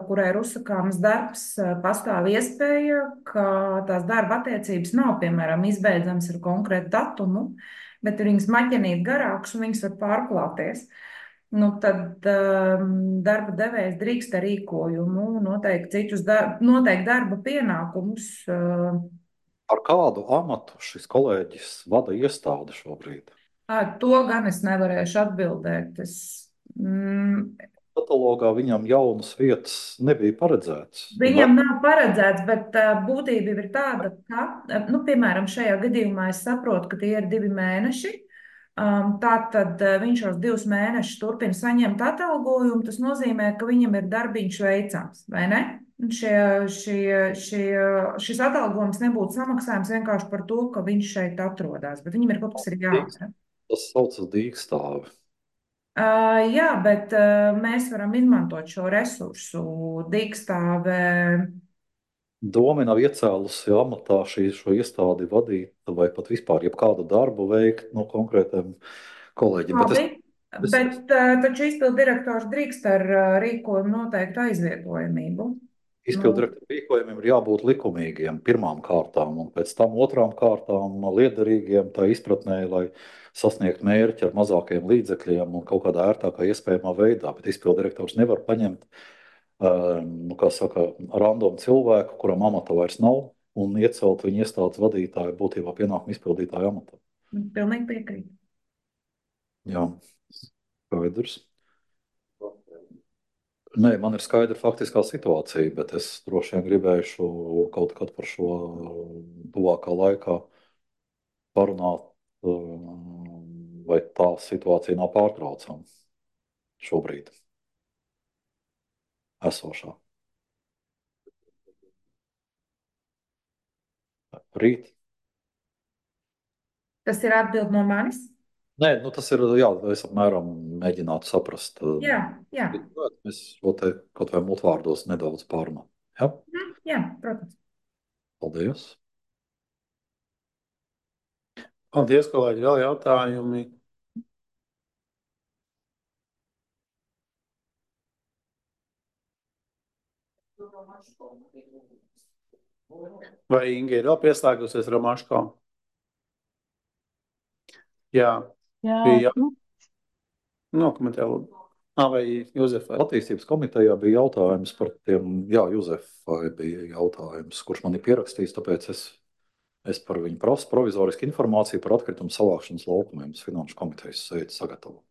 kurai ir uzsakāms darbs, pastāv iespēja, ka tās darba attiecības nav, piemēram, izbeidzamas ar konkrētu datumu, bet ir viņas maķenīt garākas un viņas var pārklāties. Tad darba devējs drīkst ar rīkojumu noteikt darba pienākumus.
Ar kādu amatu šis kolēģis vada iestādi šobrīd?
To gan es nevarēšu atbildēt.
Katalogā viņam jaunas vietas nebija paredzētas.
Viņam nav paredzēts, bet būtība ir tāda, ka, piemēram, šajā gadījumā es saprotu, ka tie ir 2 mēneši. Tātad viņš šos 2 mēnešus turpina saņemt atalgojumu. Tas nozīmē, ka viņam ir darbiņš veicams, vai ne? Šis atalgojums nebūtu samaksājums vienkārši par to, ka viņš šeit atrodas, bet viņam ir kaut kas jādara.
Tas saucas dīkstāvi.
Jā, bet mēs varam izmantot šo resursu dīkstāvē.
Doma nav iecēlusi amatā šo iestādi vadīt vai pat vispār jebkādu darbu veikt no konkrētiem kolēģiem.
Bet taču izpildu direktors drīkst ar rīkojumu noteiktu aizvietojamību.
Izpildu direktoru rīkojumiem ir jābūt likumīgiem pirmām kārtām un pēc tam otrām kārtām liederīgiem tā izpratnē, lai sasniegt mērķi ar mazākiem līdzekļiem un kaut kādā ērtākā iespējamā veidā. Bet izpildu direktors nevar paņemt random cilvēku, kuram amata vairs nav, un iecelt viņu iestādes vadītāju būtībā pienākumu izpildītāju amatā.
Pilnīgi piekrīt.
Jā, skaidrs. Nē, man ir skaidra faktiskā situācija, bet es droši vien gribēšu kaut kad par šo tuvākā laikā parunāt, vai tā situācija nav pārtraucama šobrīd esošā. Rīt.
Tas ir atbild no manis?
Nē, tas ir, es apmēram mēģinātu saprast.
Jā.
Mēs šo te kaut vai multvārdos nedaudz pārunāt. Ja?
Jā, protams.
Paldies.
Paldies, kolēģi. Vēl jautājumi? Vai Inga ir vēl pieslēgusies Romaško? Jā. Bija nokomentē, lūdzu. Vai Juzefai?
Attīstības komitejā bija jautājums par tiem, Juzefai bija jautājums, kurš man ir pierakstījis, tāpēc es par viņu prasu provizorisku informāciju par atkritumu savākšanas laukumiem. Finanšu komitejas sēdi sagatavo.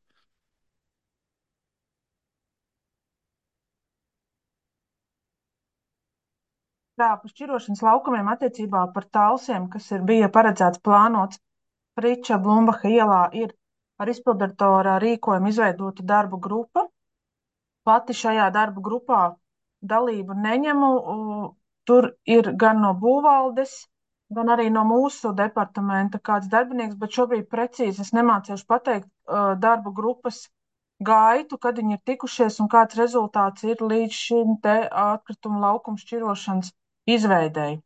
Par šķirošanas laukumiem attiecībā par talsiem, kas bija paredzēts plānots Friča Blumbaha ielā, ir ar izpildirektora rīkojumu izveidota darba grupa. Pati šajā darba grupā dalību neņemu. Tur ir gan no būvvaldes, gan arī no mūsu departamenta kāds darbinieks, bet šobrīd precīzi es nemācīšu pateikt darba grupas gaitu, kad viņi ir tikušies un kāds rezultāts ir līdz šim te atkritumu laukumu šķirošanas izveidēji.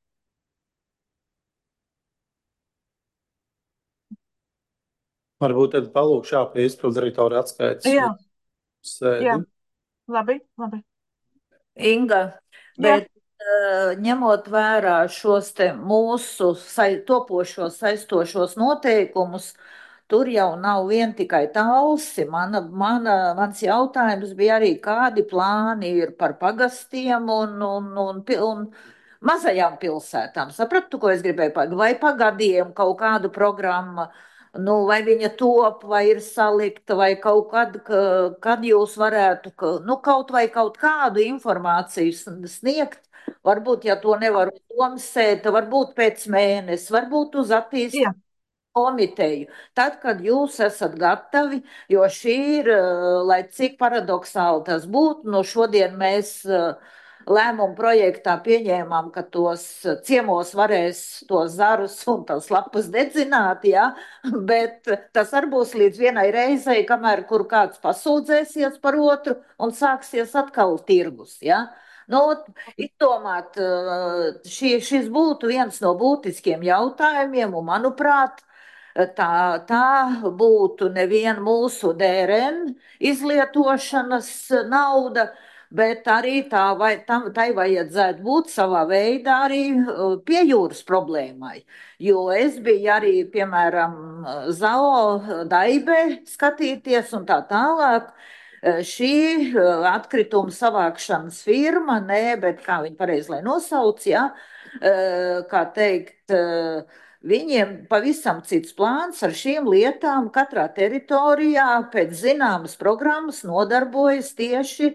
Varbūt tad palūkšu pie izpildirektora atskaites.
Jā.
Sēdi.
Jā. Labi.
Inga, bet ņemot vērā šos te mūsu topošos saistošos noteikumus, tur jau nav vien tikai Talsi. Mans jautājums bija arī, kādi plāni ir par pagastiem un mazajām pilsētām. Sapratu, ko es gribēju pateikt? Vai pagadiem kaut kādu programmu, nu, vai viņa top, vai ir salikta, vai kaut kad jūs varētu, nu, kaut vai kaut kādu informāciju sniegt. Varbūt, ja to nevar uz domas sēta, varbūt pēc mēneša, varbūt uz attīstības
Jā,
komiteju. Tad, kad jūs esat gatavi, jo šī ir, lai cik paradoxāli tas būtu, no šodien mēs lēmumu projektā pieņēmām, ka tos ciemos varēs tos zarus un tās lapas dedzināt, ja? Bet tas arī būs līdz vienai reizei, kamēr kur kāds pasūdzēsies par otru un sāksies atkal tirgus, ja? Nu, izdomāt, šis būtu viens no būtiskiem jautājumiem, un, manuprāt, tā būtu nevien mūsu DRN izlietošanas nauda, bet arī tai vajadzētu būt savā veidā arī pie jūras problēmai. Jo es biju arī, piemēram, ZAO Daibē skatīties un tā tālāk. Šī atkrituma savākšanas firma, nē, bet kā viņi pareizi lai nosauc, ja, kā teikt, viņiem pavisam cits plāns ar šīm lietām. Katrā teritorijā pēc zināmas programmas nodarbojas tieši,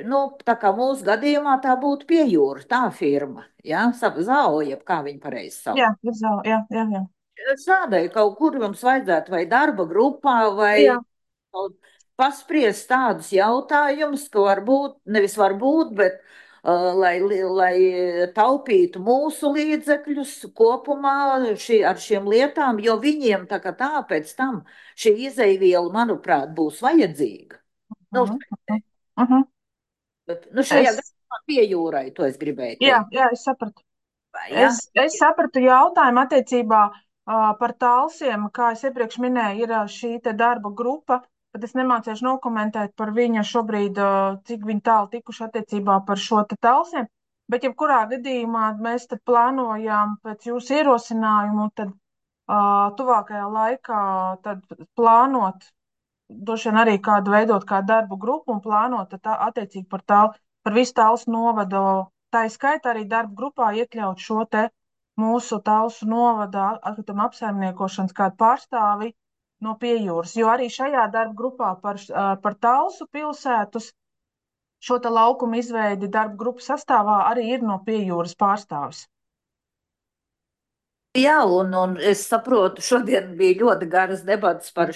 nu, tā kā mūsu gadījumā tā būtu pie jūra, tā firma, ja, ZAO, jeb kā viņi pareizi sauc.
jā, ir zāle, jā.
Šādai kaut kur jums vajadzētu vai darba grupā, vai
Jā,
paspriest tādus jautājumus, ka varbūt, bet lai taupītu mūsu līdzekļus kopumā ar šiem lietām, jo viņiem tā kā tā pēc tam šī izeiviela, manuprāt, būs vajadzīga. Nu, nu šajā
es,
gadījumā pie jūrai, to es gribēju
jā,
teikt.
jā, es sapratu.
Ja?
Es sapratu jautājumu attiecībā par talsiem, kā es iepriekš minēju, ir šī te darba grupa, bet es nemācīšu nokomentēt par viņa šobrīd, cik viņi tālu tikuši attiecībā par šo te talsiem. Bet jebkurā gadījumā mēs tad plānojām pēc jūsu ierosinājumu, tad tuvākajā laikā tad plānot, droši vien arī kādu veidot kā darbu grupu un plānot tad attiecīgi par visu Talsu novadu. Tā ir skaitā arī darba grupā iekļaut šo te mūsu Talsu novada atkrituma apsaimniekošanas kādu pārstāvi no piejūras, jo arī šajā darba grupā par Talsu pilsētus šo te laukumu izveidi darba grupu sastāvā arī ir no piejūras pārstāvis.
Jā, un es saprotu, šodien bija ļoti garas debatas par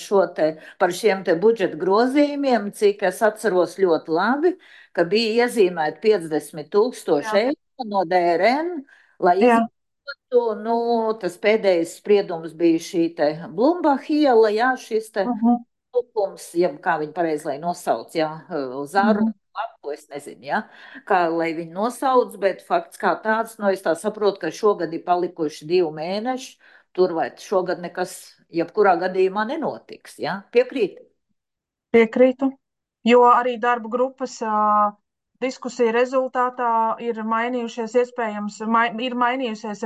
šiem te budžeta grozījumiem, cik es atceros ļoti labi, ka bija iezīmēti 50,000 eiro no DRN, lai izmantotu, nu, tas pēdējais spriedums bija šī te Blumbacha iela, jā, šis te lukums, jeb kā viņi pareizi lai nosauc, jā, Zaru. Lapu, es nezinu, ja? Kā lai viņi nosauc, bet fakts kā tāds, nu es tā saprotu, ka šogad ir palikuši 2 mēneši, tur vai šogad nekas, jebkurā gadījumā nenotiks, ja? Piekrīt?
Piekrītu, jo arī darba grupas diskusija rezultātā ir mainījusies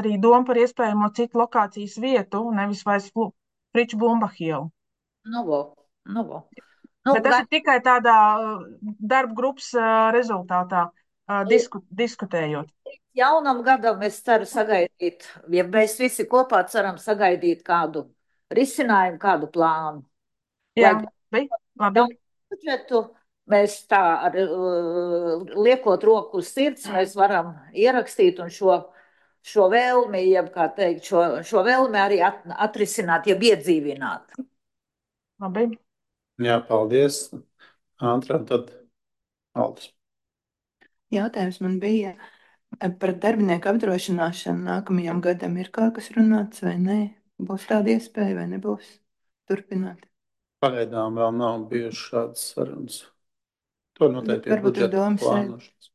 arī doma par iespējamo citu lokācijas vietu, nevis vairs Friču Blumbacha ielu.
Nu, vo.
Bet tas ir tikai tādā darba grupas rezultātā diskutējot.
Jaunam gadam es ceru sagaidīt, ja mēs visi kopā ceram sagaidīt kādu risinājumu, kādu plānu.
Jā, labi.
Budžetu mēs tā liekot roku uz sirds, mēs varam ierakstīt un šo vēlmi, jeb kā teikt, šo vēlmi arī atrisināt, jeb iedzīvināt.
Labi.
Jā, paldies. Antra, tad Aldis.
Jautājums man bija par darbinieku apdrošināšanu nākamajam gadam. Ir kaut kas runāts vai nē? Būs tāda iespēja vai nebūs turpināt?
Pagaidām vēl nav bijušas šādas sarunas. To noteikti ir budžeta plānošanas.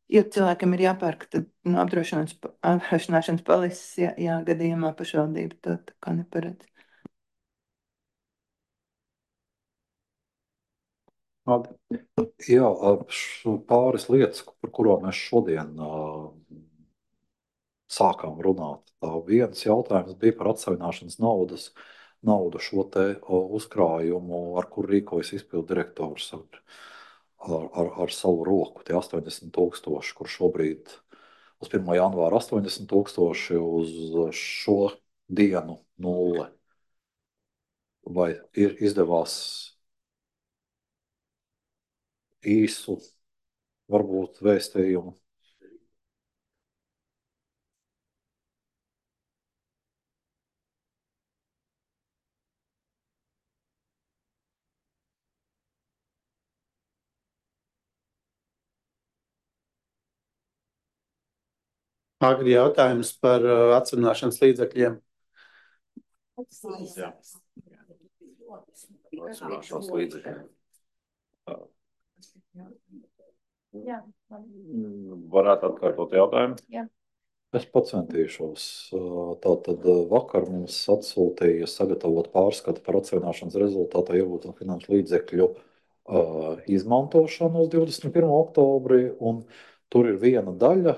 Jo cilvēkam ir jāpērk no apdrošināšanas polises, jā, gadījumā pašvaldība to tā kā neparedz.
Jā, pāris lietas, par kurām mēs šodien sākām runāt. Tā viens jautājums bija par atsevināšanas naudu šo te uzkrājumu, ar kur rīkojas izpildu direktors ar savu roku. Tie 80,000, kur šobrīd uz 1. janvāra 80,000, uz šo dienu 0. Vai ir izdevās īsu, varbūt vēstījumu?
Agri jautājums par atsevināšanas līdzekļiem.
Jā. Atsevināšanas līdzekļi.
Jā.
Varētu atkārtot jautājumu?
Jā.
Es pacentīšos. Tātad vakar mums atsūtīja sagatavot pārskatu par atsevināšanas rezultātā iegūto finanšu līdzekļu izmantošanu uz 21. oktobri, un tur ir viena daļa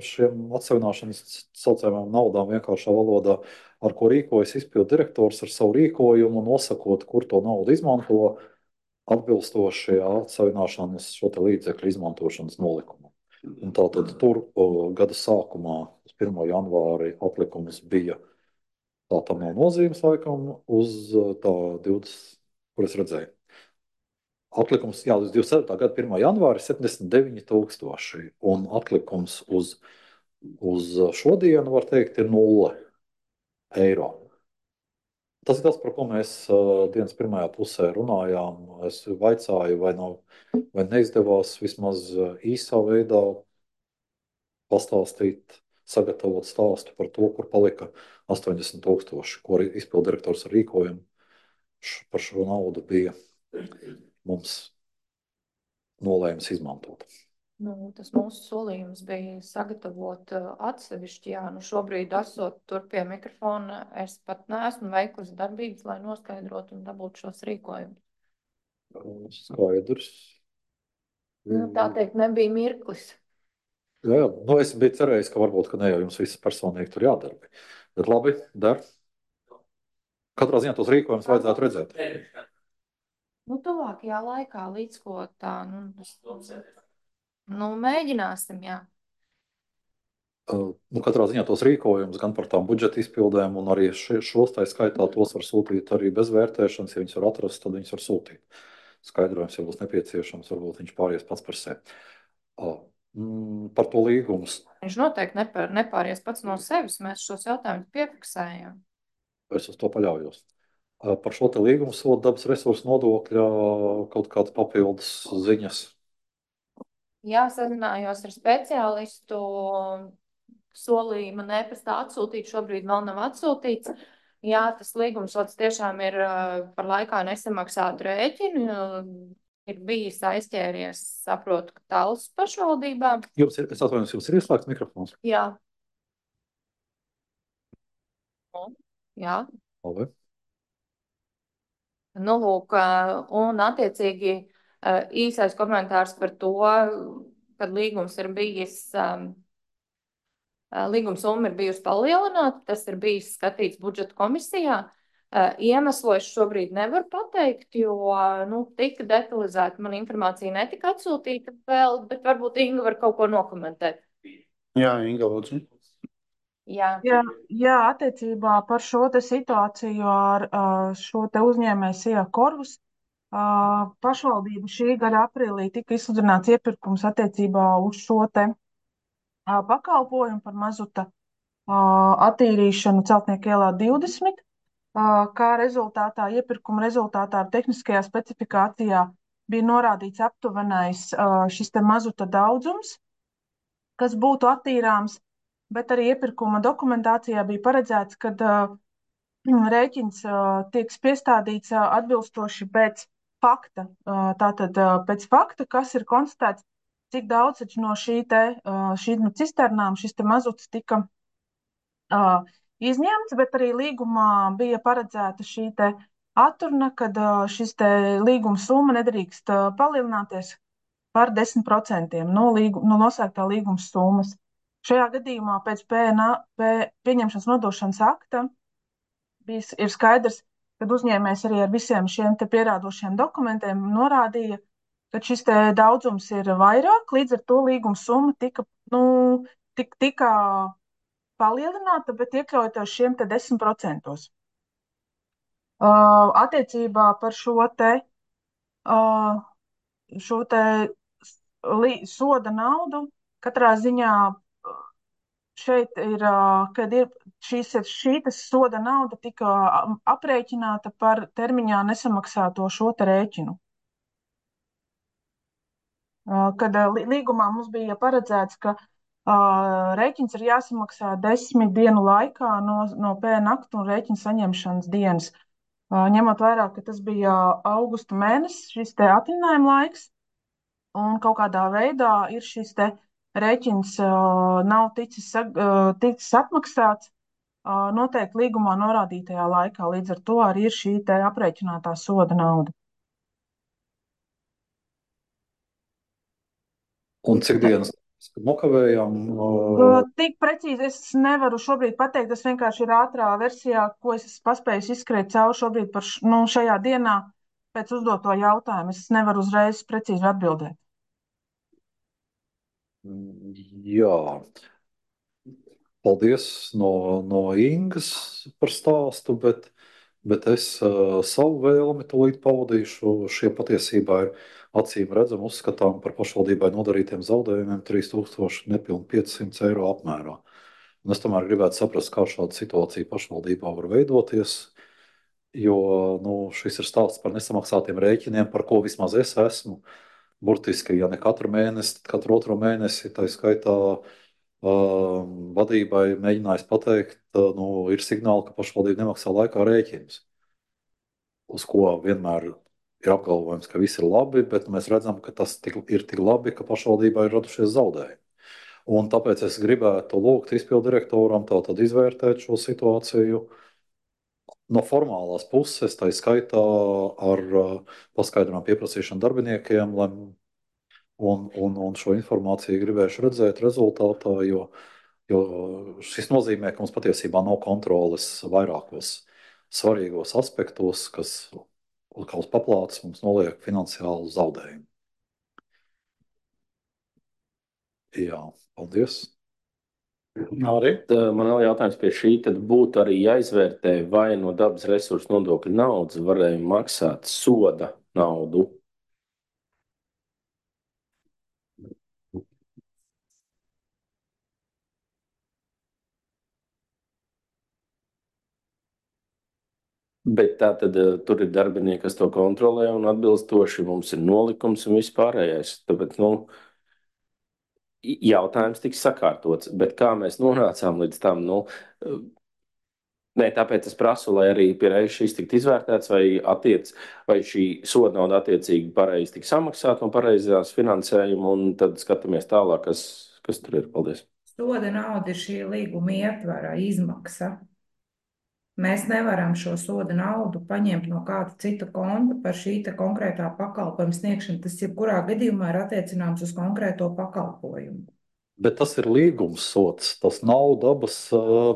šiem atsevināšanas saucamajām naudām vienkāršā valodā, ar ko rīkojas izpildu direktors ar savu rīkojumu, nosakot, kur to naudu izmanto, atbilstoši atsevināšanas šo te līdzekļu izmantošanas nolikumam. Un tātad tur gada sākumā, uz 1. janvāri, atlikums bija, tā tam nav nozīmes laikam, uz tā 20, kur es redzēju. Atlikums, jā, uz 27. gada 1. janvāri 79,000, un atlikums uz šodienu, var teikt, ir 0 eiro. Tas ir tas, par ko mēs dienas pirmajā pusē runājām. Es vaicāju, vai neizdevās vismaz īsā veidā pastāstīt, sagatavot stāstu par to, kur palika 80,000, ko izpildu direktors ar rīkojumu par šo naudu bija mums nolēmis izmantot.
Tas mūsu solījums bija sagatavot atsevišķi. Jā, šobrīd, esot tur pie mikrofona, es pat neesmu veikusi darbības, lai noskaidrotu un dabūtu šos rīkojumus.
Skaidrs.
Tā teikt, nebija mirklis.
Jā, es biju cerējis, ka varbūt ne jau jums viss personīgi tur jādara. Bet labi, der. Katrā ziņā tos rīkojumus vajadzētu redzēt.
Tuvākajā laikā, līdz ko tā, mēģināsim, jā.
Katrā ziņā tos rīkojumus gan par tām budžeta izpildēm, un arī šos tā skaitā tos var sūtīt arī bez vērtēšanas. Ja viņus var atrast, tad viņus var sūtīt. Skaidrojums, ja būs nepieciešams, varbūt viņš pāries pats par sevi. Par to līgumu.
Viņš noteikti nepāries pats no sevis. Mēs šos jautājumus piefiksējam.
Es uz to paļaujos. Par šo te līgumu sodu dabas resursu nodokļa kaut kādas papildus ziņas.
Jā, sazinājos ar speciālistu. Solīja man e-pastā atsūtīt, šobrīd vēl nav atsūtīts. Jā, tas līgumsods tiešām ir par laikā nesamaksātu rēķinu. Ir bijis aizķēries, saprotu, ka Tallas pašvaldībā.
Es atvainojos, jums ir ieslēgts mikrofons?
Jā. Jā.
Labi.
Lūk, un attiecīgi īsais komentārs par to, kad līgums ir bijis, līguma summa ir bijusi palielināta, tas ir bijis skatīts budžeta komisijā. Iemeslu es šobrīd nevaru pateikt, jo tika detalizēta man informācija netika atsūtīta vēl, bet varbūt Inga var kaut ko nokomentēt.
Jā, Inga, lūdzu.
Jā, attiecībā par šo te situāciju ar šo te uzņēmēju Sija Corvus. Pašvaldība šī gada aprīlī tika izsludināts iepirkums attiecībā uz šo te pakalpojumu par mazuta attīrīšanu Celtnieku ielā 20. Kā rezultātā, iepirkuma rezultātā tehniskajā specifikācijā bija norādīts aptuvenais šis te mazuta daudzums, kas būtu attīrāms, bet arī iepirkuma dokumentācijā bija paredzēts, ka rēķins tiek piestādīts atbilstoši pēc fakta. Tātad pēc fakta, kas ir konstatēts, cik daudz no šīm cisternām šis te mazuts tika izņemts, bet arī līgumā bija paredzēta šī te atturna, kad šis te līguma summa nedrīkst palielināties par 10% no nosēgtā līguma summas. Šajā gadījumā pēc pieņemšanas nodošanas akta ir skaidrs, ka uzņēmējs arī ar visiem šiem pierādošiem dokumentiem norādīja, ka šis daudzums ir vairāk, līdz ar to līguma summa tika palielināta, bet iekļaujoties šiem 10%. Attiecībā par šo soda naudu katrā ziņā šeit ir, kad ir šī soda nauda tika aprēķināta par termiņā nesamaksāto šo rēķinu. Kad līgumā mums bija paredzēts, ka rēķins ir jāsamaksā 10 dienu laikā no pēnaktu un rēķina saņemšanas dienas. Ņemot vērā, ka tas bija augusta mēnesis, šis atvaļinājuma laiks, un kaut kādā veidā ir šis rēķins nav ticis atmaksāts noteikti līgumā norādītajā laikā. Līdz ar to arī ir šī aprēķinātā soda nauda.
Un cik dienas nokavējām?
Tik precīzi es nevaru šobrīd pateikt. Tas vienkārši ir ātrā versijā, ko es paspēju izskriet cauri šobrīd par šajā dienā pēc uzdoto jautājumu. Es nevaru uzreiz precīzi atbildēt.
Jā. Paldies no Ingas par stāstu, bet es savu vēlmi tūlīt paudīšu. Šie patiesībā ir acīm redzami uzskatām par pašvaldībai nodarītiem zaudējumiem 3500 eiro apmērā. Un es tomēr gribētu saprast, kā šāda situācija pašvaldībā var veidoties, jo šis ir stāsts par nesamaksātiem rēķiniem, par ko vismaz es esmu. Burtiski, ja ne katru mēnesi, tad katru otro mēnesi, tā skaitā vadībai mēģinājis pateikt, ir signāli, ka pašvaldība nemaksā laikā rēķinus. Uz ko vienmēr ir apgalvojums, ka viss ir labi, bet mēs redzam, ka tas ir tik labi, ka pašvaldībā ir radušies zaudējumi. Un tāpēc es gribētu lūgt izpildirektoram tātad izvērtēt šo situāciju no formālās puses, tā skaitā ar paskaidrojumu pieprasīšanu darbiniekiem, un šo informāciju gribēšu redzēt rezultātā, jo šis nozīmē, ka mums patiesībā nav kontroles vairākos svarīgos aspektos, kas kā uz paplātes mums noliek finansiālu zaudējumu. Jā, paldies.
Arī.
Man vēl jautājums pie šī, tad būtu arī jāizvērtē, vai no dabas resursu nodokļu naudas varēja maksāt soda naudu. Bet tā tad tur ir darbinieki, kas to kontrolē un atbilstoši mums ir nolikums un viss pārējais. Tāpēc, jautājums tiks sakārtots, bet kā mēs nonācām līdz tam, tāpēc es prasu, lai arī pie reizes šis tiktu izvērtēts, vai šī soda nauda attiecīgi pareizi tiks samaksāta un pareizās finansējuma, un tad skatāmies tālāk, kas tur ir. Paldies.
Soda nauda ir šī līguma ietvara izmaksa. Mēs nevaram šo soda naudu paņemt no kāda cita konta par šī konkrētā pakalpojuma sniegšanu. Tas jebkurā gadījumā ir attiecināms uz konkrēto pakalpojumu.
Bet tas ir līgums sots, tas nav dabas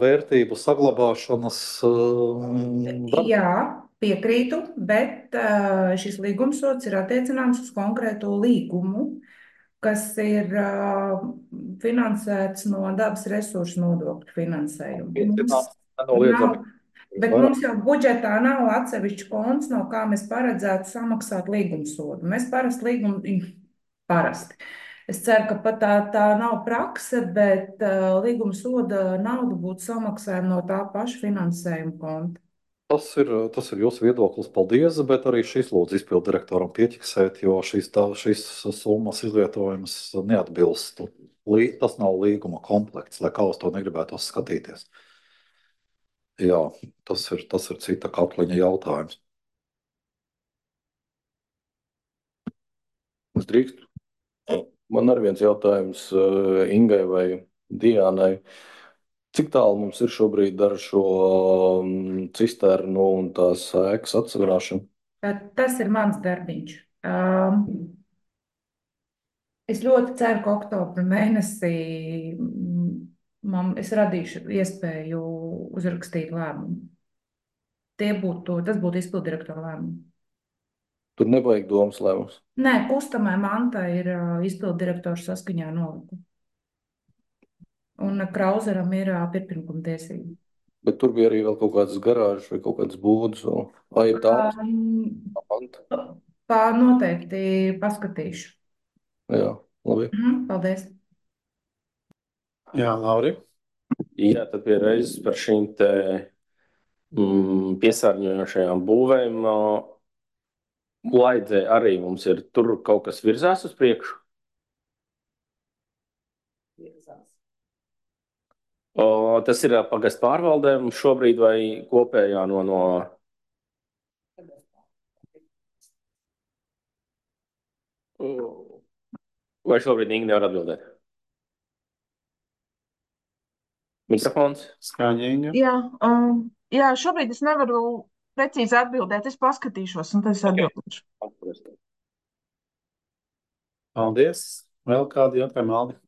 vērtību saglabāšanas.
Jā, piekrītu, bet šis līgums sots ir attiecināms uz konkrēto līgumu, kas ir finansēts no dabas resursu nodokļu finansējuma. Bet mums jau budžetā nav atsevišķi konts, no kā mēs paredzētu samaksāt līgumsodu. Mēs parasti. Es ceru, ka pat tā nav prakse, bet līgumsoda nauda būtu samaksājama no tā paša finansējuma konta.
Tas ir jūsu viedoklis, paldies, bet arī šis lūdzu izpildirektoram pieķiksēt, jo šīs summas izvietojums neatbilst. Tas nav līguma komplekts, lai kā uz to negribētos skatīties. Jā, tas ir cita katliņa jautājums.
Es drīkstu. Man arī viens jautājums Ingai vai Diānai. Cik tālu mums ir šobrīd ar šo cisternu un tās ēkas atsagrāšanu?
Tas ir mans darbiņš. Es ļoti ceru, ka oktobra mēnesī Es radīšu iespēju uzrakstīt lēmumu. Tas būtu izpildirektora lēmums.
Tur nevajag domas lēmums.
Nē, kustamai mantai ir izpildirektors saskaņā ar nolikumu. Un Krauzeram ir pirmkuma tiesība.
Bet tur bija arī vēl kaut kādas garāžas vai kaut kādas būdas. Vai ir tādas?
Noteikti paskatīšu.
Jā, labi.
Paldies.
Jā, Lauri.
Jā, tad pie reizes par šīm te piesārņojošajām būvēm. Laidzē arī mums ir tur kaut kas virzās uz priekšu. Tas ir pagastu pārvaldēm šobrīd vai kopējā no... Vai šobrīd Inga nevar atbildēt? Mikrofons?
Skaņīga.
Jā, šobrīd es nevaru precīzi atbildēt. Es paskatīšos un tad es atbildēšu.
Paldies. Vēl kādi jautājumi, Aldi?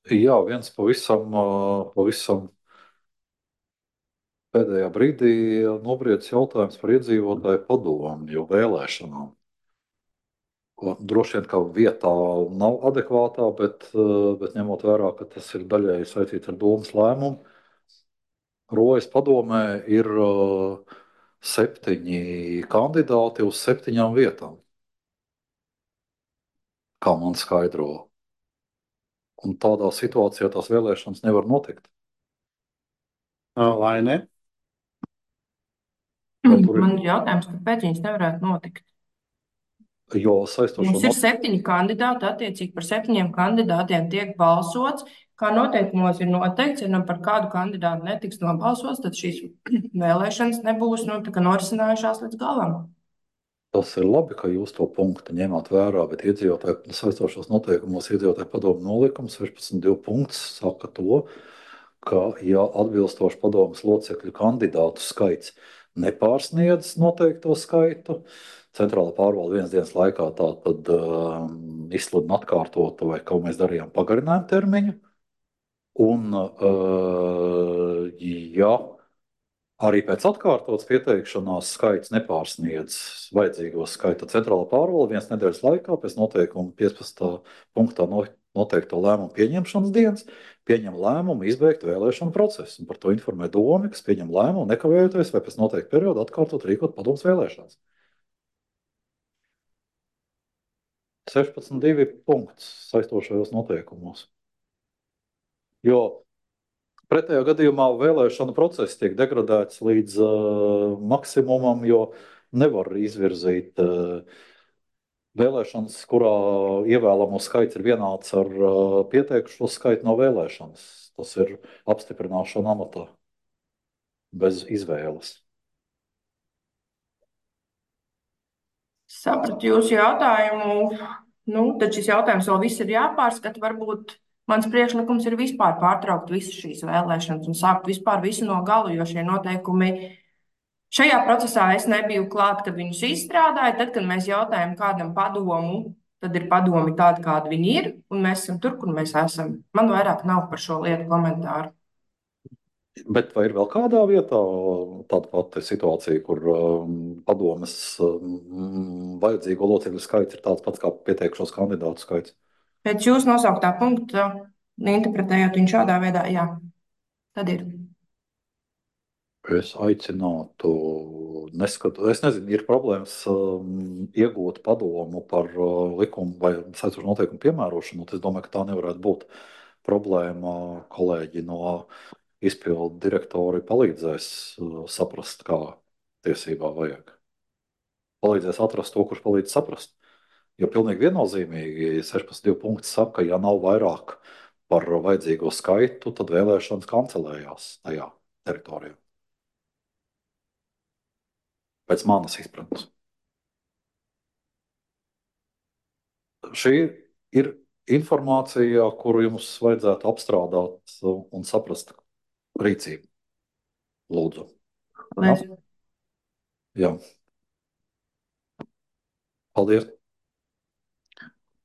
Jā, viens pavisam pēdējā brīdī nobriedis jautājums par iedzīvotāju padomu, jo vēlēšanām. Droši vien, ka vietā nav adekvātā, bet ņemot vērā, ka tas ir daļēji saistīts ar domas lēmumu, Rojas padomē ir 7 kandidāti uz 7 vietām, kā man skaidro. Un tādā situācijā tās vēlēšanas nevar notikt.
Vai ne?
Man ir jautājums, kāpēc viņas nevarētu notikt?
Jo saistošo
Mums ir 7 kandidāti, attiecīgi par 7 kandidātiem tiek balsots. Kā noteikumos ir noteikts, ja par kādu kandidātu netiks nobalsots, tad šīs vēlēšanas nebūs norisinājušās līdz galam.
Tas ir labi, ka jūs to punktu ņemat vērā, bet iedzīvotāju saistošos noteikumos iedzīvotāju padomu nolikums 16.2 punkts saka to, ka ja atbilstoši padomas locekļu kandidātu skaits nepārsniedz noteikto skaitu, centrāla pārvalde 1 dienas laikā tātad izsludina atkārtotu vai ko mēs darījām pagarinājumu termiņu. Un ja arī pēc atkārtotas pieteikšanās skaits nepārsniedz vajadzīgo skaitu, tad centrāla pārvalde 1 nedēļas laikā pēc noteikuma 15. punktā noteikto lēmumu pieņemšanas dienas pieņem lēmumu izbeigt vēlēšanu procesu. Un par to informē Doma, kas pieņem lēmumu nekavējoties vai pēc noteikta perioda atkārtot rīkot padomas vēlēšanas. 16.2 punkts saistošajos noteikumos. Jo pretējā gadījumā vēlēšana process tiek degradēts līdz maksimumam, jo nevar izvirzīt vēlēšanas, kurā ievēlamo skaits ir vienāds ar pieteikušo skaitu no vēlēšanas. Tas ir apstiprināšana amatā bez izvēles.
Sapratu jūsu jautājumu. Tad šis jautājums vēl viss ir jāpārskata. Varbūt mans priekšlikums ir vispār pārtraukt visas šīs vēlēšanas un sākt vispār visu no gala, jo šie noteikumi šajā procesā es nebiju klāt, kad viņus izstrādāju. Tad, kad mēs jautājam kādam padomu, tad ir padomi tādi, kādi viņi ir, un mēs esam tur, kur mēs esam. Man vairāk nav par šo lietu komentāru.
Bet vai ir vēl kādā vietā tāda pati situācija, kur padomes vajadzīgo locekļu skaits ir tāds pats kā pieteikušos kandidātu skaits?
Pēc jūsu nosauktā punkta, interpretējot viņu šādā veidā, jā, tad ir.
Es aicinātu, es nezinu, ir problēmas iegūt padomu par likumu vai saistošu noteikumu piemērošanu. Es domāju, ka tā nevarētu būt problēma. Kolēģi no izpildu direktori palīdzēs saprast, kā tiesībā vajag. Palīdzēs atrast to, kurš palīdz saprast. Jo pilnīgi viennozīmīgi 16.2 punkts saka, ka ja nav vairāk par vajadzīgo skaitu, tad vēlēšanas kancelējās tajā teritorijā. Pēc manas izpratnes. Šī ir informācija, kuru jums vajadzētu apstrādāt un saprast rīcību. Lūdzu.
Paldies.
Jā. Paldies.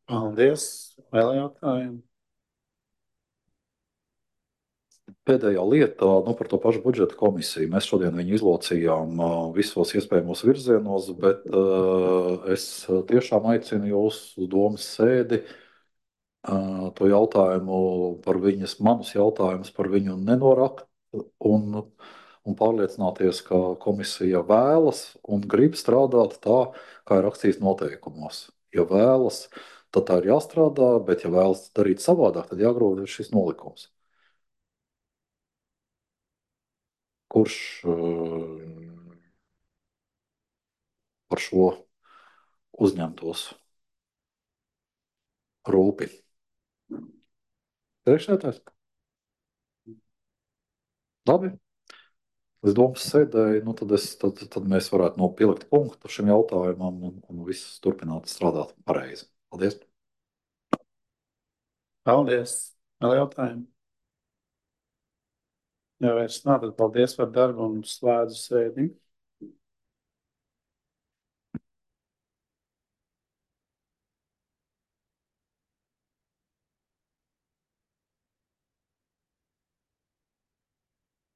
Paldies. Vēl jautājumi?
Pēdējā lieta par to pašu budžeta komisiju. Mēs šodien viņu izlocījām visos iespējamos virzienos, bet es tiešām aicinu jūs uz domas sēdi to jautājumu par manus jautājumus par viņu nenorakt un pārliecināties, ka komisija vēlas un grib strādāt tā, kā ir rakstīts noteikumos. Ja vēlas, tad tā ir jāstrādā, bet ja vēlas darīt savādāk, tad jāgroza šis nolikums. Kurš par šo uzņemtos rūpi? Priekšsēdētājs? Labi. Es domāju, sēdēju, tad mēs varētu pielikt punktu šim jautājumam un viss turpināt strādāt pareizi. Paldies!
Paldies! Vēl jautājumi? Ja vairs nav, tad paldies par darbu un slēdzu sēdi.